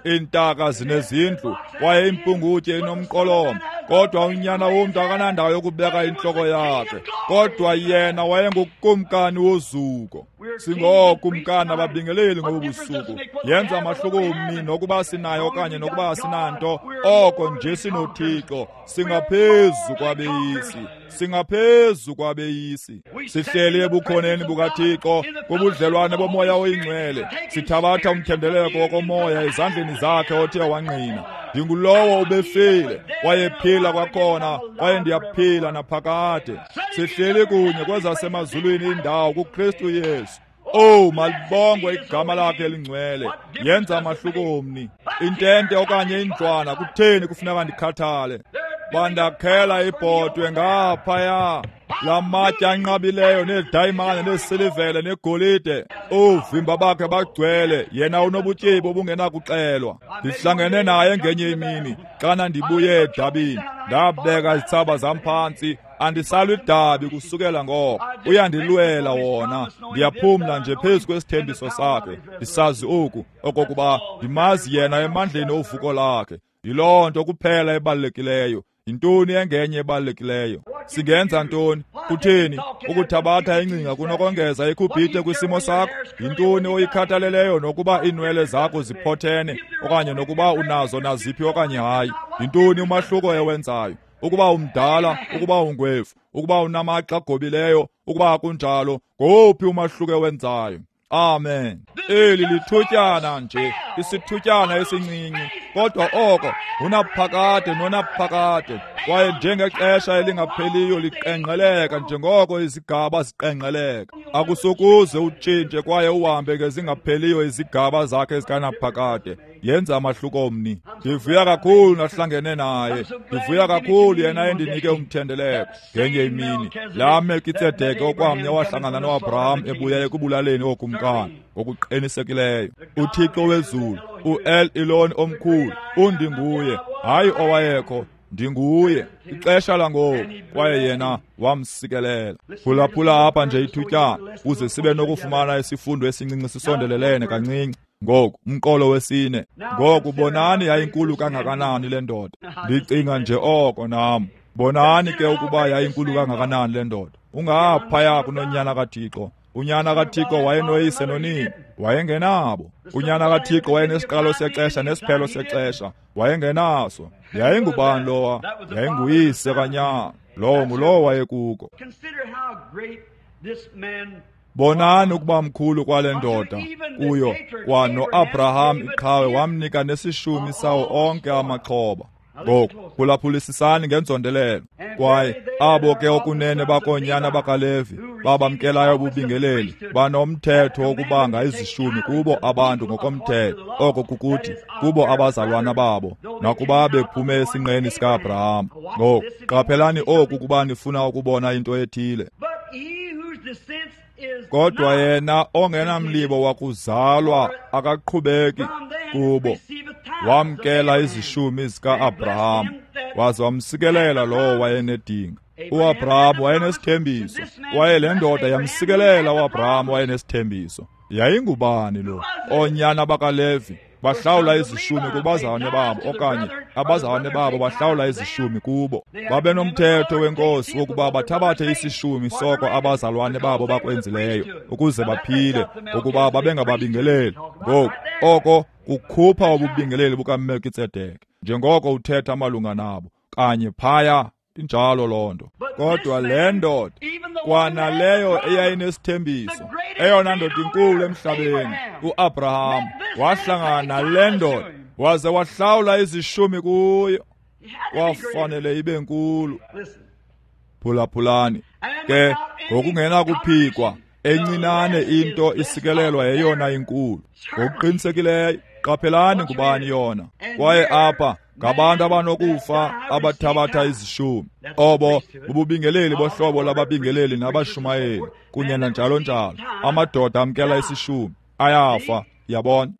Iintaka zinezindlu kwaye impungutye inomqolomo, kodwa unyana womntu akanandawo yokubeka intloko yakhe. Kodwa yena wayengukumkani wozuko. Singookumkani ababingeleli ngobu busuku. Yenza amahluko mni nokuba sinayo okanye nokuba asinanto, oko nje sinoThixo. Singaphezu kwabeyisi, singaphezu kwabeyisi. Sihleli ebukhoneni bukaThixo kubudlelwane bomoya oyingcwele, sithabatha umthendeleko wokomoya ezandleni zakhe othe wangqina. Ndingulowo ubefile, wayephila kwakhona, kwaye ndiyaphila naphakade. Sihleli kunye kwezasemazulwini indawo kuKristu Yesu. Oh, malibongwe igama lakhe elingcwele. Yenza amahluko mni. Intente okanye indlwana, kutheni kufuneka ndikhathale? Bandakhela ibhodwe ngaphaya, lamatye anqabileyo needayimane neesilivele negolide. Oovimba bakhe bagcwele, yena unobutyebi obungenakuxelwa. Ndihlangene naye ngenye imini xana ndibuye edabini, ndabeka izitsaba zam phantsi. Andisalwi idabi kusukela ngoko, uyandilwela wona. Ndiyaphumla nje phezu kwesithembiso sakhe, ndisazi oku, okokuba ndimazi yena emandleni ovuko lakhe. Yiloo nto kuphela ebalulekileyo. Yintoni engenye ebalulekileyo? Singenza ntoni? Kutheni ukuthabatha ingcinga kunokongeza ikhubhite kwisimo sakho? Yintoni oyikhathaleleyo nokuba iinwele zakho ziphothene okanye nokuba unazo naziphi okanye hayi? Yintoni umahluko ewenzayo? Ukuba umdala, ukuba ungwevu, ukuba unamagxa agobileyo, ukuba akunjalo, ngowuphi umahluko ewenzayo? Amen. Eli lithutyana nje, isithutyana esincinci, kodwa oko unaphakade nonaphakade, kwaye njengexesha elingapheliyo liqengqeleka njengoko izigaba ziqengqeleka. Akusokuze utshintshe kwaye uhambe ngezingapheliyo izigaba zakhe zikanaphakade. Yenza amahluko mni. Ndivuya kakhulu nahlangene naye. Ndivuya kakhulu yena endinike umthendeleko ngenye imini. Laa Melkitsedeke okwamnye wahlangana noAbraham ebuya ekubulaleni ookumkani ngokuqinisekileyo. UThixo wezulu, uEl Elon omkhulu, undinguye, hayi owayekho, ndinguye. Ixesha langoku, kwaye yena wamsikelela. Phulaphula apha nje ithutyana ukuze sibe nokufumana isifundo esincinci sisondelelene kancinci. Ngoku umqolo wesine. Ngoku bonani yayinkulu kangakanani le ndoda. Ndicinga nje oko nam. Bonani ke ukuba yayinkulu kangakanani le ndoda. Ungaphaya kunonyana kaThixo. Unyana kaThixo wayenoyise nonina, wayengenabo. Unyana kaThixo wayenesiqalo sexesha nesiphelo sexesha, wayengenaso. Yayingubani lowa? Yayinguyise kanyana. Lowo ngulowo wayekuko. Bonani ukuba mkhulu kwale ndoda kuyo, kwa noAbraham iqhawe wamnika nesishumi sawo onke amaxhoba. Ngoku phulaphulisisani ngenzondelelo. Kwaye abo ke okunene bakoonyana bakaLevi babamkelayo ububingeleli banomthetho wokubanga izishumi kubo abantu ngokomthetho, oko kukuthi kubo abazalwana babo, nakuba bephume esinqeni sika-Abraham. Ngoku qaphelani oku kuba nifuna ukubona into ethile. Kodwa yena ongenamlibo wakuzalwa akaqhubeki kubo, wamkela izishumi zika-Abraham waze wamsikelela lowo wayenedinga. UAbraham wayenesithembiso, kwaye le ndoda yamsikelela uAbraham wayenesithembiso. Yayingubani lo? Oonyana bakaLevi bahlawula izishumi kubazalwane babo, okanye abazalwane babo bahlawula izishumi kubo. Babenomthetho wenkosi wokuba bathabathe isishumi soko abazalwane babo bakwenzileyo ukuze baphile, ngokuba babengababingeleli. Ngoku oko kukhupha ububingeleli bukaMelkitsedeke, njengoko uthetha malunga nabo kanye phaya. Injalo loo nto. Kodwa le ndoda, kwanaleyo eyayinesithembiso, eyona ndoda inkulu emhlabeni, uAbraham, wahlangana nale ndoda waze wahlawula izishumi kuyo. Kwafanele ibe nkulu. Phulaphulani ke, ngokungenakuphikwa, encinane into isikelelwa yeyona inkulu. Ngokuqinisekileyo, qaphelani ngubani yona. Kwaye apha ngabantu abanokufa abathabatha izishumi. Obo bububingeleli bohlobo lababingeleli nabashumayeli kunye nanjalo njalo. Amadoda amkela isishumi ayafa, yabona.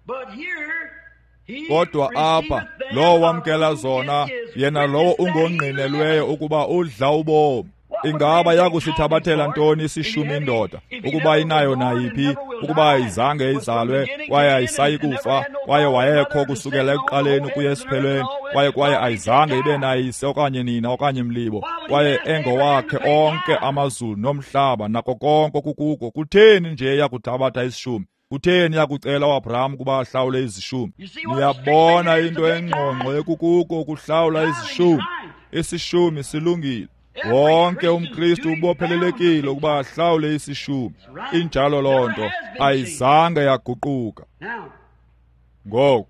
Kodwa apha lowo wamkela zona, yena lowo ungongqinelweyo ukuba udla ubomi. Ingaba yakusithabathela ntoni isishumi indoda, ukuba inayo nayiphi, ukuba ayizange izalwe, kwaye ayisayi kufa, kwaye wayekho kusukela ekuqaleni ukuya esiphelweni, kwaye kwaye ayizange ibe nayise okanye nina okanye mlibo, kwaye engowakhe onke amazulu nomhlaba nako konke okukuko? Kutheni nje yakuthabatha isishumi? Kutheni yakucela uAbraham ukuba ahlawule izishumi? Niyabona into engqongqo ekukuko ukuhlawula izishumi. Isishumi silungile. Wonke umKristu ubophelelekile ukuba ahlawule isishumi. Injalo loo nto, ayizange yaguquka. Ngoku,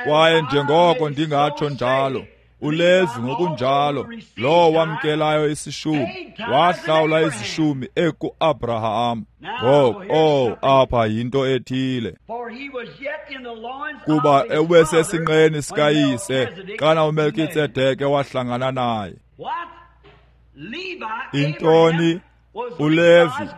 kwaye njengoko ndingatsho njalo, uLevi ngokunjalo, lowo wamkelayo isishumi, wahlawula izishumi ekuAbraham. Ngoku, oh, apha yinto ethile. Kuba ebesesinqeni sikayise xana uMelkitsedeke wahlangana naye. Intoni? uLevi,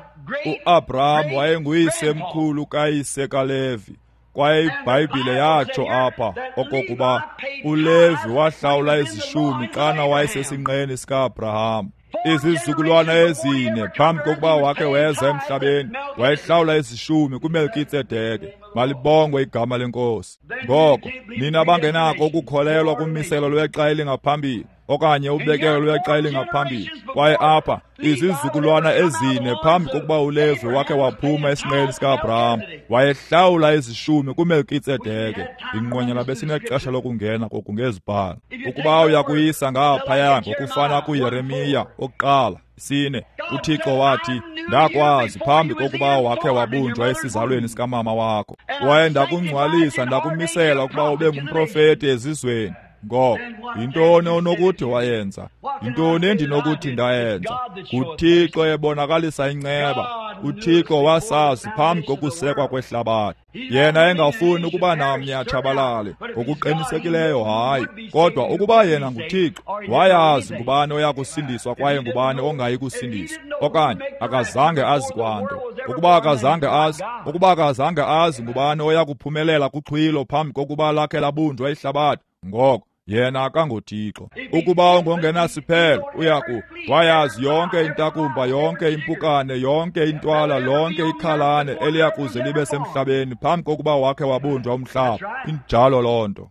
uAbraham wayenguyise mkhulu kayise kaLevi. Kwaye iBhayibhile yatsho apha okokuba uLevi wahlawula izishumi xana wayesesinqeni sikaAbraham. Izizukulwana ezine phambi kokuba wakhe weza emhlabeni, wayehlawula izishumi kuMelkitsedeke. Malibongwe igama leNkosi. Ngoko nina bangenako ukukholelwa kummiselo lwexa elingaphambili okanye ubekelo lwexa elingaphambili, kwaye apha izizukulwana ezine phambi kokuba uLevi wakhe waphuma esinqeni sikaAbraham, wayehlawula izishumi kuMelkitsedeke. Inqwenyela besinexesha lokungena koku ngezibhalo. Ukuba uyakuyisa ngaphaya ngokufana kuYeremiya okokuqala sine, uThixo wathi, ndakwazi phambi kokuba wakhe wabunjwa esizalweni sikamama wakho, kwaye ndakungcwalisa ndakumisela ukuba ube ngumprofeti ezizweni. Ngoko yintoni onokuthi wayenza? Yintoni endinokuthi ndayenza? NguThixo ebonakalisa inceba. uThixo wasazi phambi kokusekwa kwehlabathi. Yena engafuni ukuba namnye atshabalale, ngokuqinisekileyo hayi. Kodwa ukuba yena nguThixo, wayazi ngubani oya kusindiswa kwaye ngubani ongayi kusindiswa, okanye akazange azi kwanto. Ukuba akazange azi, ukuba akazange azi ngubani oya kuphumelela kuxhwilo phambi kokuba lakhe labunjwa ihlabathi, ngoko yena akangoThixo. Ukuba ungongenasiphelo, uyaku wayazi yonke intakumba, yonke impukane, yonke intwala, lonke ikhalane eliyakuze libe semhlabeni phambi kokuba wakhe wabunjwa umhlaba. Injalo loo nto.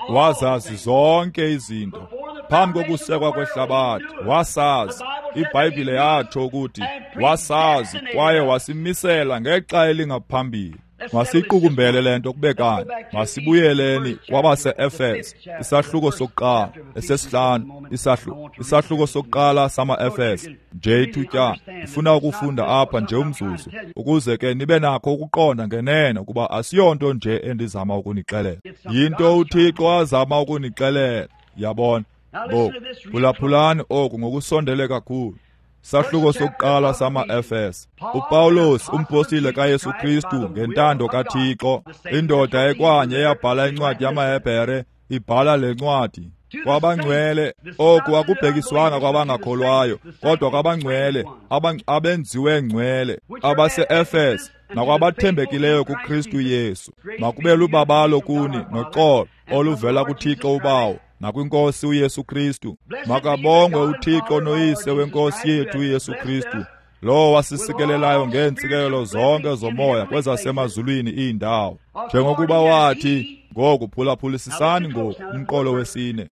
Wazazi zonke izinto phambi kokusekwa kwehlabathi. Wasazi. iBhayibhile yatsho ukuthi wasazi kwaye wasimisela ngexa elingaphambili. Masiqukumbele le nto kube kanye. Masibuyeleni kwabase-Efese, isahluko sokuqala, esesihlanu, isahluko, isahluko sokuqala sama-Efese. Nje ithutyana, ndifuna ukufunda apha nje umzuzu, ukuze ke nibe nakho ukuqonda ngenene ukuba asiyonto nje endizama ukunixelela. Yinto uThixo azama ukunixelela, yabona. Ngoku, phulaphulani oku ngokusondele kakhulu. Sahluko sokuqala sama-Efese. uPawulos, umpostile kaYesu Kristu ngentando kaThixo, indoda ekwanye eyabhala incwadi yamaHebhere, ibhala le ncwadi kwabangcwele. Oku akubhekiswanga kwabangakholwayo, kodwa kwabangcwele, abenziwe ngcwele, abase-Efese nakwabathembekileyo kuKristu Yesu. Makube lubabalo kuni noxolo oluvela kuThixo uBawo nakwinkosi uYesu Kristu. Makabongwe uThixo noyise wenkosi yethu uYesu Kristu, lowo wasisikelelayo ngeentsikelelo zonke zomoya kwezasemazulwini iindawo, njengokuba wathi. Ngoku phulaphulisisani ngoku umqolo wesine.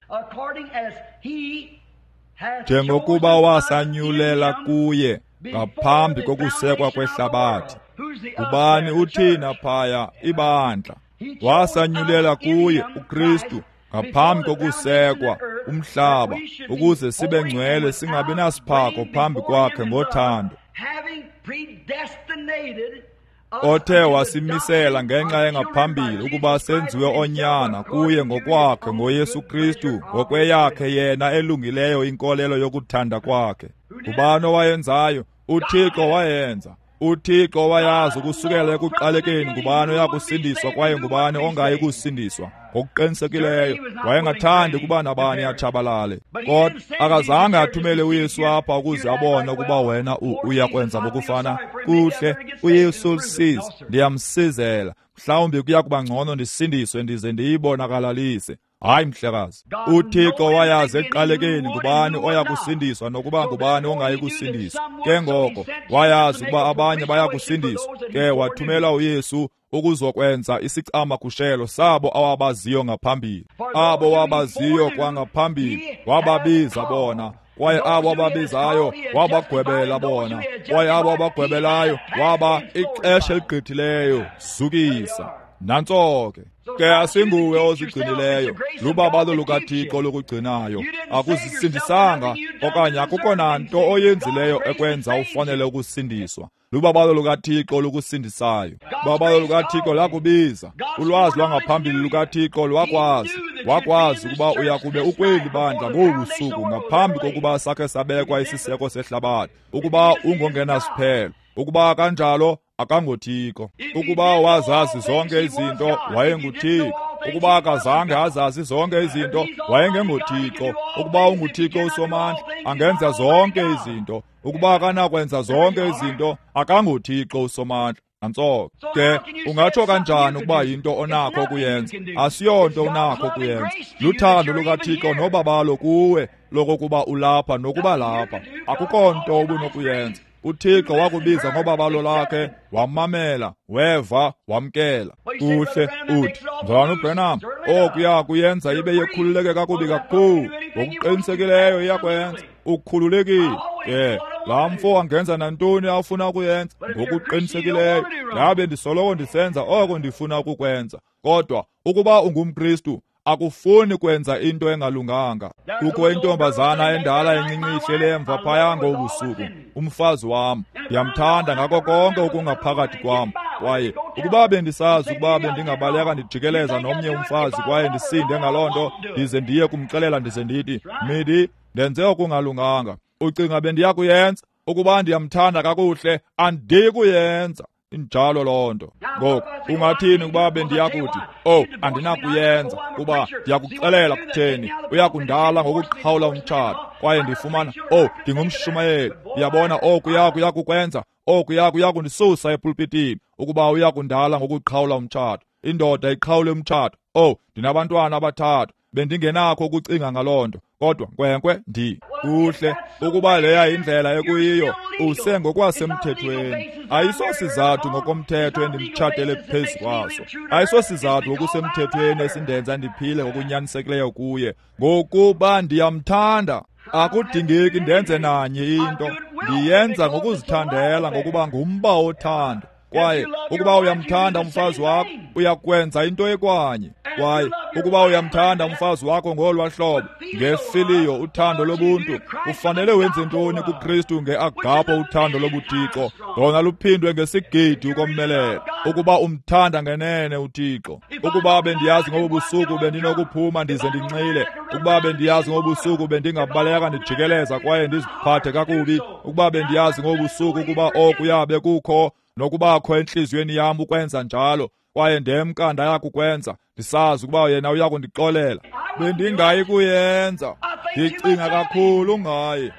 Njengokuba wasanyulela kuye ngaphambi kokusekwa kwehlabathi. Ngubani uthina phaya? Ibandla. Wasanyulela kuye uKristu ngaphambi kokusekwa umhlaba, ukuze sibe ngcwele singabi nasiphako phambi kwakhe ngothando, othe wasimisela ngenxa engaphambili ukuba senziwe onyana kuye ngokwakhe ngoYesu Kristu, ngokweyakhe yena elungileyo inkolelo yokuthanda kwakhe. Ngubani owayenzayo? UThixo wayenza. UThixo wayazi ukusukela ekuqalekeni ngubani oyakusindiswa kwaye ngubani ongayi kusindiswa. Ngokuqinisekileyo wayengathandi ukuba nabani atshabalale, kodwa akazange athumele uYesu apha ukuze abone ukuba wena uyakwenza ngokufana kuhle. UYesu lusizi, ndiyamsizela, mhlawumbi kuya kuba ngcono ndisindiswe ndize ndiyibonakalalise. Hayi mhlekazi, uThixo wayazi ekuqalekeni ngubani oya kusindiswa nokuba ngubani ongayi kusindiswa. Ke ngoko wayazi ukuba abanye baya kusindiswa, ke wathumela uYesu ukuzokwenza isicamagushelo sabo awabaziyo ngaphambili. Abo wabaziyo kwangaphambili wababiza bona, kwaye abo ababizayo wabagwebela bona, kwaye abo abagwebelayo waba ixesha eligqithileyo zukisa. Nantso ke. Ke asinguwe ozigcinileyo, lubabalo lukaThixo lokugcinayo. Akuzisindisanga okanye akukho nanto oyenzileyo ekwenza ufanele ukusindiswa. Lubabalo lukaThixo lokusindisayo. Ubabalo lukaThixo lakubiza. Ulwazi lwangaphambili lukaThixo lwakwazi. Wakwazi ukuba uyakube ukweli bandla ngobu suku ngaphambi kokuba sakhe sabekwa isiseko sehlabathi, ukuba ungongenasiphelo, ukuba kanjalo akangoThixo. Ukuba wazazi zonke izinto, wayenguThixo. Ukuba akazange azazi zonke izinto, wayengengoThixo. Ukuba unguThixo uSomandla, angenza zonke izinto. Ukuba akanakwenza zonke izinto, akangoThixo uSomandla. Nantso ke. Ungatsho kanjani ukuba yinto onakho ukuyenza? Asiyonto unakho ukuyenza. Luthando lukaThixo nobabalo kuwe lokokuba ulapha nokuba lapha. Akukho nto ubunokuyenza. UThixo wakubiza ngobabalo lakhe, wamamela, weva, wamkela. Kuhle, uthi, mzalwana uBranham, okuya kuyenza ibe yekhululeke kakubi kakhulu. Ngokuqinisekileyo iyakwenza. Ukhululekile. Ke laa mfo angenza nantoni afuna ukuyenza. Ngokuqinisekileyo ndabe ndisoloko ndisenza oko ndifuna ukukwenza. Kodwa ukuba ungumKristu, akufuni kwenza into engalunganga. Kukho intombazana endala encinci ihleli emva phaya ngobusuku, umfazi wam. Ndiyamthanda ngako konke okungaphakathi kwam. Kwaye ukuba bendisazi ukuba bendingabaleka ndijikeleza nomnye umfazi kwaye ndisinde ngaloo nto, ndize ndiye kumxelela ndize ndithi, Midi, ndenze okungalunganga. Ucinga bendiya kuyenza? Ukuba ndiyamthanda kakuhle, andikuyenza. Injalo loo nto. Ngoku ungathini ukuba bendiyakuthi, oh, andinakuyenza, kuba ndiyakuxelela kutheni, uyakundala ngokuqhawula umtshato, kwaye ndifumana, oh, ndingumshumayeli, ndiyabona oku yakukwenza, oku yakundisusa epulpitini, ukuba uyakundala ngokuqhawula umtshato. Indoda iqhawule umtshato. Oh, ndinabantwana abathathu, bendingenakho ukucinga ngaloo nto, kodwa nkwenkwe ndi kuhle ukuba leya indlela ekuyiyo, usengokwasemthethweni. Ayisosizathu ngokomthetho endimtshatele phezu kwaso, ayisosizathu ngokusemthethweni esindenza ndiphile ngokunyanisekileyo kuye, ngokuba ndiyamthanda. Akudingeki ndenze nanye into, ndiyenza ngokuzithandela, ngokuba ngumba wothando. Kwaye ukuba uyamthanda umfazi wakho, uyakwenza into ekwanye. Kwaye ukuba uyamthanda umfazi wakho ngolwa hlobo, ngefiliyo uthando lobuntu, ufanele wenze ntoni kuKristu ngeagapo uthando lobuThixo, lona luphindwe ngesigidi ukomelela, ukuba umthanda ngenene uThixo. Ukuba bendiyazi ngobu busuku bendinokuphuma ndize ndinxile, ukuba bendiyazi ngobu busuku bendingabaleka ndijikeleza kwaye ndiziphathe kakubi, ukuba bendiyazi ngobu busuku ukuba okuya bekukho nokubakho entliziyweni yam ukwenza njalo, kwaye ndemka ndaya kukwenza, ndisazi ukuba yena uyakundixolela, bendingayi kuyenza. Ndicinga kakhulu ngaye,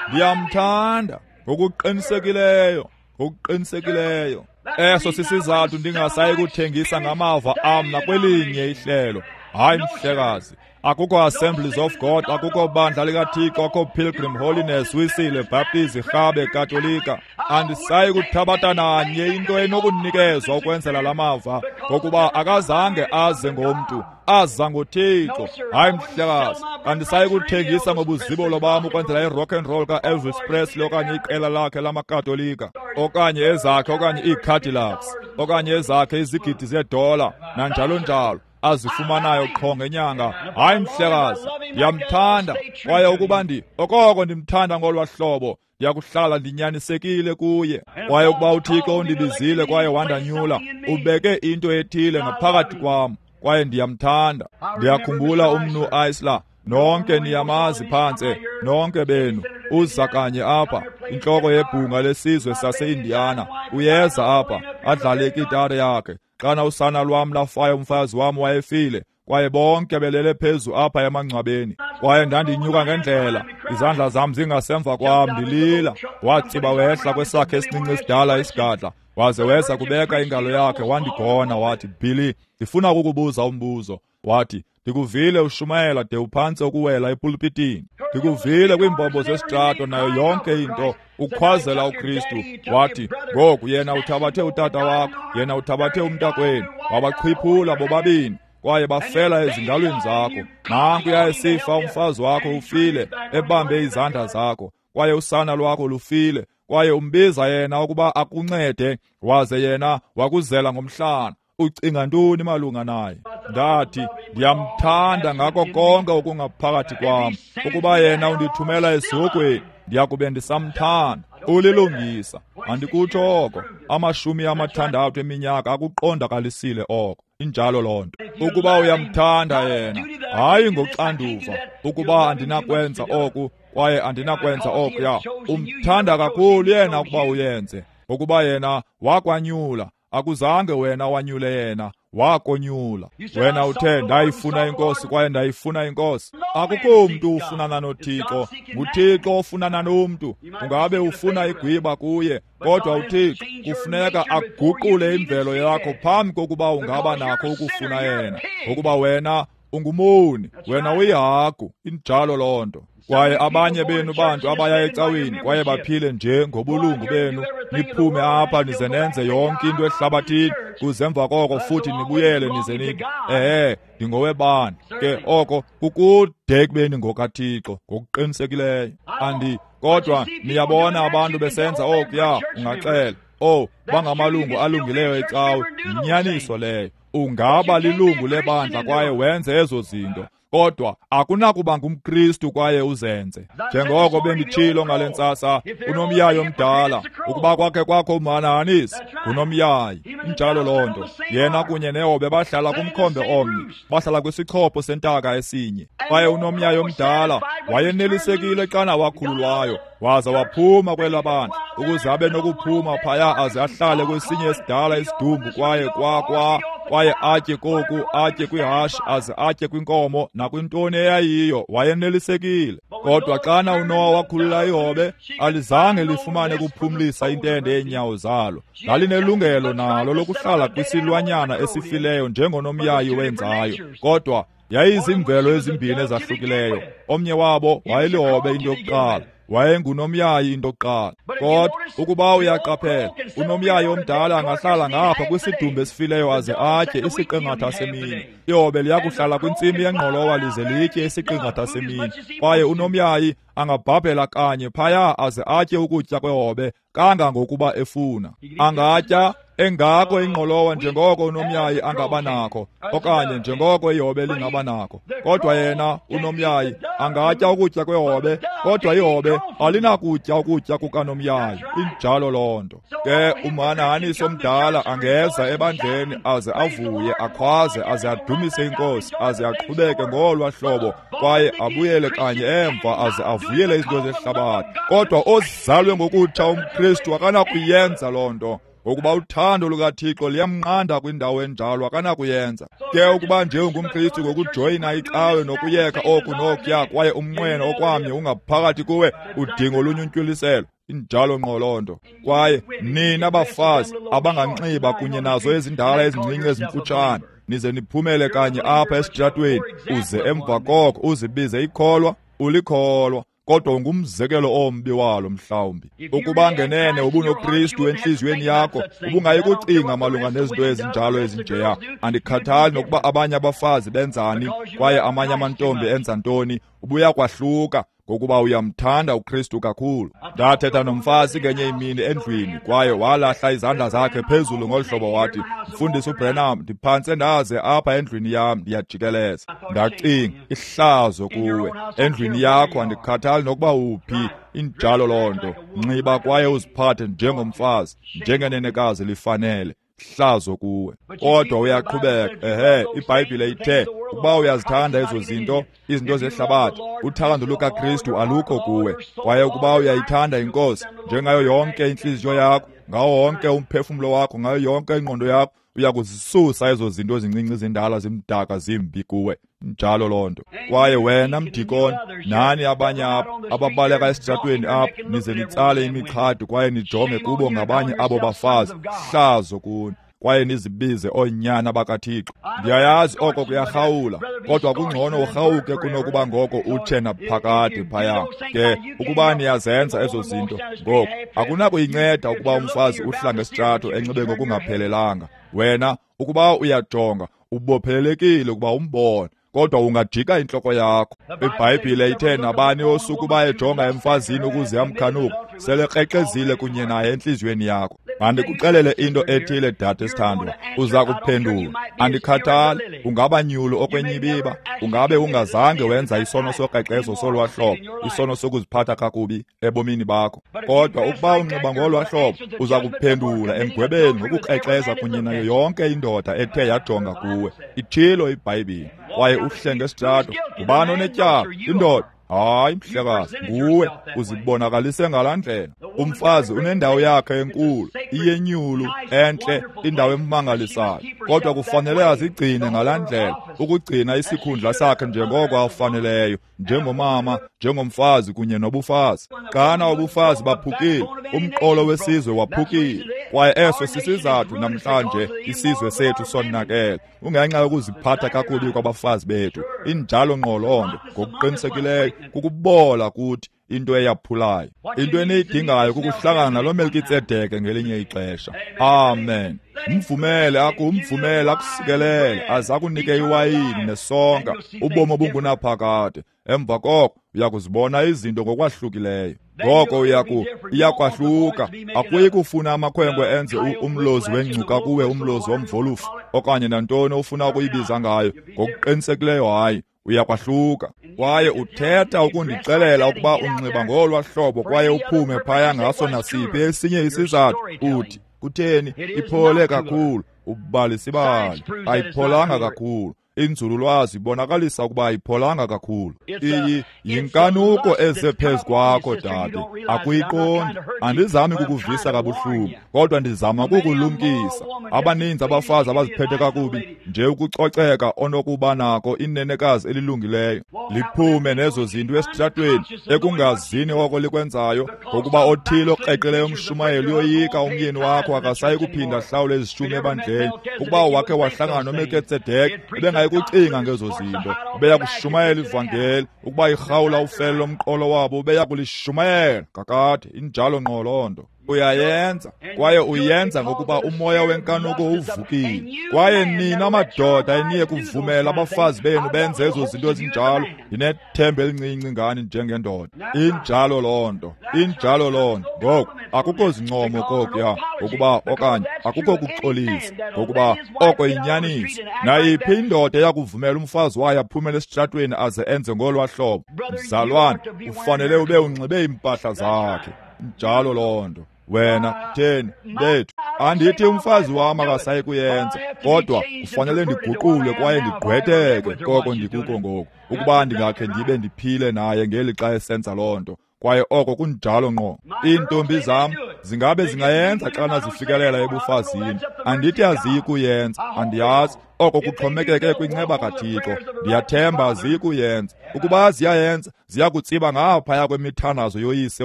ndiyamthanda ngokuqinisekileyo, ngokuqinisekileyo. Eso sisizathu ndingasayi kuthengisa ngamava am nakwelinye ihlelo. Hayi mhlekazi, akukho Assemblies of God, akukho bandla likaThixo, akukho Pilgrim Holiness, Wisile, Baptist, Rhabe, Katolika. Andisayi kuthabatha nanye into enokunikezwa ukwenzela la mava, ngokuba akazange aze ngomntu, aza ngoThixo. Hayi mhlekazi, andisayi kuthengisa ngobuzibolo bam ukwenzela i-rock and roll ka-Elvis Presley okanye iqela lakhe lamaKatolika, okanye ezakhe okanye ii-Cadillacs, okanye ezakhe izigidi zeedola, nanjalo njalo. azifumanayo qho ngenyanga. Hayi mhlekazi, ndiyamthanda, kwaye ukuba ndi okoko ndimthanda ngolwa hlobo, ndiyakuhlala ndinyanisekile kuye. Kwaye ukuba uThixo undibizile kwaye wandanyula, ubeke into ethile ngaphakathi kwam, kwaye ndiyamthanda. Ndiyakhumbula umnu Isla, nonke niyamazi phantse, nonke benu. Uza kanye apha, intloko yebhunga lesizwe sase-Indiana, uyeza apha adlale ikitara yakhe. Xana usana lwam lafayo, umfazi wam wayefile, kwaye bonke belele phezu apha emangcwabeni. Kwaye ndandinyuka ngendlela, izandla zam zingasemva kwam, ndilila. Watsiba wehla kwesakhe esincinci esidala isigadla, waze weza kubeka ingalo yakhe wandigona, wathi, Billy, ndifuna ukukubuza umbuzo. Wathi, ndikuvile ushumayela de uphantse ukuwela epulpitini. Ndikuvile kwiimbombo zesitrato nayo yonke into, ukhwazela uKristu. Wathi, ngoku yena uthabathe utata wakho, yena uthabathe umntakwenu, wabaqhiphula bobabini, kwaye bafela ezingalweni zakho. Nanku esifa umfazi wakho ufile, ebambe izandla zakho, kwaye usana lwakho lufile, kwaye umbiza yena ukuba akuncede, waze yena wakuzela ngomhlana. Ucinga ntoni malunga naye? Ndathi, ndiyamthanda ngako konke okungaphakathi kwam. Ukuba yena undithumela esihogweni, ndiyakube ndisamthanda. Ulilungisa, andikutsho oko. Amashumi amathandathu eminyaka akuqondakalisile oko. Injalo loo nto. Ukuba uyamthanda yena, hayi ngoxanduva, ukuba andinakwenza oku kwaye andinakwenza okuya, umthanda kakhulu yena ukuba uyenze, ngokuba yena wakwanyula. Akuzange wena wanyule yena, wakonyula. Wena uthe, ndayifuna inkosi kwaye ndayifuna inkosi. Akukho mntu ufunana noThixo, nguThixo ofunana nomntu. Ungabe ufuna igwiba kuye, kodwa uThixo kufuneka aguqule imvelo yakho phambi kokuba ungaba nakho ukufuna yena, ngokuba wena ungumoni, wena uyihagu. Injalo loo nto. Kwaye abanye benu bantu abaya ecaweni kwaye baphile nje ngobulungu benu, niphume apha nize nenze yonke into ehlabathini, kuze emva koko futhi nibuyele nize nithi, ehe, ndingowebani. Ke oko kukude ekubeni ngokaThixo ngokuqinisekileyo. Andi kodwa niyabona abantu besenza okuya, ungaxela, oh, bangamalungu alungileyo ecawe. Yinyaniso leyo. Ungaba lilungu lebandla kwaye wenze ezo zinto, kodwa akunakuba ngumKristu kwaye uzenze. Njengoko benditshilo ngale ntsasa, unomyayi omdala, ukuba kwakhe kwakho umhanahanisi, ngunomyayi. Injalo loo nto. Yena kunye nehobe bahlala kumkhombe omnye, bahlala kwisichopho sentaka esinye. Kwaye unomyayi omdala wayenelisekile xana wakhululwayo, waza waphuma kwelabandla ukuze abe nokuphuma phaya aze ahlale kwesinye esidala isidumbu, kwaye kwa kwa kwaye atye koku, atye kwihashe, aze atye kwinkomo nakwintoni eyayiyo. Wayenelisekile. Kodwa xana uNowa wakhulula ihobe, alizange lifumane kuphumlisa intende yeenyawo zalo. Lalinelungelo nalo lokuhlala kwisilwanyana esifileyo njengonomyayi wenzayo, kodwa yayizimvelo ezimbini ezahlukileyo. Omnye wabo wayelihobe into yokuqala, wayengunomyayi into yokuqala. Kodwa ukuba uyaqaphela, unomyayi omdala angahlala ngapha kwisidumbu esifileyo aze atye isiqingatha semini. Ihobe liyakuhlala kwintsimi yengqolowa lize litye isiqingatha semini. Kwaye unomyayi angabhabhela kanye phaya aze atye ukutya kwehobe kangangokuba efuna. Angatya engako ingqolowa njengoko unomyayi angaba nakho, okanye njengoko ihobe lingaba nakho. Kodwa yena unomyayi angatya ukutya kwehobe, kodwa ihobe alinakutya ukutya kukanomyayi. Injalo loo nto. Ke umhanahanisi omdala angeza ebandleni aze avuye, akhwaze, aze adumise inkosi, aze aqhubeke ngolwa hlobo, kwaye abuyele kanye emva aze avuyele izinto zehlabathi. Kodwa ozalwe ngokutsha umKristu akanakuyenza loo nto, ngokuba uthando lukaThixo liyamnqanda kwindawo enjalo, akanakuyenza. Ke ukuba nje ungumKristu ngokujoyina icawe nokuyeka oku nokuya, kwaye umnqweno okwamnye ungaphakathi kuwe, udinga olunye untywiliselo. Injalo ngqo loo nto. Kwaye nina bafazi abanganxiba kunye nazo ezindala ezincinci ezimfutshane, nize niphumele kanye apha esitratweni, uze emva koko uzibize ikholwa, ulikholwa, kodwa ungumzekelo ombi walo mhlawumbi. Ukuba ngenene ubunoKristu entliziyweni yakho, ubungayi kucinga malunga nezinto ezinjalo ezinjeya. Andikhathali nokuba abanye abafazi benzani kwaye amanye amantombi enza ntoni, ubuya kwahluka, ngokuba uyamthanda uKristu kakhulu. Ndathetha nomfazi ngenye imini endlwini, kwaye walahla izandla zakhe phezulu ngolu hlobo wathi, Mfundisi uBranham, ndiphantse ndaze apha endlwini yam ndiyajikeleza. Ndacinga, ihlazo kuwe. Endlwini yakho andikhathali nokuba uphi, injalo loo nto. Nxiba kwaye uziphathe njengomfazi, njengenenekazi lifanele. Hlazo kuwe. Kodwa uyaqhubeka. Ehe, iBhayibhile ithe ukuba uyazithanda ezo zinto, izinto zehlabathi, uthando lukaKristu alukho kuwe. Kwaye ukuba uyayithanda iNkosi njengayo yonke intliziyo yakho, ngawo wonke umphefumlo wakho, ngayo yonke ingqondo yakho, uyakuzisusa ezo zinto ezincinci zindala zimdaka zimbi kuwe. Njalo loo nto. Kwaye wena mdikoni, nani abanye apha ababaleka esitratweni apha, nize nitsale imixhadi kwaye nijonge kubo ngabanye abo bafazi, hlazo kuni, kwaye nizibize oonyana bakaThixo. Ndiyayazi oko kuyarhawula, kodwa kungcono urhawuke kunokuba ngoko utshe naphakade phaya. Ke ukuba niyazenza ezo zinto, ngoku akunakuyinceda ukuba umfazi uhla ngesitrato enxibe ngokungaphelelanga. Wena ukuba uyajonga, ubophelelekile ukuba umbone, kodwa ungajika intloko yakho. IBhayibhile ithe nabani osukuba ejonga emfazini ukuze amkhanuke, selekrexezile kunye naye entliziyweni yakho. Mandikuxelele into ethile, dade sithandwa, uza kuphendula. Andikhathali, ungaba nyulu okwenyibiba, ungabe ungazange wenza isono sokrexezo solwa hlobo, isono sokuziphatha kakubi ebomini bakho. Kodwa ukuba unxiba ngolwa hlobo, uza kuphendula emgwebeni ngokukrexeza kunye nayo yonke indoda ethe yajonga kuwe. Itshilo iBhayibhile. Kwaye uhle ngesitrato, ngubani onetyala? Indoda. Hayi, mhlekazi, nguwe uzibonakalise ngalaa ndlela. Umfazi unendawo yakhe enkulu, iyenyulu, entle, indawo emangalisayo, kodwa kufanele azigcine ngalaa ndlela, ukugcina isikhundla sakhe njengoko afaneleyo, njengomama, njengomfazi kunye nobufazi. Xana ubufazi baphukile, umqolo wesizwe waphukile, kwaye eso sisizathu namhlanje isizwe sethu sonakele, ungenxa yokuziphatha kakubi kwabafazi bethu. Injalo ngqo loo nto, ngokuqinisekileyo kukubola kuthi into eyaphulayo. Into eniyidingayo kukuhlangana nalo Melkitsedeke ngelinye ixesha. Amen. Mvumele aku umvumele akusikelele, aze akunike iwayini nesonka, ubomi obungunaphakade. Emva koko uyakuzibona izinto ngokwahlukileyo. Ngoko uyaku iyakwahluka. Akuyi kufuna amakhwenkwe enze umlozi wengcuka kuwe, umlozi womvolufu, okanye nantoni ofuna ukuyibiza ngayo. Ngokuqinisekileyo hayi, uyakwahluka. Kwaye uthetha ukundixelela ukuba unxiba ngolwa hlobo kwaye uphume phaya ngaso nasiphi esinye isizathu, uthi kutheni iphole kakhulu, ubalisibali ayipholanga kakhulu. Inzululwazi ibonakalisa ukuba ayipholanga kakhulu. Iyi yinkanuko eze phezu kwakho, dade. Akuyiqondi. Andizami kukuvisa kabuhlungu, kodwa ndizama ukukulumkisa. Abaninzi abafazi abaziphethe kakubi, nje ukucoceka onokuba nako inenekazi elilungileyo, liphume nezo zinto esitratweni ekungazini oko likwenzayo, ngokuba othile okreqileyo umshumayeli uyoyika umyeni wakho akasayi kuphinda ahlawule izishumi ebandleni. Ukuba wakhe wahlangana noMelkitsedeke, ebengayi kucinga ngezo zinto, beya kushumayela ivangeli. Ukuba irhawula ufele lomqolo wabo, beya kulishumayela kakade. Injalo ngqo loo nto. Uyayenza, kwaye uyenza ngokuba umoya wenkanuko uvukile. Kwaye nina madoda eniye kuvumela abafazi benu benze ezo zinto ezinjalo, ndinethemba elincinci ngani njengendoda. Injalo loo nto, injalo loo nto. Ngoku akukho zincomo kokuya, ngokuba okanye akukho kuxolisa, ngokuba oko yinyaniso. Nayiphi indoda eyakuvumela umfazi wayo aphumele esitratweni aze enze ngolwa hlobo, mzalwane, ufanele ube unxibe iimpahla zakhe. Njalo loo nto. Wena kutheni bethu, andithi umfazi wam akasayi kuyenza, kodwa kufanele ndiguqulwe kwaye ndigqwetheke koko ndikuko ngoku, ukuba ndingakhe ndibe ndiphile naye ngeli xa esenza loo nto. Kwaye oko kunjalo ngqo. Iintombi zam zingabe zingayenza xana zifikelela ebufazini. Andithi aziyi kuyenza, andiyazi. Oko kuxhomekeke kwinceba kaThixo. Ndiyathemba aziyi kuyenza. Ukuba ziyayenza, ziya kutsiba ngaphaya kwemithandazo yoyise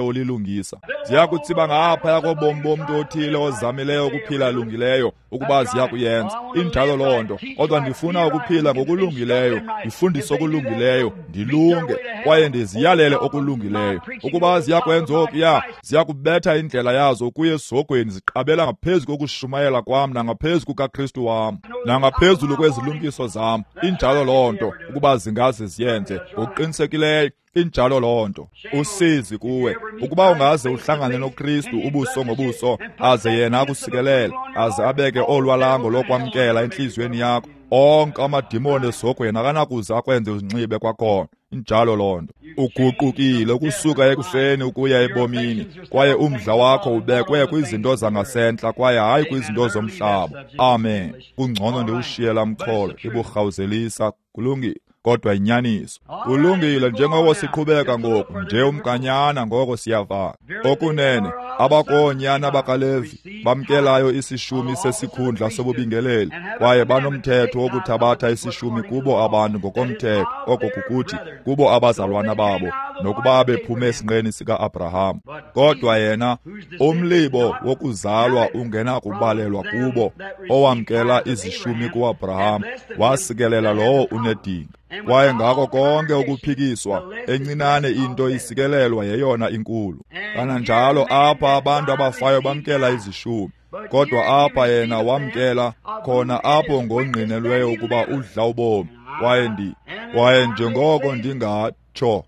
olilungisa. Ziya kutsiba ngaphaya kobomi bomntu othile ozamileyo ukuphila lungileyo, ukuba ziya kuyenza. Injalo loo nto. Kodwa ndifuna ukuphila ngokulungileyo, ndifundise okulungileyo, ndilunge, kwaye ndiziyalele okulungileyo. Ukuba ziya kwenza okuya, ziya kubetha indlela yazo kuye esihogweni ziqabela ngaphezu kokushumayela kwam nangaphezu kukaKristu wam nangaphezulu kwezilumkiso zam. Injalo loo nto, ukuba zingaze ziyenze ngokuqinisekileyo. Injalo loo nto. Usizi kuwe ukuba ungaze uhlangane noKristu ubuso ngobuso, aze yena akusikelele, aze abeke olwalango lokwamkela entliziyweni yakho. Onke amadimoni esihogweni akanakuze akwenze uzinxibe kwakhona. Injalo loo nto. Uguqukile ukusuka ekufeni ukuya ebomini, kwaye umdla wakho ubekwe kwizinto zangasentla kwaye hayi kwizinto zomhlaba. Amen. Kungcono ndiwushiye laa mxholo, iburhawuzelisa. Kulungile, kodwa inyaniso. Kulungile, njengoko siqhubeka ngoku nje umkanyana, ngoko siyavala. Okunene abakoonyana bakaLevi bamkelayo isishumi sesikhundla sobubingeleli, kwaye banomthetho wokuthabatha isishumi kubo abantu ngokomthetho, oko kukuthi kubo abazalwana babo, nokuba bephume esinqeni sika-Abraham. Kodwa yena umlibo wokuzalwa ungenakubalelwa kubo owamkela izishumi ku-Abraham, wasikelela lowo unedinga. Kwaye ngako konke ukuphikiswa, encinane into isikelelwa yeyona inkulu. Kananjalo apha abantu abafayo bamkela izishumi, kodwa apha yena wamkela khona apho ngongqinelweyo ukuba udla ubomi. Kwaye ndi kwaye njengoko ndingatsho,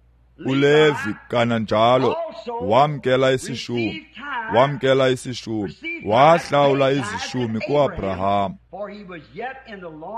uLevi kananjalo wamkela isishumi, wamkela isishumi, wahlawula izishumi kuAbraham,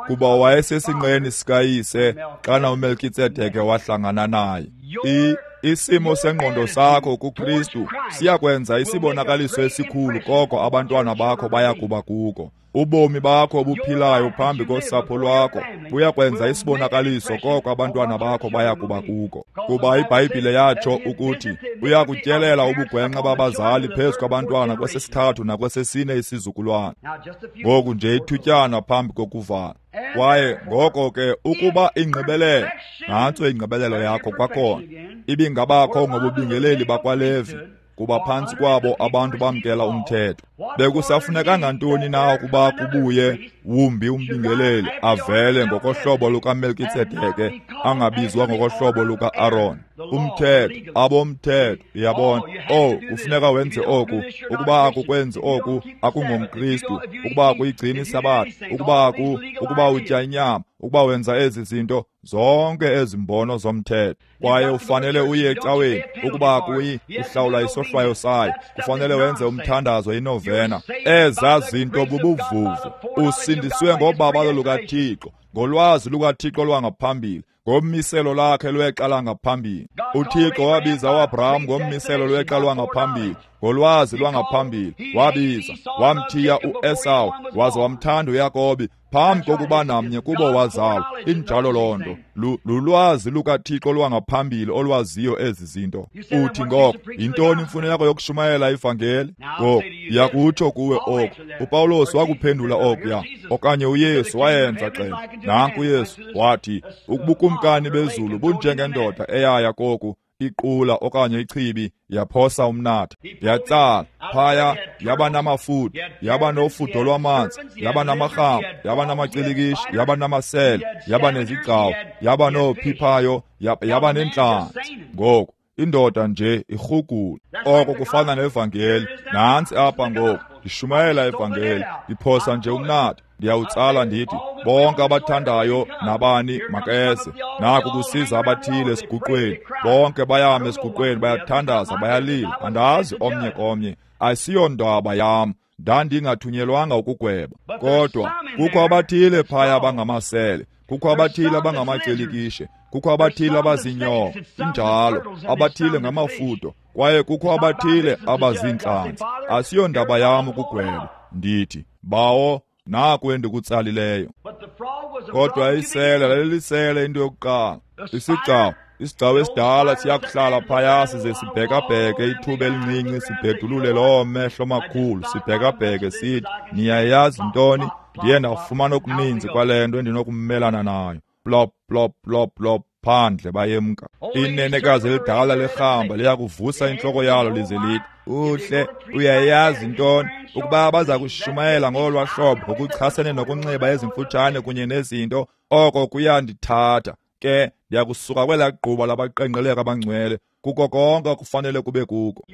kuba wayesesinqeni sikayise xana uMelkitsedeke wahlangana naye. I isimo sengqondo sakho kuKristu siyakwenza isibonakaliso esikhulu koko abantwana bakho bayakuba kuko. Ubomi bakho obuphilayo phambi kosapho lwakho buyakwenza isibonakaliso koko abantwana bakho bayakuba kuko. Kuba iBhayibhile yatsho ukuthi uyakutyelela ubugwenxa babazali phezu kwabantwana kwesesithathu nakwesesine isizukulwana. Ngoku nje ithutyana phambi kokuvala. Kwaye ngoko ke ukuba ingqibelelo, nantso ingqibelelo yakho kwakhona, ibingabakho ngobubingeleli bakwaLevi, kuba phantsi kwabo abantu bamkela umthetho. Bekusafuneka ngantoni na ukuba kubuye wumbi umbingeleli avele ngokohlobo lukaMelkitsedeke, angabizwa ngokohlobo luka-Aron? Umthetho, abomthetho, uyabona. Oh, kufuneka wenze oku, ukuba akukwenzi oku akungomKristu, ukuba akuyigcini isabatha, ukuba aku, ukuba utya inyama, ukuba wenza ezi zinto, zonke ezi mbono zomthetho. Kwaye ufanele uye ecaweni, ukuba akuyi uhlawula isohlwayo sayo, kufanele wenze umthandazo inovena. Eza zinto bubuvuvu. Usindiswe ngobabalo lukaThixo, ngolwazi lukaThixo lwangaphambili, ngommiselo lakhe lwexa langaphambili. UThixo wabiza uAbraham ngommiselo lwexa lwangaphambili, ngolwazi lwangaphambili. Wabiza, wamthiya uEsawu, waza wamthanda uYakobi phambi kokuba namnye kubo wazalwa. Injalo loo nto. Lulwazi lukaThixo lwangaphambili olwaziyo ezi zinto. Uthi ngoko, yintoni imfuneko yokushumayela ivangeli? Ngoku ndiyakutsho kuwe oku. uPawulos wakuphendula okuya, okanye uYesu wayenza xela. Nanku uYesu wathi, ubukumkani bezulu bunjengendoda eyaya koku iqula okanye ichibi, yaphosa umnatha, yatsala phaya, yaba namafutha, yaba nofudo lwamanzi, yaba namarhamba, yaba namacikishi, yaba namasele, yaba nezigcawu, yaba nophiphayo, yaba nentlanzi. Ngoku indoda nje irhugula. Oko kufana nevangeli. Nantsi apha ngoku, ndishumayela ivangeli, ndiphosa nje umnatha, ndiyawutsala ndithi bonke abathandayo nabani makeze. Naku kusiza abathile esiguqweni, bonke bayama esiguqweni, bayathandaza, bayalila. Andazi omnye komnye, asiyondaba yam, ndandingathunyelwanga ukugweba. Kodwa kukho abathile phaya abangamasele, kukho abathile abangamacilikishe, kukho abathile abazinyoka, injalo, abathile ngamafudo, kwaye kukho abathile abaziintlanzi. Asiyondaba yam ukugweba. Ndithi, Bawo, naku endikutsalileyo. Kodwa isele lalilisele into yokuqala. Isigcawu, isigcawu esidala siyakuhlala phaya size sibhekabheke ithuba elincinci, sibhedulule loo mehlo makhulu, sibhekabheke sithi, niyayazi ntoni? Ndiye ndafumana okuninzi kwale nto endinokumelana nayo. Plop, plop, plop, plop, phandle bayemka. Inenekazi elidala lerhamba liyakuvusa intloko yalo lize lithi, uhle, uyayazi ntoni? Ukuba baza kushumayela ngolwa hlobo ngokuchasene nokunxiba ezimfutshane kunye nezinto, oko kuyandithatha. Ke ndiyakusuka kwelaa gquba labaqengqeleka abangcwele, kuko konke okufanele kube kuko.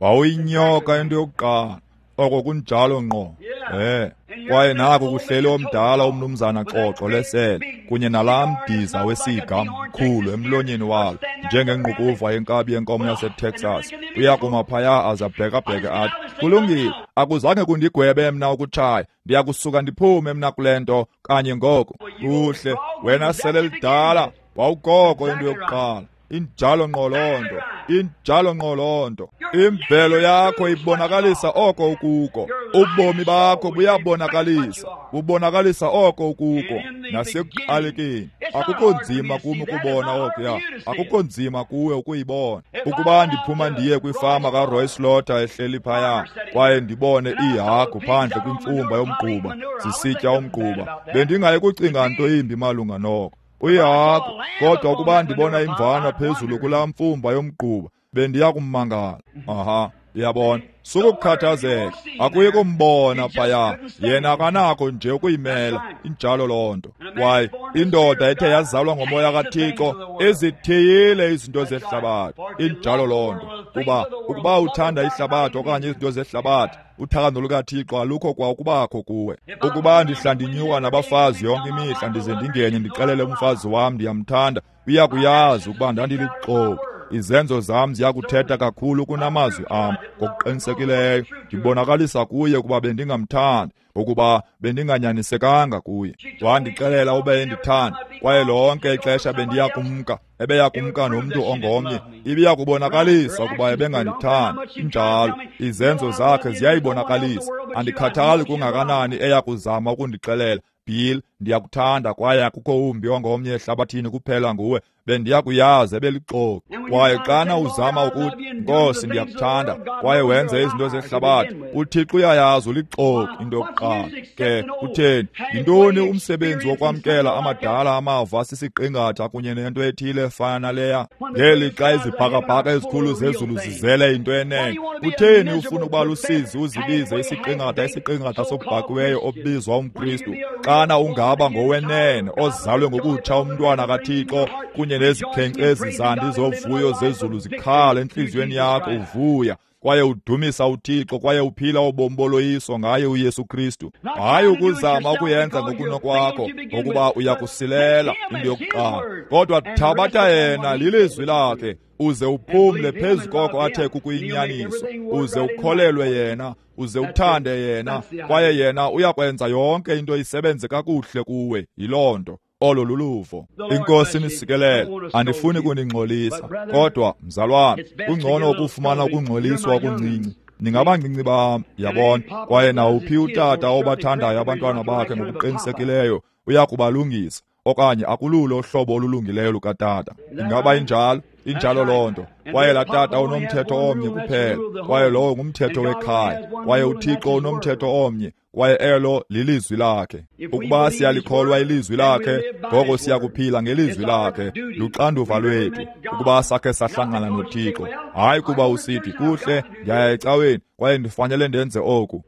Wawuyinyoka into yokuqala. Oko kunjalo ngqo. Eh, kwaye naku kuhleli omdala umnumzana Xoxo lesele kunye nalaa mdiza wesiga mkhulu emlonyeni walo njengengqukuva yenkabi yenkomo yaseTexas. Uyakuma phaya aze abhekabheke athi, kulungile, akuzange kundigwebe mna ukutshaya, ndiyakusuka ndiphume mna kule nto kanye ngoko. Kuhle, wena sele lidala, wawukoko into yokuqala. Injalo ngqo loo nto, injalo ngqo loo nto. Imvelo yakho ibonakalisa oko ukuko. Ubomi bakho buyabonakalisa, bubonakalisa oko ukuko. Nasekuqalekeni, akukho nzima kum ukubona okuya, akukho nzima kuwe ukuyibona. Ukuba ndiphuma ndiye kwifama kaRoy Slaughter ehleli phaya, kwaye ndibone iihagu phandle kwimfumba yomgquba zisitya umgquba, bendingayi kucinga nto imbi malunga noko. Uyihagu, kodwa ukuba ndibona imvana phezulu kulaa mfumba yomgquba, bendiya kummangala. Aha, uyabona, sukukhathazeka, akuyi kumbona phaya, yena akanakho nje ukuyimela. Injalo loo nto. Kwaye indoda ethe yazalwa ngomoya kaThixo izithiyile izinto zehlabathi. Injalo loo nto. Kuba ukuba uthanda ihlabathi okanye izinto zehlabathi, uthando lukaThixo alukho kwa ukubakho kuwe. Ukuba ndihla ndinyuka nabafazi yonke imihla, ndize ndingene ndixelele umfazi wam ndiyamthanda, uyakuyazi ukuba ndandilixoki. Izenzo zam ziyakuthetha kakhulu kunamazwi am. Ngokuqinisekileyo ndibonakalisa kuye ukuba bendingamthandi, ukuba bendinganyanisekanga kuye. Wandixelela ube endithanda, kwaye lonke ixesha bendiya kumka, ebeya kumka nomntu ongomnye, ibiya kubonakalisa ukuba ebengandithandi. Injalo, izenzo zakhe ziyayibonakalisa. Andikhathali kungakanani eya kuzama ukundixelela, Bill, ndiyakuthanda kwaye akukho wumbi ongomnye ehlabathini kuphela nguwe, bendiya kuyazi ebelixoki. Kwaye xana uzama ukuthi, Nkosi, ndiyakuthanda, kwaye wenze izinto zehlabathi, uThixo uyayazi ulixoki into yokuqala. Ke kutheni? Yintoni umsebenzi wokwamkela amadala amava sisiqingatha kunye nento ethile efana naleya? Ngelixa izibhakabhaka ezikhulu zezulu zizele into enene, kutheni ufuna ukuba lusizi uzibize isiqingatha isiqingatha sobhakiweyo obizwa umKristu, xana ungaba ngowenene ozalwe ngokutsha umntwana kaThixo kunye nezikhenkcezi zandi zovuyo zezulu zikhala entliziyweni yakho uvuya kwaye udumisa uThixo kwaye uphila ubomi boloyiso ngaye uYesu Kristu. Hayi ukuzama ukuyenza ngokunokwakho, ngokuba uyakusilela into yokuqala, kodwa thabatha yena lilizwi lakhe, uze uphumle phezu koko athe kukuyinyaniso, uze ukholelwe yena, uze uthande yena, kwaye yena uyakwenza yonke into isebenze kakuhle kuwe. Yiloo nto. Olo luluvo. Inkosi inisikelele. Andifuni kuningxolisa, kodwa mzalwane, kungcono ukufumana ukungxoliswa okuncinci. Ningabancinci bam, yabona. Kwaye nawuphi utata obathandayo abantwana bakhe ngokuqinisekileyo uyakubalungisa, okanye akululo uhlobo olulungileyo lukatata. Ingaba injalo? Injalo loo nto. Kwaye laa tata unomthetho omnye kuphela, kwaye lowo ngumthetho wekhaya. Kwaye uThixo unomthetho omnye, kwaye elo lilizwi lakhe. Ukuba siyalikholwa ilizwi lakhe, ngoko siyakuphila ngelizwi lakhe. Luxanduva lwethu ukuba sakhe sahlangana noThixo. Hayi kuba usithi, kuhle, ndiyaya ecaweni kwaye ndifanele ndenze oku.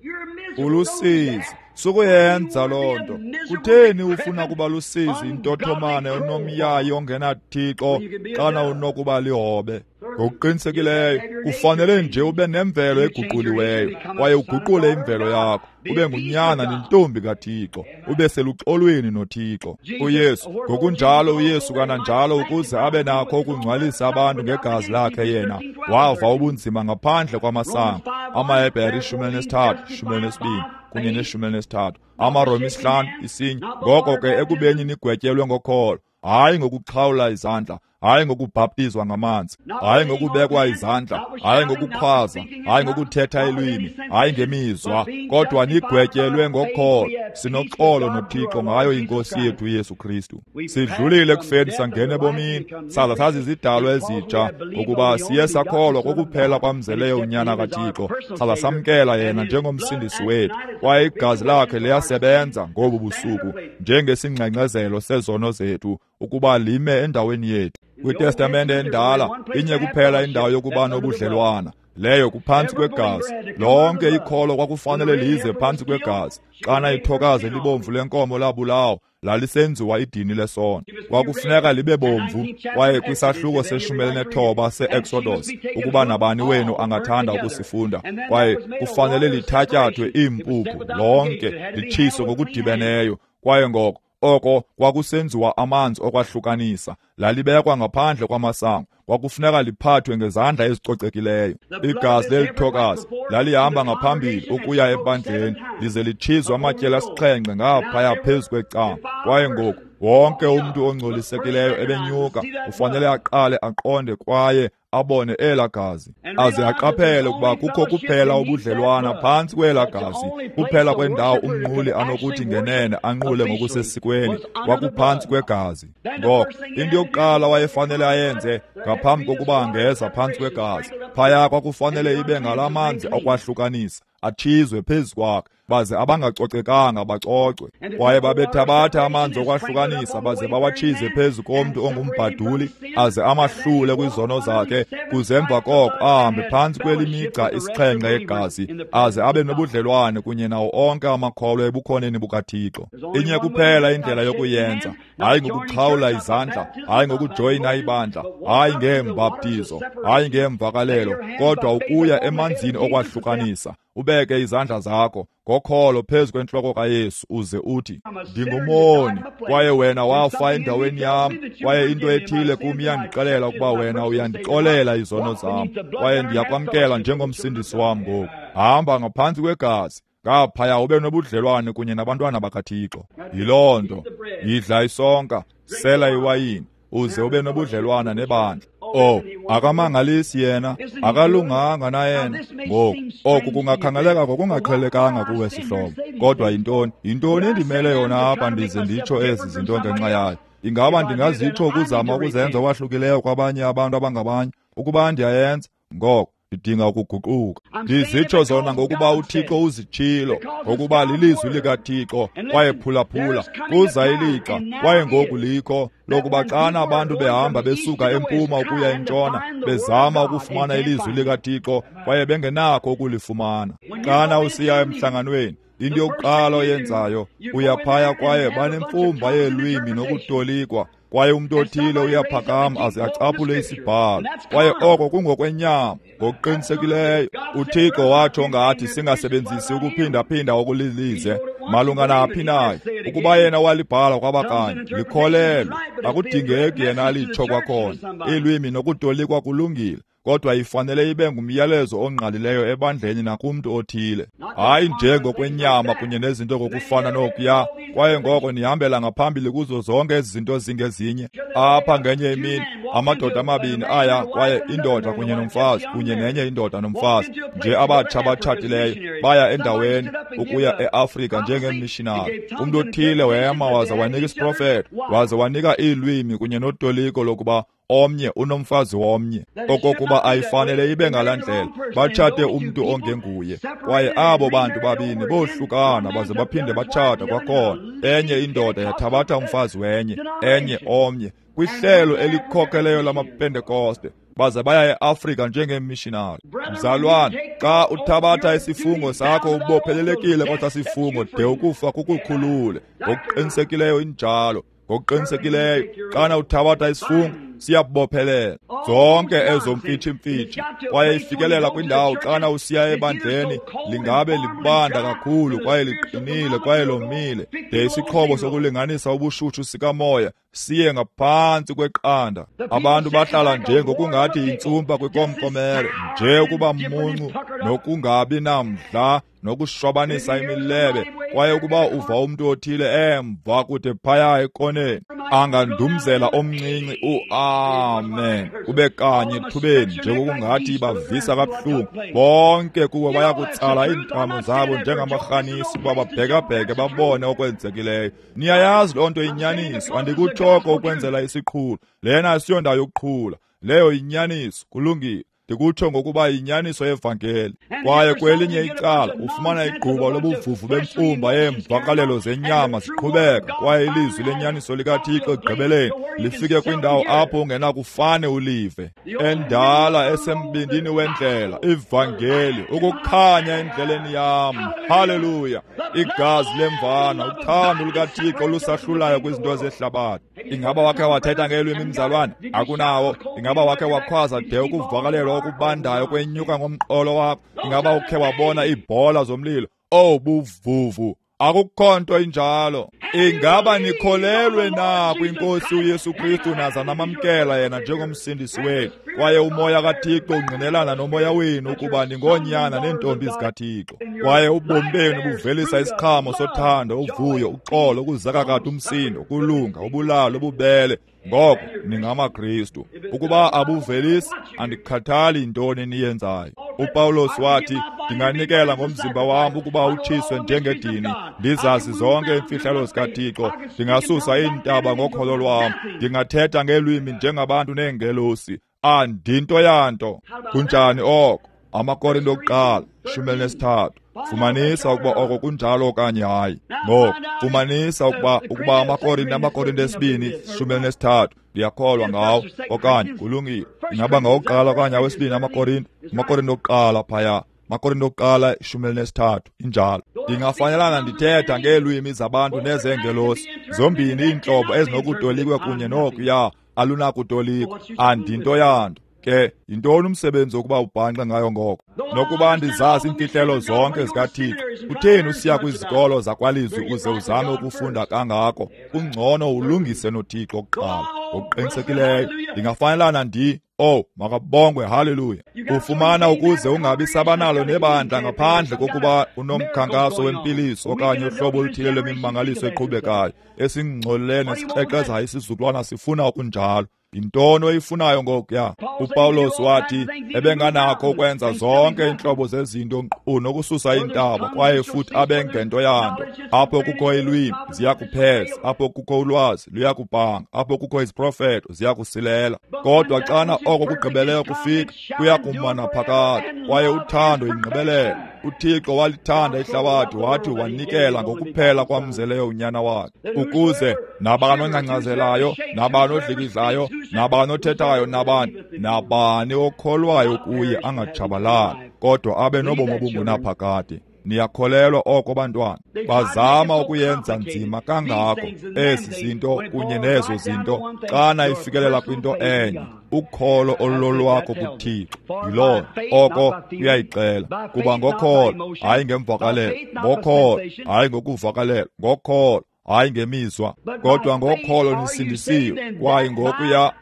Ulusizi. Sukuyenza loo nto. Kutheni ufuna kuba lusizi intothomane onomyayi ongenaThixo xana unokuba lihobe? Ngokuqinisekileyo kufanele nje ube nemvelo eguquliweyo, kwaye uguqule imvelo yakho, ube ngunyana nentombi kaThixo, ube seluxolweni noThixo. uYesu ngokunjalo, uYesu kananjalo, ukuze abe nakho ukungcwalisa abantu ngegazi lakhe yena, wava ubunzima ngaphandle kwamasango. AmaHebhere ishumi elinesithathu, ishumi elinesibini kunye neshumi elinesithathu, amaRoma isihlanu isinye. Ngoko ke ekubeni nigwetyelwe ngokholo, hayi ngokuxhawula izandla, hayi ngokubhaptizwa ngamanzi, hayi ngokubekwa izandla, hayi ngokukhwaza, hayi ngokuthetha ilwimi, hayi ngemizwa, kodwa nigwetyelwe ngokholo. Sinoxolo noThixo ngayo iNkosi yethu uYesu Kristu. Sidlulile ekufeni sangena ebomini, saza sazizidalwa ezitsha, ngokuba siye sakholwa kokuphela kwamzeleyo uNyana kaThixo, saza samkela yena njengomsindisi wethu. Kwaye igazi lakhe liyasebenza ngobu busuku njengesingxengxezelo sezono zethu, ukuba lime endaweni yethu. KwiTestamente endala inye kuphela indawo yokuba nobudlelwana, Leyo kuphantsi kwegazi. Lonke ikholo kwakufanele lize phantsi kwegazi. Xana ithokazi elibomvu lenkomo labulawa, lalisenziwa idini lesono. Kwakufuneka libe bomvu. Kwaye kwisahluko seshumi elinethoba se-Exodus, ukuba nabani wenu angathanda ukusifunda, kwaye kufanele lithatyathwe iimpuphu lonke litshiswe ngokudibeneyo. Kwaye ngoko oko kwakusenziwa amanzi okwahlukanisa, lalibekwa ngaphandle kwamasango. Kwakufuneka liphathwe ngezandla ezicocekileyo. Igazi lelithokazi lalihamba ngaphambili ukuya ebandleni, lize litshizwe amatyeli asixhenxe ngaphaya phezu kwecango. Kwaye ngoku wonke umntu ongcolisekileyo ebenyuka ufanele aqale aqonde kwaye abone elaa gazi, aze aqaphele ukuba kukho kuphela ubudlelwana phantsi kwelaa gazi. Kuphela kwendawo umnquli anokuthi ngenene anqule ngokusesikweni kwakuphantsi kwegazi. Ngoko into yokuqala wayefanele ayenze ngaphambi kokuba angeza phantsi kwegazi, phaya kwakufanele ibe ngalaa manzi okwahlukanisa atshizwe phezu kwakhe, baze abangacocekanga bacocwe. Kwaye babethabatha amanzi okwahlukanisa baze bawatshize phezu komntu ongumbhaduli, aze amahlule kwizono zakhe, kuze emva koko ahambe phantsi kwelimigca isixhenxe yegazi, aze abe nobudlelwane kunye nawo onke amakholwa ebukhoneni bukaThixo. Inye kuphela indlela yokuyenza, hayi ngokuxhawula izandla, hayi ngokujoyina ibandla, hayi ngeembaptizo, hayi ngeemvakalelo, kodwa ukuya emanzini okwahlukanisa. Ubeke izandla zakho ngokholo phezu kwentloko kaYesu uze uthi, ndingumoni, kwaye wena wafa endaweni yam, kwaye into ethile kum iyandixelela ukuba wena uyandixolela izono zam, kwaye ndiyakwamkela njengomsindisi wam ngoku. Hamba ngaphantsi kwegazi, ngaphaya ube nobudlelwane kunye nabantwana bakaThixo. Yiloo nto, yidla isonka, sela iwayini, uze ube nobudlelwana nebandla. Oh, akamangalisi yena, akalunganga na yena. Ngoku oku kungakhangeleka ngokungaqhelekanga kuwe sihlobo, kodwa yintoni yintoni endimele yona apha ndize nditsho ezi zinto ngenxa yayo? Ingaba ndingazitsho ukuzama ukuzenza okwahlukileyo kwabanye abantu abangabanye? Ukuba ndiyayenza, ngoko ndidinga ukuguquka. Ndizitsho zona ngokuba uThixo uzitshilo, ngokuba lilizwi likaThixo. Kwaye phulaphula, kuza ilixa, kwaye ngoku likho, lokuba xana abantu behamba besuka empuma ukuya entshona, bezama ukufumana ilizwi likaThixo, kwaye bengenakho ukulifumana. Xana usiya emhlanganweni, into yokuqala oyenzayo, uyaphaya kwaye banemfumba yeelwimi nokutolikwa, kwaye umntu othile uyaphakama aze acaphule isibhalo, kwaye oko kungokwenyama. Ngokuqinisekileyo uThixo watsho ngathi singasebenzisi ukuphindaphinda okulilize malunga naphi nayo. Ukuba yena walibhala kwabakanye, likholelwe. Akudingeki yena alitsho kwakhona. Iilwimi nokutolikwa kulungile, kodwa ifanele ibe ngumyalezo ongqalileyo ebandleni nakumntu othile, hayi nje ngokwenyama kunye nezinto ngokufana nokuya. Kwaye ngoko nihambela ngaphambili kuzo zonke ezi zinto zingezinye. Apha ngenye imini amadoda amabini aya, kwaye indoda kunye nomfazi kunye nenye indoda nomfazi nje abatsha abatshatileyo, baya endaweni ukuya eAfrika njengeemishinari. Umntu othile wema waza wanika isiprofeto, waza wanika iilwimi kunye notoliko lokuba omnye unomfazi womnye, okokuba ayifanele ibe ngalaa ndlela. Batshate umntu ongenguye, kwaye abo bantu babini bohlukana baze baphinde batshata kwakhona. Enye indoda yathabatha umfazi wenye, enye omnye, kwihlelo elikhokeleyo lamaPentekoste, baze baya eAfrika njengeemishinari. Mzalwane, xa uthabatha isifungo sakho ubophelelekile kwesa sifungo de ukufa kukukhulule. Ngokuqinisekileyo injalo. Ngokuqinisekileyo xana uthabatha isifungo siyabophelela zonke ezo mfitshi-mfitshi. Kwaye ifikelela kwindawo xana usiya ebandleni lingabe libanda kakhulu kwaye liqinile kwaye lomile, de isixhobo sokulinganisa ubushushu sikamoya siye ngaphantsi kweqanda. Abantu bahlala nje ngokungathi yintsumpa kwikomkomere, nje ukuba muncu nokungabi namdla nokushwabanisa imilebe. Kwaye ukuba uva umntu othile emva kude phaya ekoneni angandumzela omncinci u-amen kube kanye ethubeni, njengokungathi ibavisa kabuhlungu, bonke kubo bayakutsala iintamo zabo njengamarhanisi ukuba babhekabheke babone okwenzekileyo. Niyayazi loo nto inyaniso. Andikutshoko ukwenzela isiqhulo, lena asiyondawo yokuqhula, leyo yinyaniso. Kulungile. Ndikutsho ngokuba yinyaniso yevangeli. Kwaye kwelinye icala ufumana igquba lobuvuvu bemfumba yeemvakalelo zenyama ziqhubeka, kwaye ilizwi lenyaniso likaThixo ekugqibeleni lifike kwindawo apho ungenakufane ulive. Endala esembindini wendlela, ivangeli, ukukhanya endleleni yam. Haleluya! Igazi lemvana, uthando lukaThixo olusahlulayo kwizinto zehlabathi. Ingaba wakhe wathetha ngeelwimi, mzalwane? Akunawo. Ingaba wakhe wakhwaza de ukuvakalelwa okubandayo kwenyuka ngomqolo wakho? Ingaba ukhe wabona iibhola zomlilo? Oh, buvuvu! Akukho nto injalo. Ingaba nikholelwe na kwinkosi uYesu Kristu naza namamkela yena njengomsindisi wenu? Kwaye umoya kaThixo ungqinelana nomoya wenu ukuba ningoonyana neentombi zikaThixo. Kwaye ubomi benu buvelisa isiqhamo sothando, uvuyo, uxolo, ukuzakakata umsindo, ukulunga, ubulalo, ububele. Ngoko ningamaKristu. Ukuba abuvelisi, andikhathali yintoni niyenzayo. UPawulos wathi, ndinganikela ngomzimba wam ukuba utshiswe njengedini, ndizazi zonke iimfihlelo zikaThixo, ndingasusa iintaba ngokholo lwam, ndingathetha ngeelwimi njengabantu neengelosi. Andinto yanto. Kunjani oko? AmaKorinto okuqala shumi elinesithathu. Fumanisa ukuba oko kunjalo okanye hayi. Ngoku fumanisa ukuba ukuba amaKorinto amaKorinto esibini shumi elinesithathu, ndiyakholwa ngawo, okanye kulungile. Ingaba ngawokuqala okanye awesibini amaKorinto? AmaKorinto okuqala phaya. AmaKorinto okuqala ishumi elinesithathu, injalo. Ndingafanelana ndithetha ngeelwimi zabantu nezeengelosi, zombini iintlobo ezinokutolikwa kunye nokuya alunakutolikwa. Andinto yanto. Ke yintoni umsebenzi wokuba ubhanxe ngayo ngoko? Nokuba ndizazi iimfihlelo zonke zikaThixo, kutheni usiya kwizikolo zakwalizwi uze uzame ukufunda kangako? Kungcono ulungise noThixo kuqala. Ngokuqinisekileyo ndingafanelana ndi Oh, makabongwe, haleluya. Ufumana ukuze ungabi sabanalo nebandla ngaphandle kokuba unomkhankaso wempiliso okanye uhlobo oluthile lwemimangaliso eqhubekayo esingcolileyo nesikrexezayo isizukulwana sifuna okunjalo. Yintoni oyifunayo ngokuya? UPawulos wathi ebenganakho ukwenza zonke iintlobo zezinto nkqu nokususa iintaba, kwaye futhi abengento yanto. Apho kukho ilwimi ziyakupheza, apho kukho ulwazi luyakubhanga, apho kukho iziprofeto ziyakusilela. Kodwa xana oko kugqibeleyo kufika, kuyakuma naphakade, kwaye uthando yingqibelelo. uThixo walithanda ihlabathi wathi wanikela ngokuphela kwamzeleyo unyana wakhe, ukuze nabani ongcangcazelayo, nabani odlikidlayo, nabani othethayo, nabani nabani okholwayo kuye angatshabalali, kodwa abe nobomi obungunaphakade. Niyakholelwa oko, bantwana? Bazama ukuyenza nzima kangako ezi zinto kunye nezo zinto, xana ifikelela kwinto enye, ukholo olulolwakho kuThixo. Yiloo oko kuyayixela, kuba ngokholo, hayi ngemvakalelo, ngokholo, hayi ngokuvakalelwa, ngokholo, hayi ngemizwa, kodwa ngokholo nisindisiwe. Kwaye ngokuya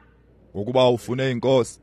ngokuba ufune inkosi,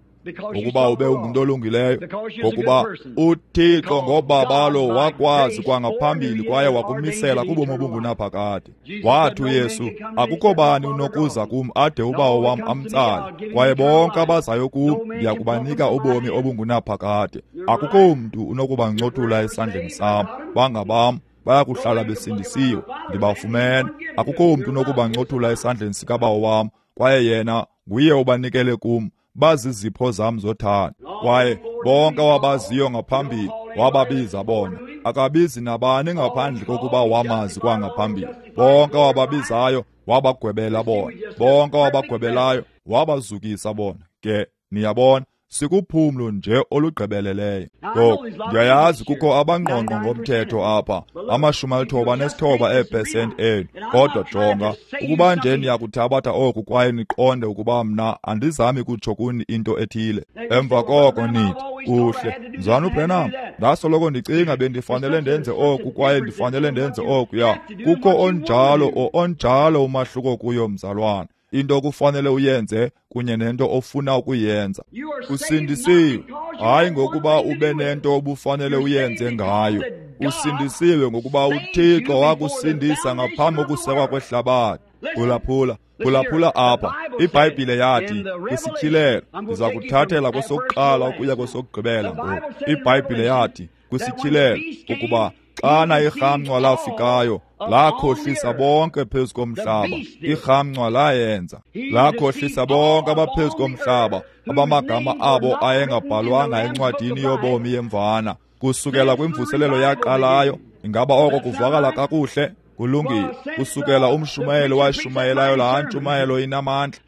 ngokuba ube ungumntu olungileyo, ngokuba uThixo ngobabalo wakwazi kwangaphambili kwaye wakumisela kubomi obungunaphakade. Wathi uYesu, akukho bani unokuza kum ade uBawo wam amtsale, kwaye bonke abazayo kum ndiya kubanika ubomi obungunaphakade. Akukho mntu unokubancothula esandleni sam, bangabam, bayakuhlala besindisiwe, ndibafumene. Akukho mntu unokubancothula esandleni sikaBawo wam, kwaye yena nguye obanikele kum, bazizipho zam zothando. Kwaye bonke wabaziyo ngaphambili wababiza bona. Akabizi nabani ngaphandle kokuba wamazi kwangaphambili. Bonke wababizayo wabagwebela bona, bonke wabagwebelayo wabazukisa bona. Ke niyabona, sikuphumlo nje olugqibeleleyo. Ngoku ndiyayazi kukho abangqongqo ngomthetho apha, amashumi alithoba nesithoba eepesenti enu. Kodwa jonga, ukuba nje niyakuthabatha oku kwaye niqonde ukuba mna andizami kutsho kuni into ethile. Emva koko nithi, kuhle, Mzalwana uBrenham, ndasoloko ndicinga bendifanele ndenze oku kwaye ndifanele ndenze okuya. Kukho onjalo o onjalo umahluko kuyo, mzalwana. Into okufanele uyenze kunye nento ofuna ukuyenza. Usindisiwe hayi ngokuba ube nento obufanele uyenze ngayo. Usindisiwe ngokuba uThixo wakusindisa ngaphambi kokusekwa kwehlabathi. Phulaphula, phulaphula apha. IBhayibhile yathi kwisityhilelo, ndiza kuthathela kwesokuqala ukuya kwesokugqibela ngoku. IBhayibhile yathi kwisityhilelo ukuba Xana irhamncwa lafikayo, lakhohlisa bonke phezu komhlaba. Irhamncwa layenza, lakhohlisa bonke abaphezu komhlaba, abamagama abo ayengabhalwanga encwadini yobomi yemvana kusukela kwimvuselelo yaqalayo. Ingaba oko kuvakala kakuhle? Kulungile. Kusukela umshumayelo washumayelayo laa ntshumayelo inamandla,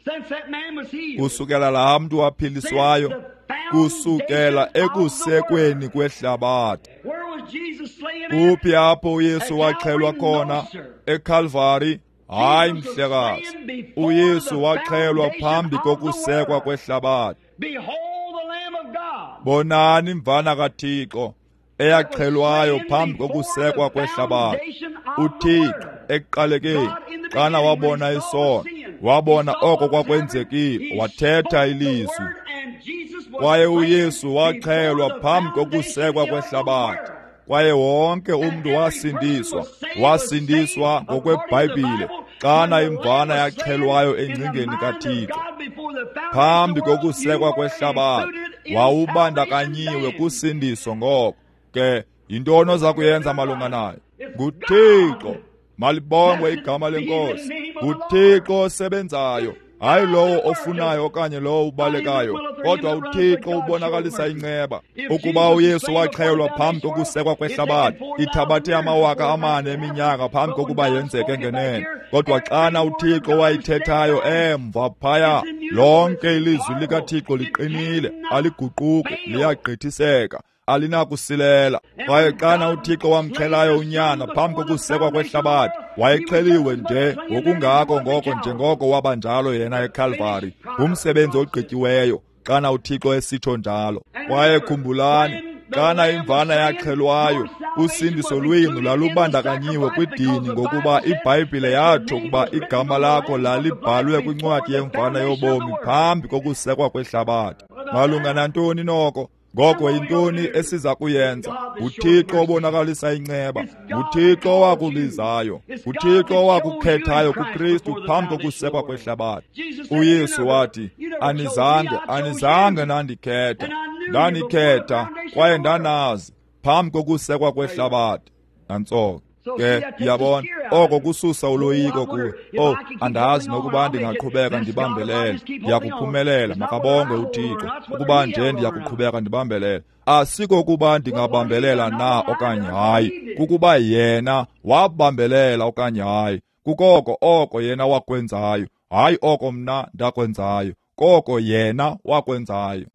kusukela laa mntu waphiliswayo, kusukela ekusekweni kwehlabathi. Kuphi apho uYesu waxhelwa khona? EKalvari? Hayi mhlekazi, uYesu waxhelwa phambi kokusekwa kwehlabathi. Bonani imvana kaThixo eyaxhelwayo phambi kokusekwa kwehlabathi. UThixo ekuqalekeni, xana wabona isono, wabona oko kwakwenzekile, wathetha ilizwi. Kwaye uYesu waxhelwa phambi kokusekwa kwehlabathi. Kwaye wonke umntu wasindiswa, wasindiswa ngokweBhayibhile xana imvana yaxhelwayo engcingeni kaThixo. Phambi kokusekwa kwehlabathi wawubandakanyiwe kusindiso. Ngoko ke yintoni oza kuyenza malunga nayo? NguThixo. Malibongwe igama leNkosi. NguThixo osebenzayo, hayi lowo ofunayo okanye lowo ubalekayo, kodwa uThixo ubonakalisa inceba. Ukuba uYesu waxhelwa phambi kokusekwa kwehlabathi, ithabathe amawaka amane eminyaka phambi kokuba yenzeke ngenene. Kodwa xana uThixo wayithethayo emva phaya, lonke ilizwi likaThixo liqinile, aliguquki, liyagqithiseka, alinakusilela. Kwaye xana uThixo wamxhelayo unyana phambi kokusekwa kwehlabathi, wayexheliwe nje ngokungako ngoko njengoko waba njalo yena eKalvari. Ngumsebenzi ogqityiweyo xana uThixo esitsho njalo. Kwaye khumbulani, xana imvana yaxhelwayo, usindiso lwenu lalubandakanyiwe kwidini, ngokuba iBhayibhile yatsho ukuba igama lakho lalibhalwe kwincwadi yemvana yobomi phambi kokusekwa kwehlabathi. Malunga nantoni noko? Ngoko yintoni esiza kuyenza? UThixo obonakalisa inceba, nguThixo owakubizayo, nguThixo owakukhethayo kuKristu phambi kokusekwa kwehlabathi. uYesu wathi, anizange, anizange nandikhetha, ndanikhetha kwaye ndanazi phambi kokusekwa kwehlabathi. Nantso ke, uyabona, oko kususa uloyiko kuwe. Oh, andazi nokuba ndingaqhubeka ndibambelele, ndiyakuphumelela. Makabongwe uThixo ukuba nje ndiyakuqhubeka ndibambelele. Asikokuba ndingabambelela na okanye hayi, kukuba yena wabambelela okanye hayi. Kukoko oko yena wakwenzayo, hayi oko mna ndakwenzayo, koko yena wakwenzayo.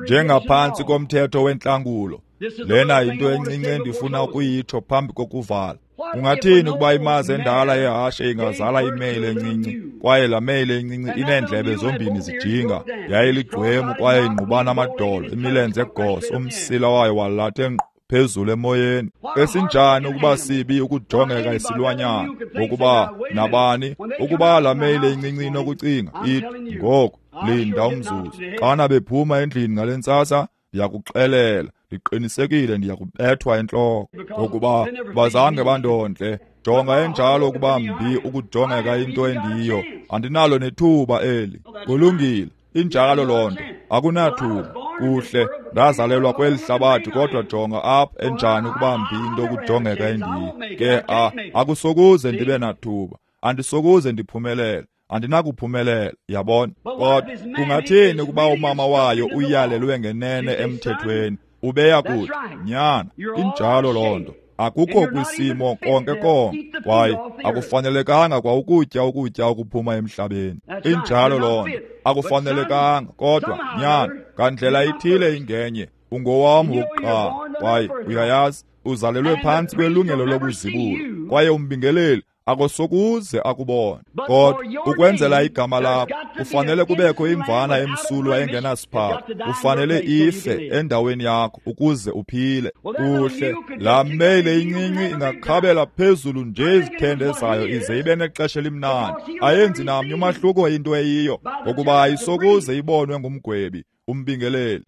Njengaphantsi komthetho wentlangulo, lena yinto encinci endifuna ukuyitsho phambi kokuvala. Ungathini ukuba imazi endala yehashe ingazala imeyile encinci, kwaye laa meyile encinci ineendlebe zombini zijinga, yayiligqwemu kwaye ingqubana amadolo, imilenze egoso, umsila wayo walathe ngqo phezulu emoyeni. Esinjani ukuba sibi ukujongeka isilwanyana, ngokuba nabani, ukuba laa meyile incinci inokucinga ithi, ngoku linda umzuzu, xana bephuma endlini ngale ntsasa, ndiyakuxelela, ndiqinisekile ndiyakubethwa entloko, ngokuba bazange bandondle. Jonga enjalo ukuba mbi ukujongeka into endiyo, andinalo nethuba eli. Kulungile, injalo loo nto, akunathuba. Kuhle, ndazalelwa kweli hlabathi, kodwa jonga apha enjani ukuba mbi into ukujongeka endiyo. Ke a akusokuze ndibe nathuba, andisokuze ndiphumelele, andinakuphumelela, yabona. Kodwa kungathini ukuba umama wayo uyalelwe ngenene emthethweni? Ubeya kuthi, nyana, injalo loo nto, akukho kwisimo konke konke, kwaye akufanelekanga kwa ukutya ukutya okuphuma emhlabeni. Injalo loo nto, akufanelekanga. Kodwa nyana, ngandlela ithile ingenye, ungowam wokuqala, kwaye uyayazi, uzalelwe phantsi kwelungelo lobuzibulo, kwaye umbingeleli akosokuze akubone. Kodwa ukwenzela igama lakho kufanele kubekho imvana emsulwa engenasiphatho, ufanele ife endaweni yakho ukuze uphile. Kuhle, laa meyile incinci ingakhabela phezulu nje izithende zayo ize ibe nexesha elimnandi. Ayenzi namnye umahluko into eyiyo, ngokuba ayisokuze ibonwe ngumgwebi, umbingeleli.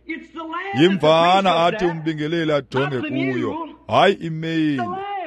Yimvana athi umbingeleli ajonge kuyo, hayi imeyile,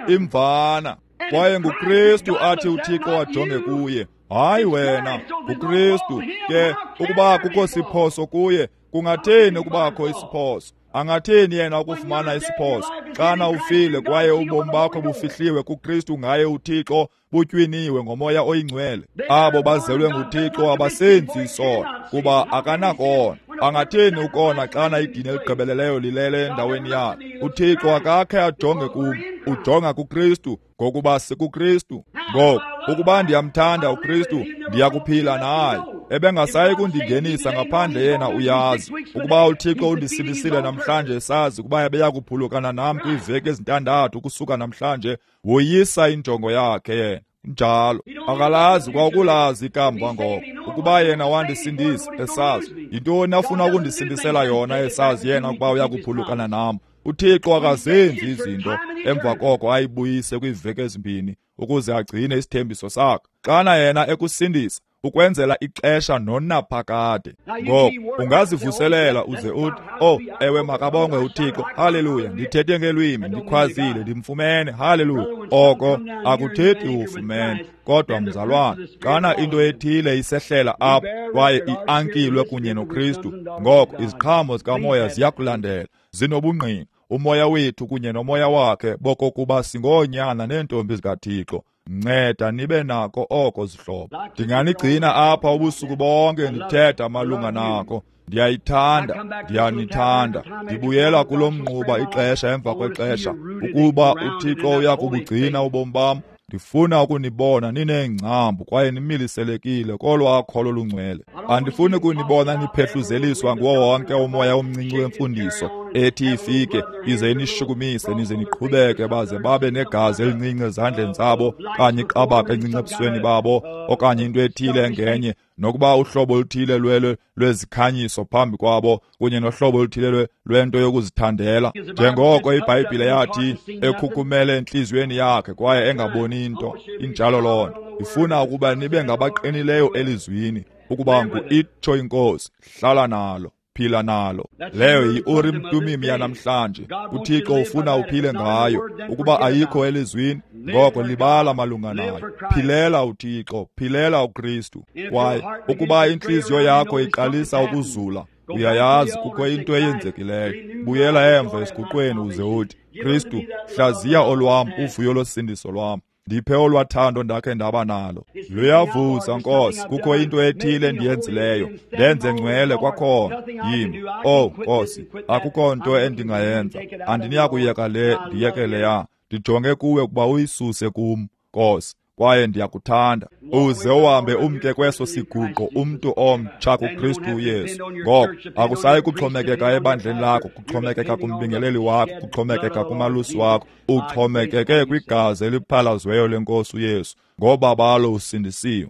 imvana. Kwaye nguKristu athi uThixo ajonge kuye, hayi wena, nguKristu. Ke ukuba kukho siphoso kuye, kungatheni ukubakho isiphoso? Angathini yena ukufumana isiphoso xana ufile kwaye ubomi bakho bufihliwe kuKristu ngaye uThixo, butywiniwe ngoMoya oyiNgcwele? Abo bazelwe nguThixo abasenzi isono, kuba akanakona. Angathini ukona xana idini eligqibeleleyo lilele endaweni yakhe? UThixo akakhe ajonge kum, ujonga kuKristu, ngokuba sikuKristu. Ngoku ukuba ndiyamthanda uKristu, ndiyakuphila naye. Ebengasayi kundingenisa ngaphandle yena uyazi. Ukuba uThixo undisindisile namhlanje esazi ukuba ebeyakuphulukana nam kwiiveki ezintandathu ukusuka namhlanje, woyisa injongo yakhe yena. Njalo akalazi kwakulazi ikamva ngoko. Ukuba yena wandisindisa esazi, yintoni afuna ukundisindisela yona esazi yena ukuba uyakuphulukana nam? UThixo akazenzi izinto emva koko ayibuyise kwiiveki ezimbini ukuze agcine isithembiso sakhe. Xana yena ekusindisa, ukwenzela ixesha nonaphakade. Ngoku ungazivuselela uze uthi, oh ewe, makabongwe uThixo, haleluya, ndithethe ngelwimi, ndikhwazile, ndimfumene, haleluya. Oko akuthethi ufumene. Kodwa mzalwana, xana into ethile isehlela apha kwaye iankilwe kunye noKristu, ngoko iziqhamo zikamoya ziyakulandela, zinobungqina, umoya wethu kunye nomoya wakhe bokokuba singoonyana neentombi zikaThixo. Nceda nibe nako oko, zihlobo. Ndinganigcina apha ubusuku bonke ndithetha malunga nako. Ndiyayithanda, ndiyanithanda. Ndibuyela kulo mnquba ixesha emva kwexesha. Ukuba uThixo uyakubugcina ubomi bam, ndifuna ukunibona nineengcambu kwaye nimiliselekile kolwaa kholo lungcwele. Andifuni kunibona niphehluzeliswa nguwo wonke umoya omncinci wemfundiso ethi ifike ize inishukumise nize niqhubeke, baze babe negazi elincinci ezandleni zabo okanye iqabaka encinci ebusweni babo okanye into ethile engenye, nokuba uhlobo oluthile lwelo lwezikhanyiso phambi kwabo kunye nohlobo oluthile lwento yokuzithandela, njengoko iBhayibhile yathi ekhukhumele entliziyweni yakhe kwaye engaboni into. Injalo loo nto. Ifuna ukuba nibe ngabaqinileyo elizwini, ukuba ngu-itsho iNkosi, hlala nalo, phila nalo. Leyo yi-Urim Tumim yanamhlanje. UThixo ufuna uphile ngayo. Ukuba ayikho elizwini, ngoko libala malunga nayo. Philela uThixo, philela uKristu. Kwaye ukuba intliziyo yakho iqalisa ukuzula, uyayazi kukho into eyenzekileyo, buyela emva esiguqweni uze uthi, Kristu, hlaziya olwam uvuyo losindiso lwam. Ndiphe olwathando ndakhe ndaba nalo. Luyavuza, Nkosi, kukho into ethile endiyenzileyo, ndenze ngcwele kwakhona. Yimi, oh Nkosi, akukho nto endingayenza. Andiniyakuyeka le, ndiyeke leya. Ndijonge kuwe ukuba uyisuse kum, Nkosi, kwaye ndiyakuthanda. Uze uhambe umke kweso siguqo umntu omtsha kuKristu uYesu. Ngoko akusayi kuxhomekeka ebandleni lakho, kuxhomekeka kumbingeleli wakho, kuxhomekeka kumalusi wakho, uxhomekeke kwigazi eliphalaziweyo lenkosi uYesu. Ngoba balo usindisiwe.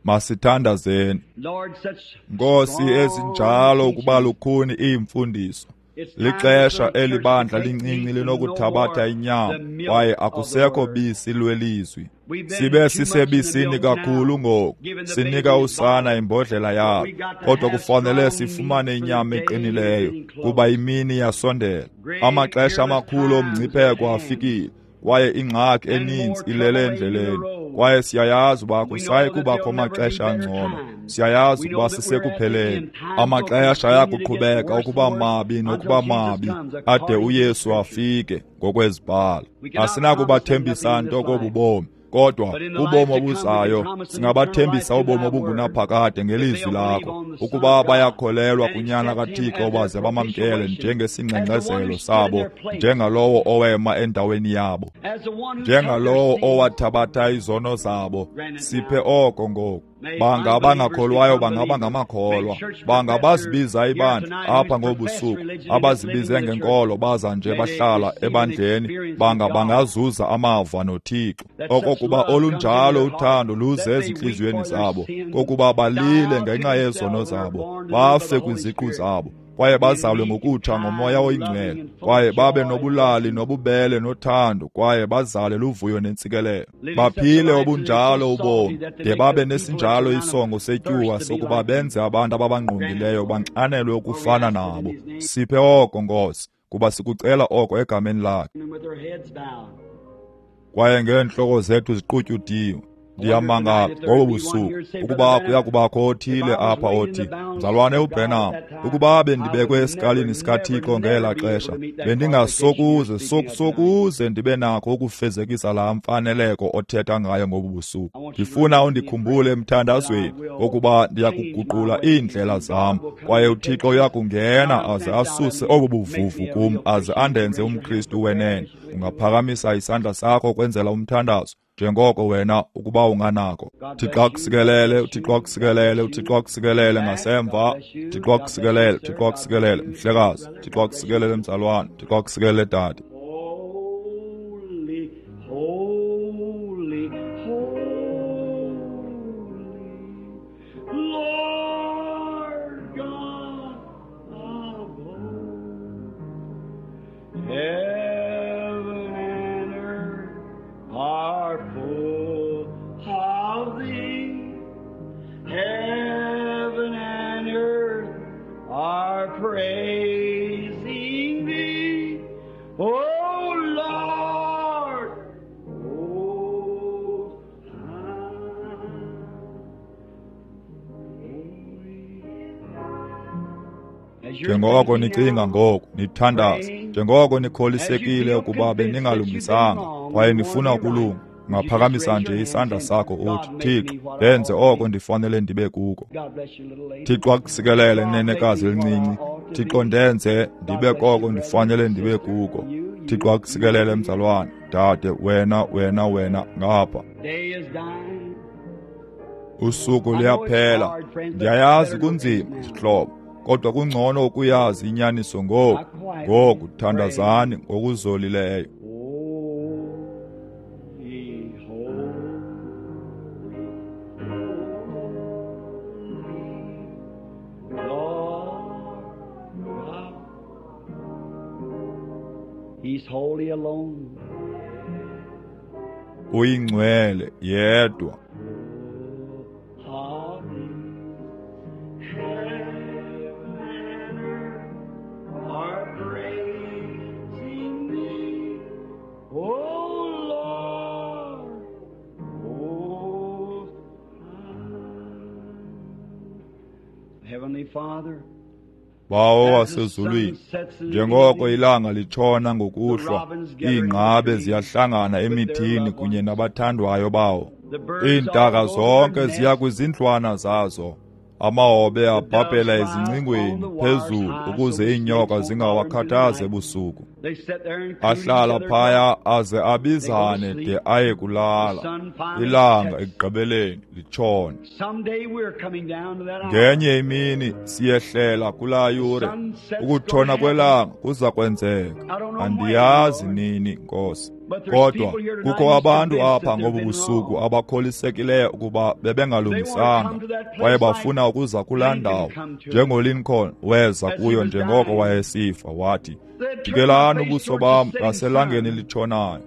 Masithandazeni. Nkosi, ezinjalo ukuba lukhuni iimfundiso. Lixesha elibandla lincinci linokuthabatha inyama, kwaye akusekho bisi lwelizwi. Sibe sisebisini kakhulu ngoku, sinika usana imbodlela yalo, kodwa kufanele sifumane inyama eqinileyo, kuba imini yasondela. Amaxesha amakhulu omngcipheko afikile, kwaye ingxaki eninzi ilele endleleni. Kwaye siyayazi uba akusayi kubakho amaxesha angcono. Siyayazi ukuba sisekupheleni. Amaxesha ayakuqhubeka ukuba mabi nokuba mabi ade uYesu afike ngokwezibhalo. Asinakubathembisa nto kobu bomi, kodwa ubomi obuzayo singabathembisa ubomi obungunaphakade ngelizwi lakho, ukuba bayakholelwa kuNyana kaThixo baze bamamkele njengesingxengxezelo sabo, njengalowo owema endaweni yabo, njengalowo owathabatha izono zabo. Siphe oko ngoku. Banga abangakholwayo bangaba ngamakholwa, banga bazibiza ibandla apha ngobusuku, abazibize ngenkolo baza nje bahlala ebandleni, banga bangazuza amava noThixo, okokuba olunjalo uthando luze ezintliziyweni zabo, kokuba balile ngenxa yezono zabo, bafe kwiziqu zabo, kwaye bazalwe ngokutsha ngoMoya oyiNgcwele, kwaye babe nobulali nobubele nothando, kwaye bazale luvuyo nentsikelelo. Baphile obunjalo ubomi, de babe nesinjalo isongo setyuwa sokuba benze abantu ababangqongileyo banxanelwe ukufana nabo. Siphe oko, Nkosi, kuba sikucela oko egameni lakhe. Kwaye ngeentloko zethu ziqutyudiwe, Ndiyamangala ngobu busuku ukuba kuya kubakho othile apha othi, Mzalwane uBranham, ukuba bendibekwe esikalini sikaThixo ngela xesha, bendingasokuze sokusokuze ndibe nakho ukufezekisa laa mfaneleko othetha ngayo ngobu busuku. Ndifuna undikhumbule emthandazweni ukuba ndiyakuguqula iindlela zam, kwaye uThixo uyakungena aze asuse obu buvuvu kum aze andenze umKristu wenene. Ungaphakamisa isandla sakho kwenzela umthandazo njengoko wena ukuba unganako. Thixo akusikelele, uThixo akusikelele, uThixo akusikelele ngasemva. Thixo akusikelele, Thixo akusikelele, mhlekazi. Thixo akusikelele, mzalwane. Thixo akusikelele, dade. Holy, holy, holy, Lord God of hosts, heaven and earth are full of thee. Heaven and earth are praising thee, O Lord, most high. As you're Njengoko thinking nicinga now, ngoku, nithandaza, njengoko nikholisekile ukuba beningalungisanga kwaye nifuna ukulunga, ungaphakamisa nje isandla sakho uthi, Thixo, ndenze oko ndifanele ndibe kuko. God bless you, little lady. Thixo akusikelele, nenekazi elincinci. Thixo, ndenze ndibe koko ndifanele ndibe kuko. Thixo akusikelele, mzalwane, dade, wena, wena, wena ngapha. Day is dying. Usuku luyaphela. Ndiyayazi kunzima, zihlobo, kodwa kungcono ukuyazi inyaniso ngoku. Ngoku thandazani ngokuzolileyo. Holy, holy, holy, Lord God. He's holy alone. Uyingcwele yedwa. Holy, heaven and earth are praising thee, O Lord, most high. Heavenly Father, Bawo wasezulwini, njengoko ilanga litshona ngokuhlwa, iingqabe ziyahlangana emithini kunye nabathandwayo bawo. Iintaka zonke ziya kwizindlwana zazo. Amahobe abhabhela ezingcingweni phezulu ukuze iinyoka zingawakhathazi ebusuku. they sit there and coo Ahlala each other. phaya aze abizane de aye kulala. Ilanga ekugqibeleni litshone. Someday we're coming down to that hour. Ngenye imini siyehlela kulaa yure. Ukutshona kwelanga kuza kwenzeka. Andiyazi nini, Nkosi. Kodwa kukho abantu apha ngobu busuku abakholisekileyo ukuba bebengalungisanga kwaye bafuna ukuza kulaa ndawo, njengoLincoln weza kuyo njengoko wayesifa, wathi, jikelani ubuso bam ngaselangeni elitshonayo.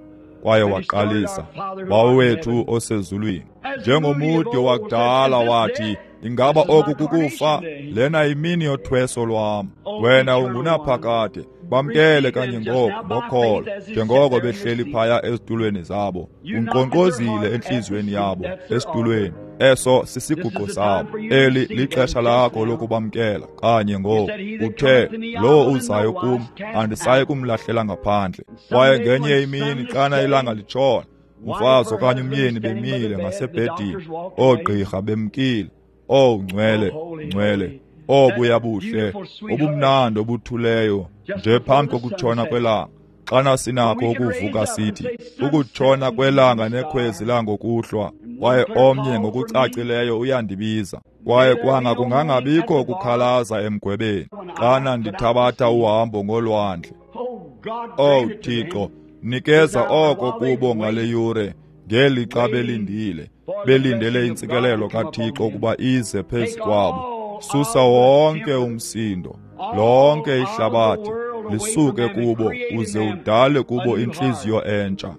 Kwaye waqalisa, Bawo wethu osezulwini. Njengomudi wakudala wathi, ingaba oku kukufa? Lena yimini yothweso lwam. Wena ungunaphakade. Bamkele kanye ngoku ngokholo, njengoko behleli phaya ezitulweni zabo. Unkqonkqozile entliziyweni yabo esitulweni. Eso sisiguqo sabo. Eli lixesha lakho lokubamkela kanye ngoku. Uthe, lowo uzayo kum, andisayi kumlahlela ngaphandle. Kwaye ngenye imini xana ilanga litshona, umfazi okanye umyeni bemile ngasebhedini, oogqirha bemkile. Owu ngcwele, ngcwele, obuya buhle, obumnandi obuthuleyo, nje phambi kokutshona kwelanga. Xana sinakho ukuvuka sithi, ukutshona kwelanga nekhwezi langokuhlwa, kwaye omnye ngokucacileyo uyandibiza. Kwaye kwanga kungangabikho ukukhalaza emgwebeni xana ndithabatha uhambo ngolwandle. Oh God, Owu grant it to them. Thixo, nikeza oko kubo ngale yure, ngelixa belindile, belindele intsikelelo kaThixo ukuba ize phezu kwabo. Susa wonke umsindo, lonke ihlabathi lisuke kubo, uze udale kubo intliziyo entsha.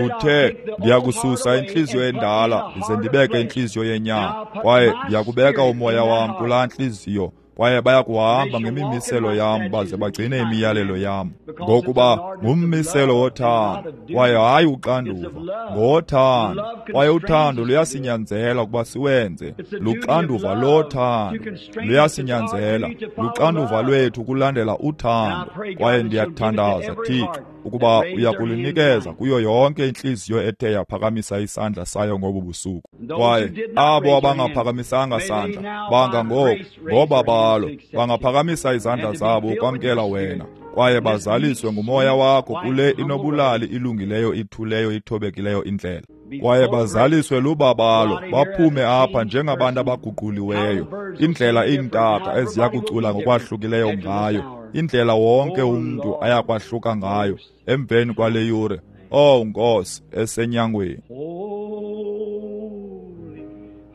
Uthe, ndiyakususa intliziyo endala ndize ndibeke intliziyo yenyama, kwaye ndiyakubeka umoya wam kulaa ntliziyo Kwaye bayakuhamba ngemimiselo yam baze bagcine imiyalelo yam. Ngokuba ngummiselo wothando, kwaye hayi uxanduva, ngothando. Kwaye uthando luyasinyanzela ukuba siwenze. Luxanduva lothando, luyasinyanzela. Luxanduva lwethu ukulandela uthando. Kwaye ndiyathandaza, Thixo, ukuba uyakulinikeza kuyo yonke intliziyo ethe yaphakamisa isandla sayo ngobu busuku. Kwaye abo abangaphakamisanga sandla, banga ngoku ngobabalo, bangaphakamisa izandla zabo ukwamkela wena, kwaye bazaliswe ngumoya wakho kule inobulali ilungileyo ithuleyo ithobekileyo indlela. Kwaye bazaliswe lubabalo, baphume apha njengabantu abaguquliweyo. Indlela iintaka eziya kucula ngokwahlukileyo ngayo, indlela wonke umntu ayakwahluka ngayo emveni kwale yure. Oh Nkosi esenyangweni.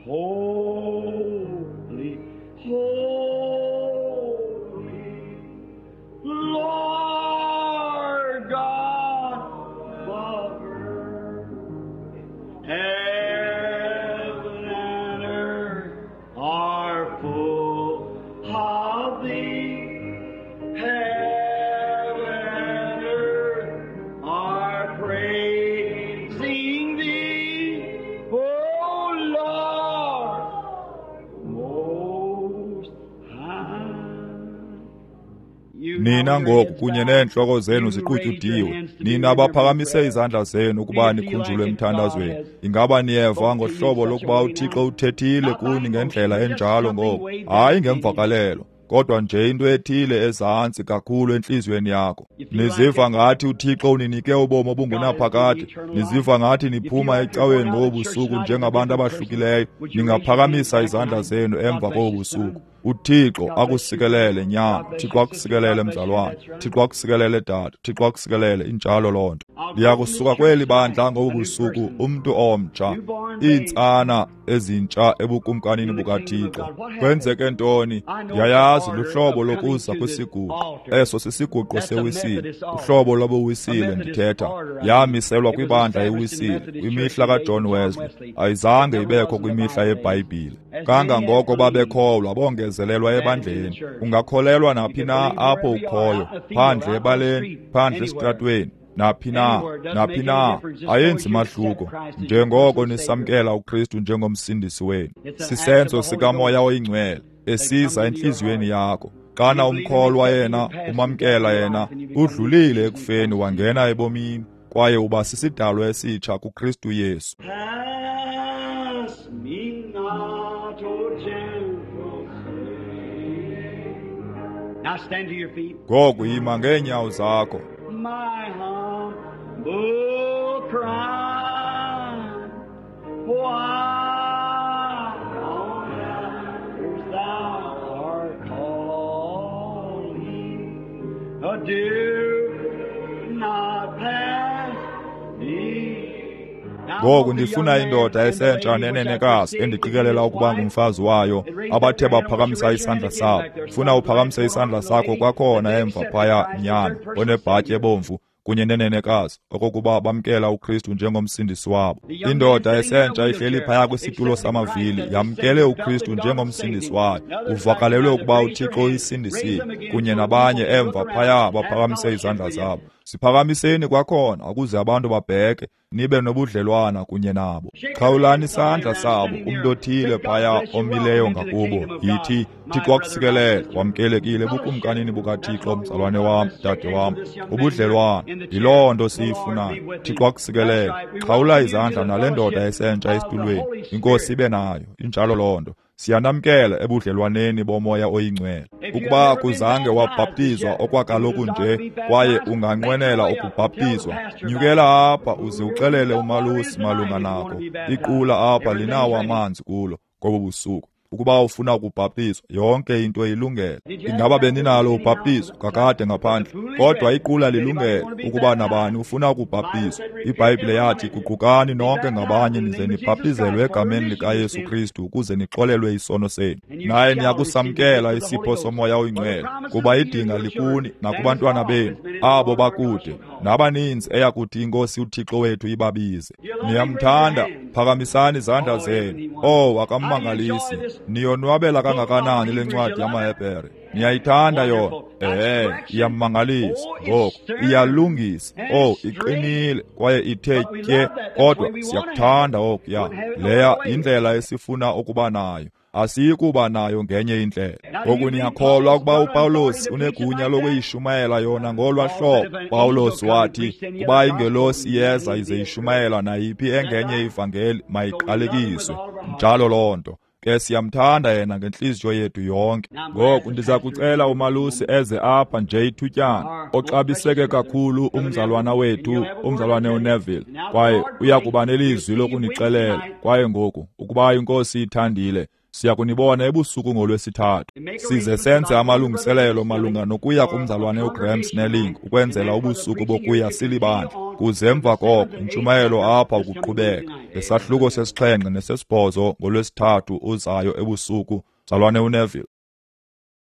Holy, holy, Lord God, Father, heaven and earth are full of thee. Heaven and earth are praising thee, O Lord, most high. Nina ngoku kunye neentloko zenu ziqutyudiwe, nina baphakamise izandla zenu ukuba nikhunjulwe emthandazweni. Ingaba niyeva ngohlobo lokuba uThixo uthethile kuni ngendlela enjalo ngoku? Hayi ngemvakalelo, kodwa nje into ethile ezantsi kakhulu entliziyweni yakho. Niziva ngathi uThixo uninike ubomi obungunaphakade. Niziva ngathi niphuma ecaweni ngobu busuku njengabantu abahlukileyo. Ningaphakamisa izandla zenu emva kobu busuku. uThixo akusikelele nyana, Thixo akusikelele mzalwane, Thixo akusikelele dade, Thixo akusikelele. Injalo loo nto. Ndiyakusuka kweli bandla ngobu busuku umntu omtsha, iintsana ezintsha ebukumkanini bukaThixo. Kwenzeke ntoni? Ndiyayazi luhlobo lokuza kwisiguqo. Eso sisiguqo sewisile, uhlobo lobuwisile ndithetha. Yamiselwa kwibandla ewisile kwimihla kaJohn Wesley, ayizange ibekho kwimihla yeBhayibhile. Kangangoko babekholwa bongezelelwa ebandleni. Ungakholelwa naphi na apho ukhoyo, phandle ebaleni, phandle esitratweni, naphi na, naphi na, ayenzi mahluko, njengoko nisamkela uKristu njengomsindisi wenu. Sisenzo sikaMoya oyiNgcwele esiza entliziyweni yakho. Xana umkholwa yena, umamkela yena, udlulile ekufeni wangena ebomini, kwaye uba sisidalwa esitsha kuKristu Yesu. Pass me not, O gentle Savior. Now stand to your feet. Ngoku yima ngeenyawo zakho. My humble cry, why on earth thou art calling, do not pass me. Ngoku ndifuna indoda esentsha nenenekazi endiqikelela ukuba ngumfazi wayo, abathe baphakamisa isandla sabo. Funa uphakamise isandla sakho kwakhona emva phaya, nyana onebhatyi ebomvu kunye nenenekazi, okokuba bamkela uKristu njengomsindisi wabo. Indoda esentsha ihleli phaya kwisitulo samavili, yamkele uKristu njengomsindisi wayo. Uvakalelwe ukuba uThixo uyisindisile, kunye nabanye emva phaya baphakamise izandla zabo. Siphakamiseni kwakhona ukuze abantu babheke, nibe nobudlelwana kunye nabo. Xhawulani isandla sabo, umntu othile phaya omileyo ngakubo. Yithi, Thixo akusikelele, wamkelekile ebukumkanini bukaThixo, mzalwane wam, dade wam. Ubudlelwana, yiloo nto siyifunayo. Thixo akusikelele. Xhawula izandla nale ndoda esentsha esitulweni. Inkosi ibe nayo. Injalo loo nto. Siyanamkela ebudlelwaneni bomoya oyingcwele. Ukuba kuzange wabhaptizwa okwakaloku nje, kwaye unganqwenela ukubhaptizwa, nyukela apha uze uxelele umalusi malunga nako. Iqula apha linawo amanzi kulo ngobu busuku. Ukuba ufuna ukubhaptizwa, yonke into ilungele. Ingaba beninalo ubhaptizo kakade ngaphandle, kodwa iqula lilungele ukuba nabani ufuna ukubhaptizwa. IBhayibhile yathi, guqukani nonke ngabanye nize nibhaptizelwe egameni likaYesu Kristu ukuze nixolelwe isono senu, naye niyakusamkela isipho somoya oyingcwele, kuba idinga likuni nakubantwana benu, abo bakude, Nabaninzi eyakuthi iNkosi uThixo wethu ibabize. Niyamthanda, phakamisani izandla zenu. Oh, akammangalisi. Niyonwabela kangakanani le ncwadi yamaHebhere? Niyayithanda yona? Ehe, iyammangalisa. Ngoku iyalungisa. Oh, iqinile kwaye ithe tye, kodwa siyakuthanda okuya. Leya yindlela esifuna ukuba nayo. Asiyikuba nayo ngenye indlela. Ngoku niyakholwa ukuba uPawulos unegunya lokuyishumayela yona ngolwa hlobo. Pawulos wathi, kuba ingelosi iyeza ize ishumayela nayiphi engenye ivangeli mayiqalekiswe. Njalo loo nto. Ke siyamthanda yena ngentliziyo yethu yonke. Ngoku ndiza kucela umalusi eze apha nje ithutyana, oxabiseke kakhulu umzalwana wethu, umzalwane uNeville, kwaye uya kuba nelizwi lokunixelela. Kwaye ngoku, ukuba iNkosi ithandile, siya kunibona ebusuku ngolwesithathu. Size senze amalungiselelo malunga nokuya kumzalwane uGraham Snelling ukwenzela ubusuku bokuya silibandla. Kuze emva koko intshumayelo apha ukuqhubeka ngesahluko sesixhenxe nesesibhozo ngolwesithathu uzayo ebusuku. Mzalwane uNeville.